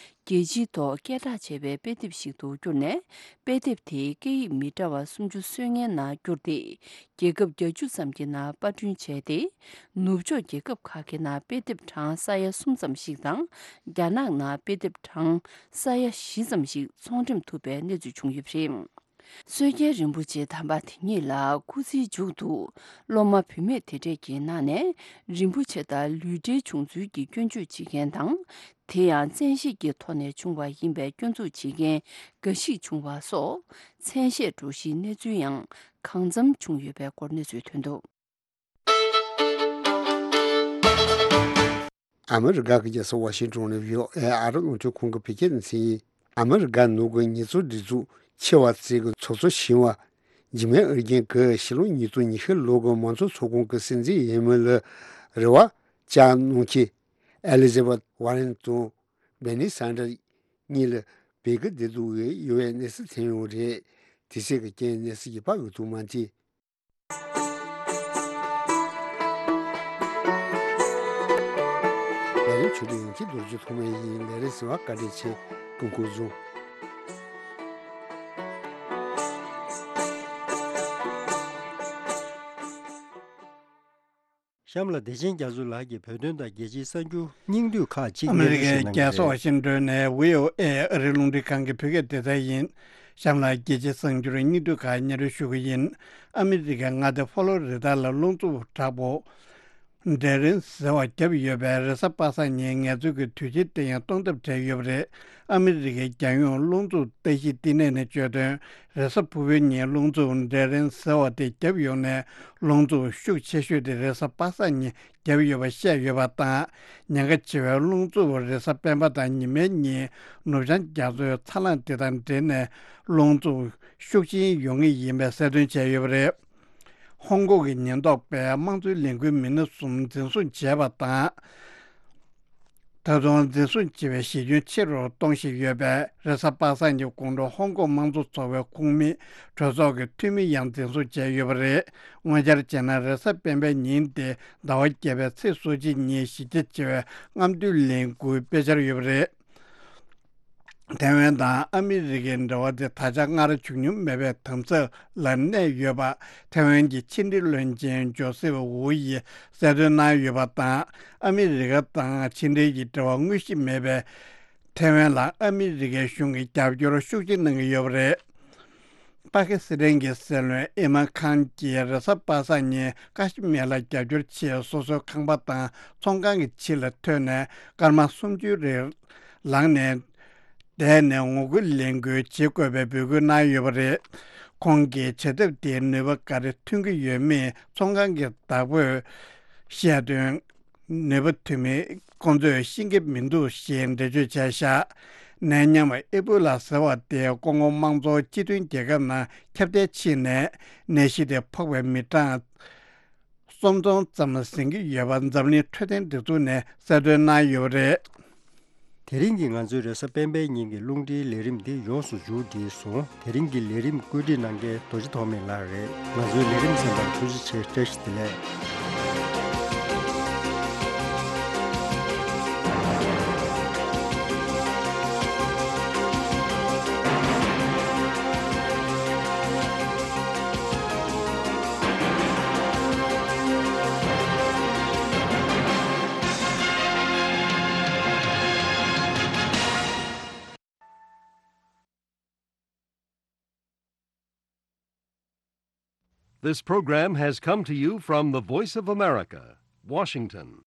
རྒྱལ་སྤྱིའི་ཐོག་སྐད་གྲགས་ཆེ་བའི་དཔེ་དེབ་ཞིག་ཏུ་གྱུར་ནས། དཔེ་དེབ་དེ་སྐད་ཡིག་མི་འདྲ་བ་སུམ་ཅུ་སོ་ལྔའི་ནང་བསྒྱུར་ཏེ། རྒྱལ་ཁབ་བརྒྱད་ཅུ་ཙམ་གྱི་ནང་པར་སྐྲུན་བྱས་ཏེ། ནུབ་ཕྱོགས་རྒྱལ་ཁབ་ཁག་གི་ནང་དཔེ་དེབ་གྲངས་ས་ཡ་གསུམ་ཙམ་ཞིག་དང་། རྒྱ་ནག་ནང་དཔེ་དེབ་གྲངས་ས་ཡ་བཞི་ཙམ་ཞིག་ཚོང་འགྲེམས་ཐུབ་པའི་གནས་ཚུལ་བྱུང་ཡོད་པ་རེད། བསོད་རྒྱལ་རིན་པོ་ཆེ་དམ་པ་དེ་ཉིད་ལ་སྐུ་ཚེའི་མཇུག་ཏུ་སློབ་མ་བུད་མེད་དེ་གྲས་ཀྱི་ནང་ནས་རིན་པོ་ཆེ་དང་ལུས་འབྲེལ་བྱུང་ཚུལ་གྱི་སྐྱོན་བརྗོད་བྱེད་མཁན་དང་། དེ་ཡང་བཙན་ཤེད་ཀྱི་ཐོག་ནས་བྱུང་བ་ཡིན་པའི་སྐྱོན་འཛུགས་བྱེད་མཁན་འགའ་ཞིག་བྱུང་བ་སོགས། མཚན་ཤས་འགྲོ་གཞིའི་གནས་ཚུལ་ཡང་གང་འཚམ་བྱུང་ཡོད་པའི་སྐོར་གནས་ཚུལ་ཐོན་འདུག། ཨ་མི་རི་ཀ་གི་རྒྱལ་ས་ཝ་ཤིང་ཏོན་ནས་བྷི་ཨོ་ཨེ་ཨ་རི་རླུང་འཕྲིན་ཁང་གི་བོད་སྐད་སྡེ་ཚན་ཡིན། ཨ་མི་རི་ཀ་ནང་གི་ཉེས་གསོག་སྒྲིག་འཛུགས་ཆེ་བ་ཚོས་ཀྱི་ཚོགས་གཙོ་ཞི་བ་འཇིགས་མེད་ཨེར་རྒྱན་གྱིས་ཕྱི་ལོ་ཉིས་སྟོང་ཉི་ཤུ་ལོ་གི་མང་གཙོ་ཚོགས་ཁང་གི་སྲིད་འཛིན་འོས་མི་ལ་རེ་བ་བཅངས་གནང་མཁན་ཨེ་ལི་ཛ་བྷེཐ་ཝ་རེན་དང་བྷར་ནི་སན་ཌར་གཉིས་ལ་བོད་ཀྱི་བདེ་སྡུག་འོས་ཡོད་པའི་གནས་ཚུལ་ཐོན་ཡོད་རེད། དེ་ཚོ་གི་རྐྱེན་གནས་ཚུལ་རྒྱས་པ་འོས་ཐུབ་མ་ཐེ། ལས་རིམ་ཆུ་ཚོད་ཡང་ཁྱི་རྡོ་རྗེ་ཐོག་མའི་ཡིན། ལས་རིམ་གསན་པར་བཀའ་དྲིན་ཆེ། སྐུ་ཁམས་བཟང་། གཤམ་ལ་བདེ་ཆེན་རྒྱ་མཚོ་ལགས་ཀྱིས་བོད་དོན་དང་རྒྱལ་སྤྱིའི་གསར་འགྱུར་སྙིང་བསྡུས་ཁག་ཅིག་ཨ་མི་རི་ཀའི་རྒྱལ་ས་ཝ་ཤིང་ཏོན་ནས་བྷི་ཨོ་ཨེ་ཨ་རིའི་རླུང་འཕྲིན་ཁང་གི་བོད་སྐད་སྡེ་ཚན་ཡིན། གཤམ་ལ་རྒྱལ་སྤྱིའི་གསར་འགྱུར་སྙིང་བསྡུས་ཁག་སྙན་སྒྲོན་ཞུ་གི་ཡིན། ཨ་མི་རི་ཀའི་མངའ་སྡེ་ཕོ་ལོ་རི་ད་ལ་རླུང་འཚུབ་དྲག་པོ་ཌེ་རིན་ཟེར་བ་བརྒྱབ་ཡོད་པའི་རེས་གཟའ་པ་སངས་ཉིན་ངལ་རྩོལ་གྱི་དུས་ཆེན་དེ་ཡང་སྟོང་ཟད་བྲལ་ཡོད་པ་རེད། ཨ་མི་རི་ཀའི་རྒྱལ་ཡོངས་རླུང་འཚུབ་ལྟ་ཞིབ་བསྟི་གནས་ནས་བརྗོད་དོན། རེས་གཟའ་ཕུར་བུའི་ཉིན་རླུང་འཚུབ་ཌེ་རིན་ཟེར་བ་དེ་བརྒྱབ་ཡོང་ནས། རླུང་འཚུབ་ཤུགས་ཆེ་ཤོས་དེ་རེས་གཟའ་པ་སངས་ཉིན་བརྒྱབ་ཡོད་པ་བཤད་ཡོད་པ་དང་། ཉེན་ཁ་ཆེ་བའི་རླུང་འཚུབ་རེས་གཟའ་སྤེན་པ་དང་ཉི་མའི་ཉིན་ནུབ་བྱང་རྒྱ་མཚོའི་ཚ་རླངས་དེ་དང་འབྲེལ་ནས་རླུང་འཚུབ་ཤུགས་ཆེན་ཡོང་ངེས་ཡིན་པའི་གསལ་སྟོན་བྱས་ཡོད་པ་རེད། ཧོང་ཀོང་གི་ཉེན་རྟོག་པས་དམངས་གཙོའི་ལས་འགུལ་མི་སྣ་གསུམ་འཛིན་བཟུང་བྱས་པ་དང་། ད་དུང་འཛིན་བཟུང་བྱས་པའི་གཞི་ཁྱོན་ཆེ་རུ་གཏོང་བཞིན་ཡོད་པས། རེས་གཟའ་པ་སངས་ཀྱི་དགོང་དྲོ་ཧོང་ཀོང་དམངས་གཙོ་ཚོགས་པའི་ཁོངས་མི་གྲོས་ཚོགས་ཀྱི་འཐུས་མི་ཡང་འཛིན་བཟུང་བྱས་ཡོད་པ་རེད། དངོས་འཆར་བྱས་ན། རེས་གཟའ་སྤེན་པའི་ཉིན་ཏེ་ཟླ་བ་བརྒྱད་པའི་ཚེས་སོ་གཅིག་ཉིན་གཞི་རྒྱ་ཆེ་བའི་རྔམ་སྟོན་ལས་འགུལ་སྤེལ་འཆར་ཡོད་པ་རེད། ཐའེ་ཝན་དང་ཨ་མི་རི་ཀའི་འབྲེལ་བ་དེ་ད་ཆ་སྔར་བྱུང་མྱོང་མེད་པའི་དམ་ཚིག་ལ་གནས་ཡོད་པ། ཐའེ་ཝན་གྱི་ཕྱི་འབྲེལ་བློན་ཆེན་ཇོ་སེབ་ཝུའུ་ཡིས་གསལ་སྟོན་གནང་ཡོད་པ་དང་། ཨ་མི་རི་ཀ་དང་ཕྱི་འབྲེལ་གྱི་འབྲེལ་བ་དངོས་གཞི་མེད་པའི་ཐའེ་ཝན་ལ་ཨ་མི་རི་ཀའི་གཞུང་གིས་རྒྱབ་སྐྱོར་ཤུགས་ཆེ་གནང་གི་ཡོད་པ་རེད། པ་ཀི་སི་ཐན་གྱི་སྲིད་བློན་ཨི་མན་ཁཱན་གྱིས་རེས་གཟའ་པ་སངས་ཉིན་ཀ་ཤི་མིར་ལ་རྒྱབ་སྐྱོར་ཆེད་སོ་སོའི་ཁང་པ་དང་ཚོང་ཁང་གི་ཕྱི་ལ་ཐོན་ནས་སྐར་མ་སུམ་ཅུའི་རིང་ལངས་ནས། བསྡད་ནས་ངོ་རྒོལ་ལས་འགུལ་བྱེད་དགོས་པའི་འབོད་སྐུལ་གནང་ཡོད་པ་རེད། ཁོང་གིས་བྱ་ཐབས་དེའི་ནུས་པ་ག་རེ་ཐོན་གྱི་ཡོད་མེད་ཚོང་ཁང་གི་བདག་པོས་བཤད་དོན། ནུས་པ་ཐོན་མིན་ཁོང་ཚོས་ཤེས་ཀྱི་མི་འདུག་ཞེས་འགྲེལ་བརྗོད་བྱས་བཞག་ནད་ཡམས་ཨེ་བྷོ་ལ་ཟེར་བ་དེ་ཀོང་ཀོ་དམངས་གཙོ་སྤྱི་མཐུན་རྒྱལ་ཁབ་ནང་ཁྱབ་གདལ་ཕྱིན་ནས་ནད་གཞི་དེ་ཕོག་པའི་མི་གྲངས་གསུམ་སྟོང་ཙམ་ཟིན་གྱི་ཡོད་པ་འཛམ་གླིང་འཕྲོད་བསྟེན་སྒྲིག་འཛུགས་ནས་གསལ་སྟོན་གནང་ཡོད་པ་རེད། དེ་རིང་གི་ང་ཚོའི་རེས་གཟའ་སྤེན་པའི་ཉིན་གྱི་རླུང་འཕྲིན་ལས་རིམ་འདི་ཡོངས་སུ་མཇུག་བསྒྲིལ་སོང་། དེ་རིང་གི་ལས་རིམ་བཀོད་སྒྲིག་གནང་མཁན་རྡོ་རྗེ་ཐོགས་མེད་ལགས་རེད། ང་ཚོའི་ལས་རིམ་གསན་པར་ཐུགས་རྗེ་ཆེ། བཀྲ་ཤིས་བདེ་ལེགས། This program has come to you from the Voice of America, Washington.